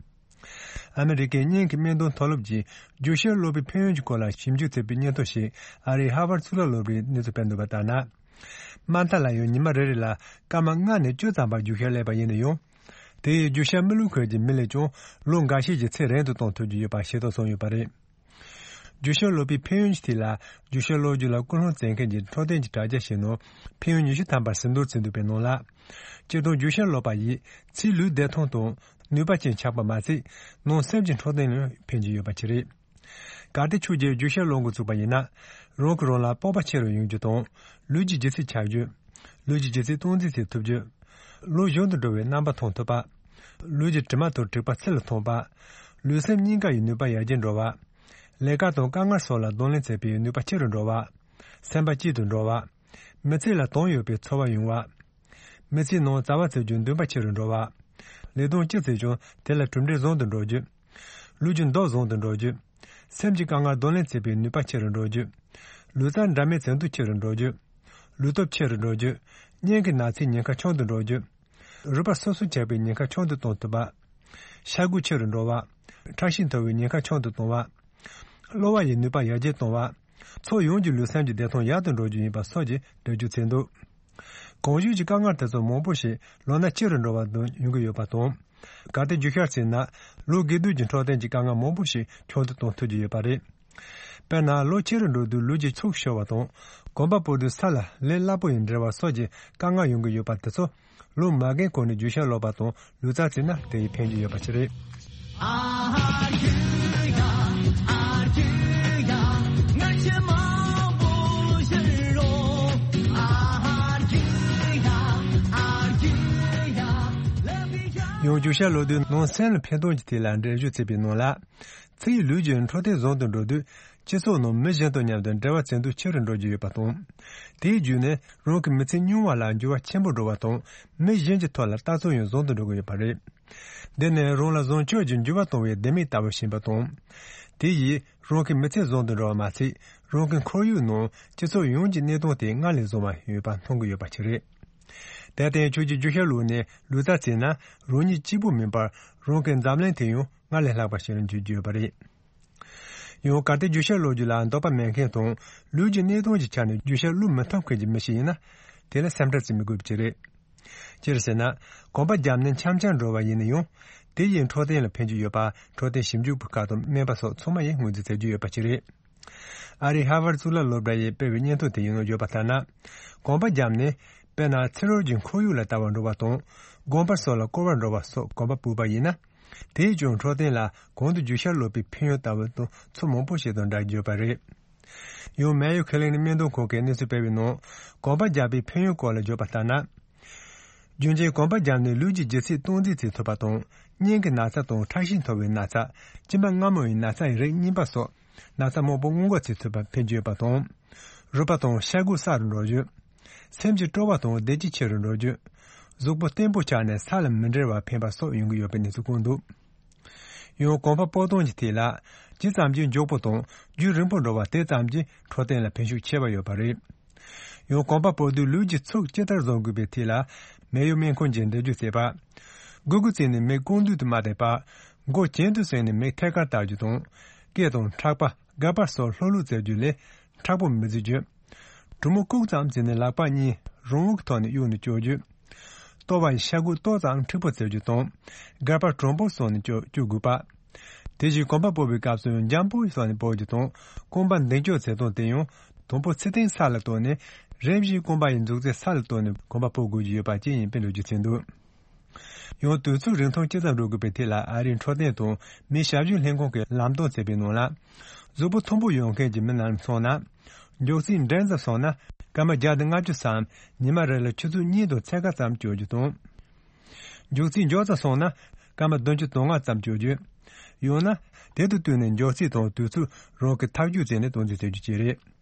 ཨ་མི་རི་ཀའི་སྙིང་གི་སྨན་དོན་མཐོ་སློབ་ཀྱིས་རྒྱུག་ཤར་གློད་པའི་ཕན་ཡོན་གྱི་སྐོར་ལ་ཞིབ་འཇུག་བྱས་པའི་སྙན་ཐོ་ཞིག་ཨ་རིའི་ཧར་ཝར་གཙུག་ལག་སློབ་གྲྭས་གནས་ཚུལ་སྤེལ་འདུག་པ་ལྟར་ན། དམའ་མཐའ་ལ་ཡང་ཉི་མ་རེ་རེ་ལ་སྐར་མ་ལྔ་ནས་བཅུ་ཙམ་བར་རྒྱུག་ཤར་གློད་པ་ཡིན་ན་ཡང་། དེ་ཡིས་རྒྱུག་ཤར་མི་གློད་མཁན་གྱི་མི་ལས་ཀྱང་ལོ་འགའ་ཤས་ཀྱི་ཚེ་རིང་དུ་གཏོང་ཐུབ་ཀྱི་ཡོད་པ་ཤེས་རྟོགས་བྱུང་ཡོད་པ་རེད། རྒྱུག་ཤར་གློད་པའི་ཕན་ཡོན་གྱི་ཐད་ལ་རྒྱུག་ཤར་གློད་རྒྱུ་ལ་ཀུན་སློང་བྱེད་མཁན་གྱི་འཕྲོད་བསྟེན་གྱི་དྲ་རྒྱ་ཞིག་ནང་ཕན་ཡོན་ཉི་ཤུ་ཐམ་པ་ཟིན་ཐོར་བྱས་འདུག་པའི་ནང་ལ། སྤྱིར་བཏང་རྒྱུག་ཤར་གློད་པ་ཡིས་ཕྱིའི་ལུས་བདེ་ཐང་དང་ནུས་པ་ཅན་ཆགས་པ་མ་ཟད། ནང་སེམས་ཀྱི་འཕྲོད་བསྟེན་ལ་ཕན་གྱི་ཡོད་པ་ཅིག་རེད། གལ་ཏེ་ཁྱོད་ཀྱིས་རྒྱུག་ཤར་གློད་འགོ་བཙུགས་པ་ཡིན་ན། རང་གིས་རང་ལ་སྤོབས་པ་ཆེ་རུ་ཡོང་རྒྱུ་དང་། ལུས་ཀྱི་ལྗིད་ཚད་ཆག་རྒྱུ། ལུས་ཀྱི་ལྗིད་ཚད་སྟངས་འཛིན་བྱེད་ཐུབ་རྒྱུ། ལོ་གཞོན་དུ་འགྲོ་བའི་རྣམ་པ་མཐོང་ཐུབ་པ། ལུས་ཀྱི་དྲི་མ་དང་དྲེག་པ་ཚུལ་ལ་མཐོང་བ། ལུས་སེམས་གཉིས་ཀ་ཡི་ནུས་པ་ཡར་རྒྱས་འགྲོ་བ། ལས་ཀ་དང་དཀའ་ངལ་སོགས་ལ་གདོང་ལེན་བྱེད་པའི་ནུས་པ་ཆེ་རུ་འགྲོ་བ། སེམས་པ་སྐྱིད་དུ་འགྲོ་བ། མི་ཚེ་ལ་དོན་ཡོད་པའི་ཚོར་བ་ཡོང་བ། མི་ཚེའི་ནང་བྱ་བ་བྱེད་རྒྱུ་འདུན་པ་ཆེ་རུ་འགྲོ་བ། ལས་དོན་ཅི་བྱེད་ཀྱང་དེ་ལ་གྲུབ་འབྲས་བཟང་དུ་འགྲོ་རྒྱུ། ལུས་ཀྱི་མདོག་བཟང་དུ་འགྲོ་རྒྱུ། སེམས་ཀྱི་དཀའ་ངལ་གདོང་ལེན་བྱེད་པའི་ནུས་པ་ཆེ་རུ་འགྲོ་རྒྱུ། ལུས་རྩལ་འདྲ་མིན་བྱེད་འདོད་ཆེ་རུ་འགྲོ་རྒྱུ། ལུས་སྟོབས་ཆེ་རུ་འགྲོ་རྒྱུ། སྙིང་གི་ན་ཚའི་ཉེན་ཁ་ཆུང་དུ་འགྲོ་རྒྱུ། རུས་པ་སོ་སོར་ཆགས་པའི་ཉེན་ཁ་ཆུང་དུ་གཏོང་ཐུབ་པ། ཤ་འགུལ་ཆེ་རུ་འགྲོ་བ། ཁྲག་ཤེད་མཐོ་བའི་ཉེན་ཁ་ཆུང་དུ་གཏོང་བ། གློ་བ་ཡི་ནུས་པ་ཡར་རྒྱས་གཏོང་བ། ཕྱོགས་ཡོངས་ཀྱི་ལུས་སེམས་ཀྱི་བདེ་ཐང་ཡག་ཏུ་འགྲོ་རྒྱུ་ཡིན་པ་སོགས་ཀྱི་འགྲེལ་བརྗོད་བྱས་འདུག་གོང་ཞུས་ཀྱི་དཀའ་ངལ་དེ་ཚོ་མང་པོ་ཞིག་ལོ་ན་ཆེ་རུ་འགྲོ་བ་དང་ཡོང་གི་ཡོད་པ་དང་། གལ་ཏེ་རྒྱུག་ཤར་བྱས་ན་ལོ་རྒས་དུས་ཀྱི་འཕྲོད་བསྟེན་གྱི་དཀའ་ངལ་མང་པོ་ཞིག་ཆུང་དུ་གཏོང་ཐུབ་ཀྱི་ཡོད་པ་རེད། དཔེར་ན་ལོ་ཆེ་རུ་འགྲོ་དུས་ལུས་ཀྱི་ཕྱུགས་ཤོར་བ་དང་། གོམ་པ་སྤོ་དུས་ས་ལ་ལས་སླ་པོ་ཡིས་འབྲེལ་བ་སོགས་ཀྱི་དཀའ་ངལ་ཡོང་གི་ཡོད་པ་དེ་ཚོ་ལོ་མ་རྒན་གོང་ནས་རྒྱུག་ཤར་གློད་པ་དང་ལུས་རྩལ་བྱས་ན་དེ་ཡིས་ཕན་གྱི་ཡོད་པ་ཞིག་རེད། ཡང་རྒྱུག་ཤར་གློད་དུས་ནང་སེམས་ལ་ཕན་ཐོགས་ཀྱི་ཐད་ལ་འགྲེལ་བརྗོད་བྱས་པའི་ནང་ལ། ཚེ་ཡི་ལུས་ཀྱི་འཕྲོད་བསྟེན་བཟང་དུ་འགྲོ་དུས་སྤྱི་ཚོགས་ནང་མི་གཞན་དང་མཉམ་དུ་འབྲེལ་བ་བྱེད་འདོད་ཆེ་རུ་འགྲོ་རྒྱུ་ཡོད་པ་དང་། དེའི་བརྒྱུད་ནས་རང་གི་མི་ཚེ་སྙིང་བ་ལ་འགྱུར་བ་ཆེན་པོ་འགྲོ་བ་དང་མི་གཞན་གྱི་ཐོག་ལ་ལྟ་ཚུལ་ཡང་བཟང་དུ་འགྲོ་གི་ཡོད་པ་རེད། འདི་ནི་རང་ལ་བཟང་སྤྱོད་ཀྱི་འགྱུར་བ་གཏོང་བའི་ལྡེ་མིག་ལྟ་བུ་ཞིག་ཡིན་པ་དང་། དེ་ཡིས་རང་གི་མི་ཚེ་བཟང་དུ་འགྲོ་བ་མ་ཟད་རང་གི་ཁོར་ཡུག་ནང་སྤྱི་ཚོགས་ཡོངས་ཀྱི་གནས་སྟངས་དེ་སྔར་ལས་བཟང་བ་ཡོད་པ་མཐོང་གི་ཡོད་པ་ཞིག་རེད། དེར་བརྟེན་ཁྱོད་ཀྱིས་རྒྱུག་ཤར་གློད་ནས་ལུས་རྩལ་བྱས་ན་རང་ཉིད་གཅིག་པུ་མིན་པར་རང་གི་འཛམ་གླིང་དེ་ཡང་སྔར་ལས་ལྷག་པ་ཞིག་ལ་འགྱུར་རྒྱུ་ཡོད་པ་རེད། ཡང་གལ་ཏེ་རྒྱུག་ཤར་གློད་རྒྱུ་ལ་འདོད་པ་མེད་མཁན་དང་ལུས་ཀྱི་གནས་སྟངས་ཀྱི་ཆ་ནས་རྒྱུག་ཤར་གློད་མི་ཐུབ་མཁན་གྱི་མི་ཞིག་ཡིན་ན། དེ་ལ་སེམས་ཁྲལ་བྱེད་མི་དགོས་པ་ཅིག་རེད། སྤྱིར་ཟེར་ན། གོམ་པ་བརྒྱབ་ནས་འཆམ་འཆམ་འགྲོ་བ་ཡིན་ན་ཡང་། དེ་ཡིས་འཕྲོད་བསྟེན་ལ་ཕན་གྱི་ཡོད་པ་འཕྲོད་བསྟེན་ཞིབ་འཇུག་པ་ཁག་དང་སྨན་པ་སོགས་ཚང་མ་ཡིས་ངོས་འཛིན་བྱེད་ཀྱི་ཡོད་པ་ཅིག་རེད། ཨ་རིའི་ཧར་ཝར་གཙུག་ལག་སློབ་གྲྭ་ཡིས་སྤེལ་བའི་སྙན་ཐོ་དེ་ཡིན་ནོ་བརྗོད་པ་ལྟར་ན། གོམ་པ་བརྒྱབ་ནས། དཔེར་ན་ཚེ་རོལ་གྱི་ཁོར་ཡུག་ལ་ལྟ་བར་འགྲོ་བ་དང་། དགོན་པ་སོགས་ལ་སྐོར་བར་འགྲོ་བ་སོགས་གོམ་པ་སྤོས་པ་ཡིན་ན། དེས་ཀྱང་འཕྲོད་བསྟེན་ལ་གོང་དུ་རྒྱུག་ཤར་གློད་པའི་ཕན་ཡོན་ལྟ་བུ་དང་ཚུལ་མང་པོ་ཞིག་དང་འདྲ་ཡོད་པ་རེད། ཡང་མེ་ཡོ་ཁི་ལིན་ནི་སྨན་དོན་ཁང་གིས་གནས་ཚུལ་སྤེལ་བའི་ནང་། གོམ་པ་རྒྱག་པའི་ཕན་ཡོན་སྐོར་ལ་བརྗོད་པ་ལྟར་ན། རྒྱུན་གྱི་གོམ་པ་བརྒྱབ་ནས་ལུས་ཀྱི་ལྗིད་ཚད་སྟངས་འཛིན་བྱེད་ཐུབ་པ་དང་། སྙིང་གི་ན་ཚ་དང་ཁྲག་ཤེད་མཐོ་བའི་ན་ཚ། མཆིན་པ་མངར་མོ་ཡི་ན་ཚ་ཡི་རིགས་གཉིས་པ་སོགས། ན་ཚ་མང་པོ་སྔོན་འགོག་བྱེད་ཐུབ་པ་ཕན་གྱི་ཡོད་པ་དང་། རུས་པ་དང་ཤ་དགུ་གསར་དུ་འགྲོ་རྒྱུ། སེམས་ཀྱི་སྤྲོ་བ་དང་བདེ་སྐྱིད་ཆེ་རུ་འགྲོ་རྒྱུ། གཟུགས་པོ་བརྟན་པོ་ཆགས་ནས་ས་ལ་མི་འབྲལ་བར་ཕན་པ་སོགས་ཡོང་གི་ཡོད་པའི་གནས་ཚུལ་བཀོད་འདུག། ཡང་གོམ་པ་སྤོ་སྟངས་ཀྱི་ཐད་ལ། ཇི་ཙམ་གྱིས་མགྱོགས་པོ་དང་རྒྱུན་རིང་པོ་འགྲོ་བ་དེ་ཙམ་གྱིས་འཕྲོད་བསྟེན་ལ་ཕན་ཤུགས་ཆེ་བ་ཡོད་པ་རེད། ཡང་གོམ་པ་སྤོ་དུས་ལུས་ཀྱི་ཚུགས་ཇི་ལྟར་བཟུང་དགོས་པའི་ཐད་ལ། མེ་ཡོད་མེད་ཁོང་ཇི་འདེད་རྒྱུ་བྱེད་པ། དགུ་དགུ་བརྩིས་ནས་མེ་རྐང་མདུན་དུ་མ་བསྡད་པ། མགོ་གྱེན་དུ་བཟུང་ནས་མེ་ཐད་ཀར་བཏགས་རྒྱུ་དང་། སྐེ་དང་ཕྲག་པ་སྒལ་པ་སོགས་ལྷོད་ལྷོད་བྱེད་རྒྱུ་ལས་མཁྲེགས་པོ་མི་བྱེད་རྒྱུ། གྲུ་མོ་བཀུག་ཙམ་བྱས་ནས་ལག་པ་གཉིས་རང་དབང་གི་ཐོག་ནས་གཡུག་ནས་སྐྱོར་རྒྱུ། ལྟོ་བ་ཡི་ཤ་དགུ་ཏོག་ཙམ་མཁྲེགས་པོ་བྱེད་རྒྱུ་དང་། སྒལ་པ་དྲང་པོ་བཟུང་ནས་སྐྱོར་སྐྱོར་དགོས་པ། དེ་བཞིན་གོམ་པ་སྤོ་བའི་སྐབས་སུ་འཇམ་པོ་བཟུང་ནས་སྤོ་རྒྱུ་དང་། རྐང་པ་མདུན་སྐྱོར་བྱེད་སྟངས་དེ་ཡང་དང་པོ་ཚུར་བསྟན་ས་ལ་གཏོར་ནས་རིམ་བཞིན་རྐང་པ་ཡི་མཛུབ་རྩེ་ས་ལ་གཏོར་ནས་གོམ་པ་སྤོ་དགོས་ཀྱི་ཡོད་པ་བཅས་ཡིན་པའི་ལོ་རྒྱུས་ཐོན་འདུག། ཡང་དུས་ཚོད་རིང་ཐུང་ཇི་ཙམ་འགྲོ་དགོས་པའི་ཐད་ལ་ཨ་རིའི་འཕྲོད་བསྟེན་དང་མིའི་ཞབས་ཞུའི་ལྷན་ཁང་གིས་ལམ་སྟོན་བྱས་པའི་ནང་ལ། གཟུགས་པོ་མཐུག་པོ་ཡོད་མཁན་གྱི་མི་རྣམས་སོང་ན། མགྱོགས་ཚད་འབྲིང་ཙམ་སོང་ན་སྐར་མ་བརྒྱ་དང་ལྔ་བཅུ་སམ་ཉི་མ་རེ་ལ་ཆུ་ཚོད་གཉིས་དང་ཕྱེད་ཀ་ཙམ་སྐྱོར་རྒྱུ་དང་། མགྱོགས་ཚད་མགྱོགས་ཙམ་སོང་ན་སྐར་མ་བདུན་ཅུ་དོན་ལྔ་ཙམ་སྐྱོར་རྒྱུ། ཡང་ན། དེ་དང་བསྟུན་ནས་མགྱོགས་ཚད་དང་དུས་ཚོད་རང་གིས་ཐག་གཅོད་བྱས་ནས་སྟངས་འཛིན་བྱེད་རྒྱུ་བཅས་རེད།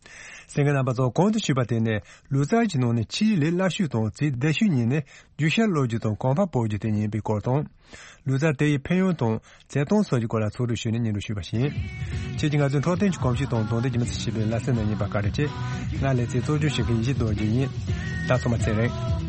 གསན་མཁན་རྣམ་པ་ཚོ་གོང་དུ་ཞུས་པ་དེ་ནི་ལུས་རྩལ་གྱི་ནང་ནས་ཆེས་ལས་སླ་ཤོས་དང་ཚད་ལྡན་ཤོས་གཉིས་ནི་རྒྱུ་ཤ་གློད་རྒྱུ་དང་གོམ་པ་སྤོ་རྒྱུ་དེ་ཡིན་པའི་སྐོར་དང་། ལུས་རྩལ་དེ་ཡི་ཕན་ཡོན་དང་བྱེད་སྟངས་སོགས་ཀྱི་སྐོར་ལ་ཚོགས་དྲུང་ཞུས་ནས་སྙན་སྒྲོན་ཞུས་པ་ཡིན། ཁྱེད་ཀྱིས་ང་ཚོའི་འཕྲོད་བསྟེན་གྱི་གོམས་གཤིས་དང་དོ་ལྡན་གྱི་མི་ཚེ་ཞེས་པའི་ལེ་ཚན་ནང་ཡིན་པ་བཀའ་དྲིན་ཆེ། ང་ལེ་ཚན་གཙོ་སྐྱོང་བྱེད་མཁན་ཡེ་ཤེས་རྡོ་རྗེ་ཡིན། ད་ཚང་མ་ཚེ་རིང་།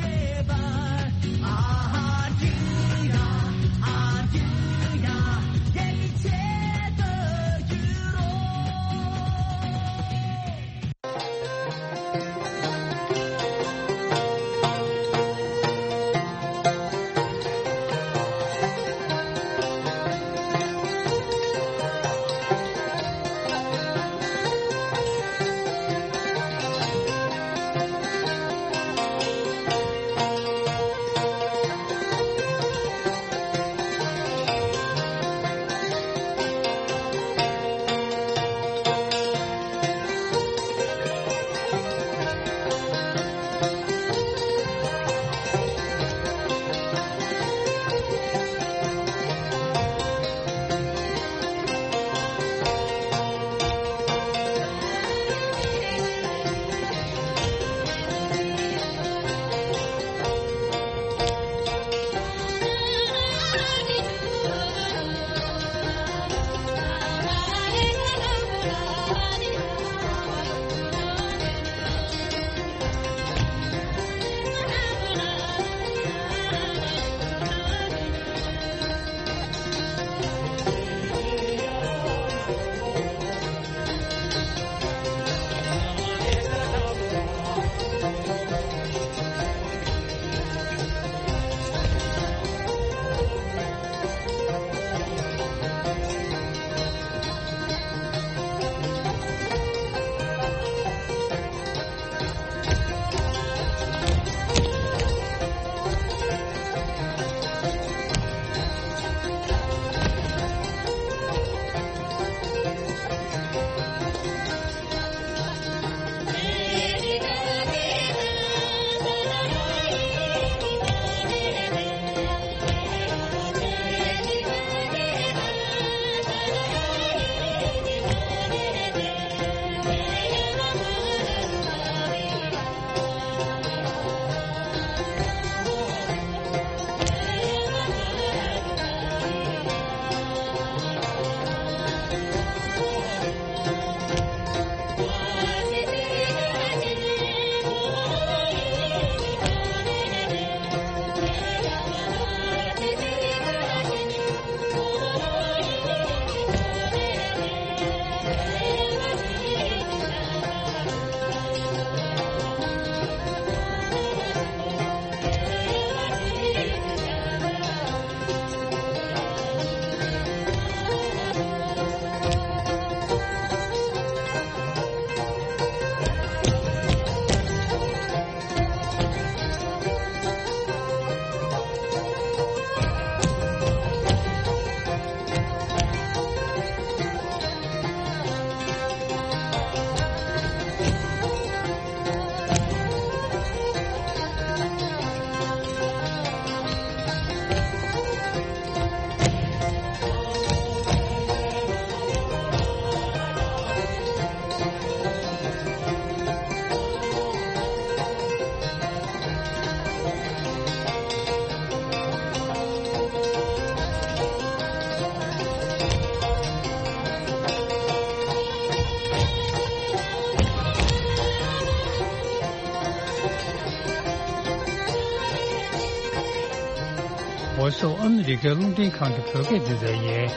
Voice of America རླུང་འཕྲིན་ཁང་གི་བོད་སྐད་སྡེ་ཚན་ཡིན།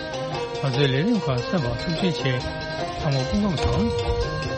ང་ཚོའི་ལས་རིམ་ཁག་གསན་པར་ཐུགས་རྗེ་ཆེ། ཚང་མ་སྐུ་ཁམས་བཟང་།